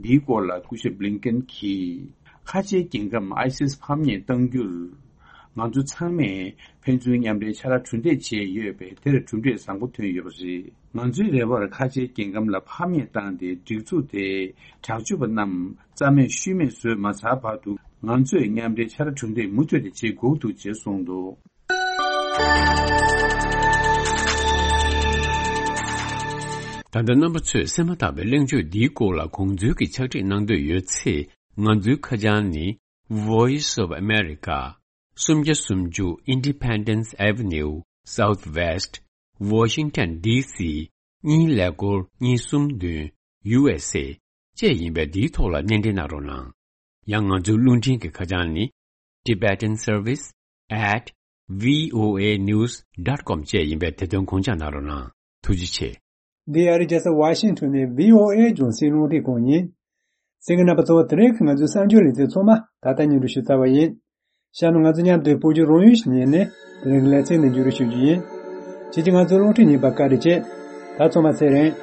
འདིའི་སྐོར་ལ་སྐུ་ཞབས་བྷི་ལིན་ཀེན་གྱིས། ཁ་ཆེའི་རྒྱལ་ཁམས་ཨའི་སིས་ཕམ་ཉེས་གཏང་རྒྱུར། ང་ཚོ་ཚང་མས་ཕན་ཚུན་མཉམ་འབྲེལ་ཕྱག་ར་གྲུ་འདེགས་བྱས་ཡོད་པས། དེར་གྲུབ་འབྲས་བཟང་པོ་ཐོན་ཡོད་པ་རེད། ང་ཚོའི་རེ་བར་ཁ་ཆེའི་རྒྱལ་ཁམས་ལ་ཕམ་ཉེས་བཏང་སྟེ། སྒྲིག་འཛུགས་དེས་དྲག་སྤྱོད་པ་རྣམས་རྩ་མེད་ཤུལ་མེད་བཟོས་མ་ཚར་བར་དུ། ང་ཚོས་མཉམ་འབྲེལ་ཕྱག་ར་གྲུ་འདེགས་མུ་མཐུད་དེ་བྱེད་དགོས་འདུག་ཅེས་གསུངས་འདུག་ད་ལྟ་རྣམ་པ་ཚོས་གསན་མ་ཐག་པའི་གླེང་བརྗོད་འདིའི་སྐོར་ལ་དགོངས་ཚུལ་གྱི་ཕྱག་བྲིས་གནང་འདོད་ཡོད་ཚེ། ང་ཚོའི་ཁ་བྱང་ནི། Voice of America, སུམ་བརྒྱ་སུམ་ཅུ་Independence Avenue, Southwest, Washington D C གཉིས་ཀླད་ཀོར་གཉིས་གསུམ་བདུན། U S A བཅས་ཡིན་པས། འདིའི་ཐོག་ལ་སྣེ་འདྲེན་གནང་རོགས་གནང་། ཡང་ང་ཚོའི་རླུང་འཕྲིན་གྱི་ཁ་བྱང་ནི། Tibetan Service at V O A news dot com བཅས་ཡིན་པས། དེ་དོན་དགོངས་འཇགས་གནང་རོགས་གནང་། ཐུགས་རྗེ་ཆེ། འདི་ཨ་རིའི་རྒྱལ་ས་ཝ་ཤིང་ཊོན་ནས་བྷི་ཨོ་ཨེ་རྒྱང་སྲིང་རླུང་འཕྲིན་ཁང་ཡིན། གསན་མཁན་རྣམ་པ་ཚོ། དེ་རིང་གི་ང་ཚོའི་གསར་འགྱུར་ལེ་ཚན་ཚང་མ་ད་ལྟ་སྙན་སྒྲོན་ཞུ་ཚར་བ་ཡིན། གཤམ་ལ་ང་ཚོ་མཉམ་དུ་བོད་བརྒྱུད་རང་ཡུལ་ཞིག་ཉན་ནས། དེ་རིང་གི་ལེ་ཚན་ནས་མཇུག་སྒྲིལ་ཞུ་རྒྱུ་ཡིན། ཁྱེད་ཀྱིས་ང་ཚོའི་རླུང་འཕྲིན་ཉན་པར་བཀའ་དྲིན་ཆེ། ད་ཚང་མ་ཚེ་རིང་།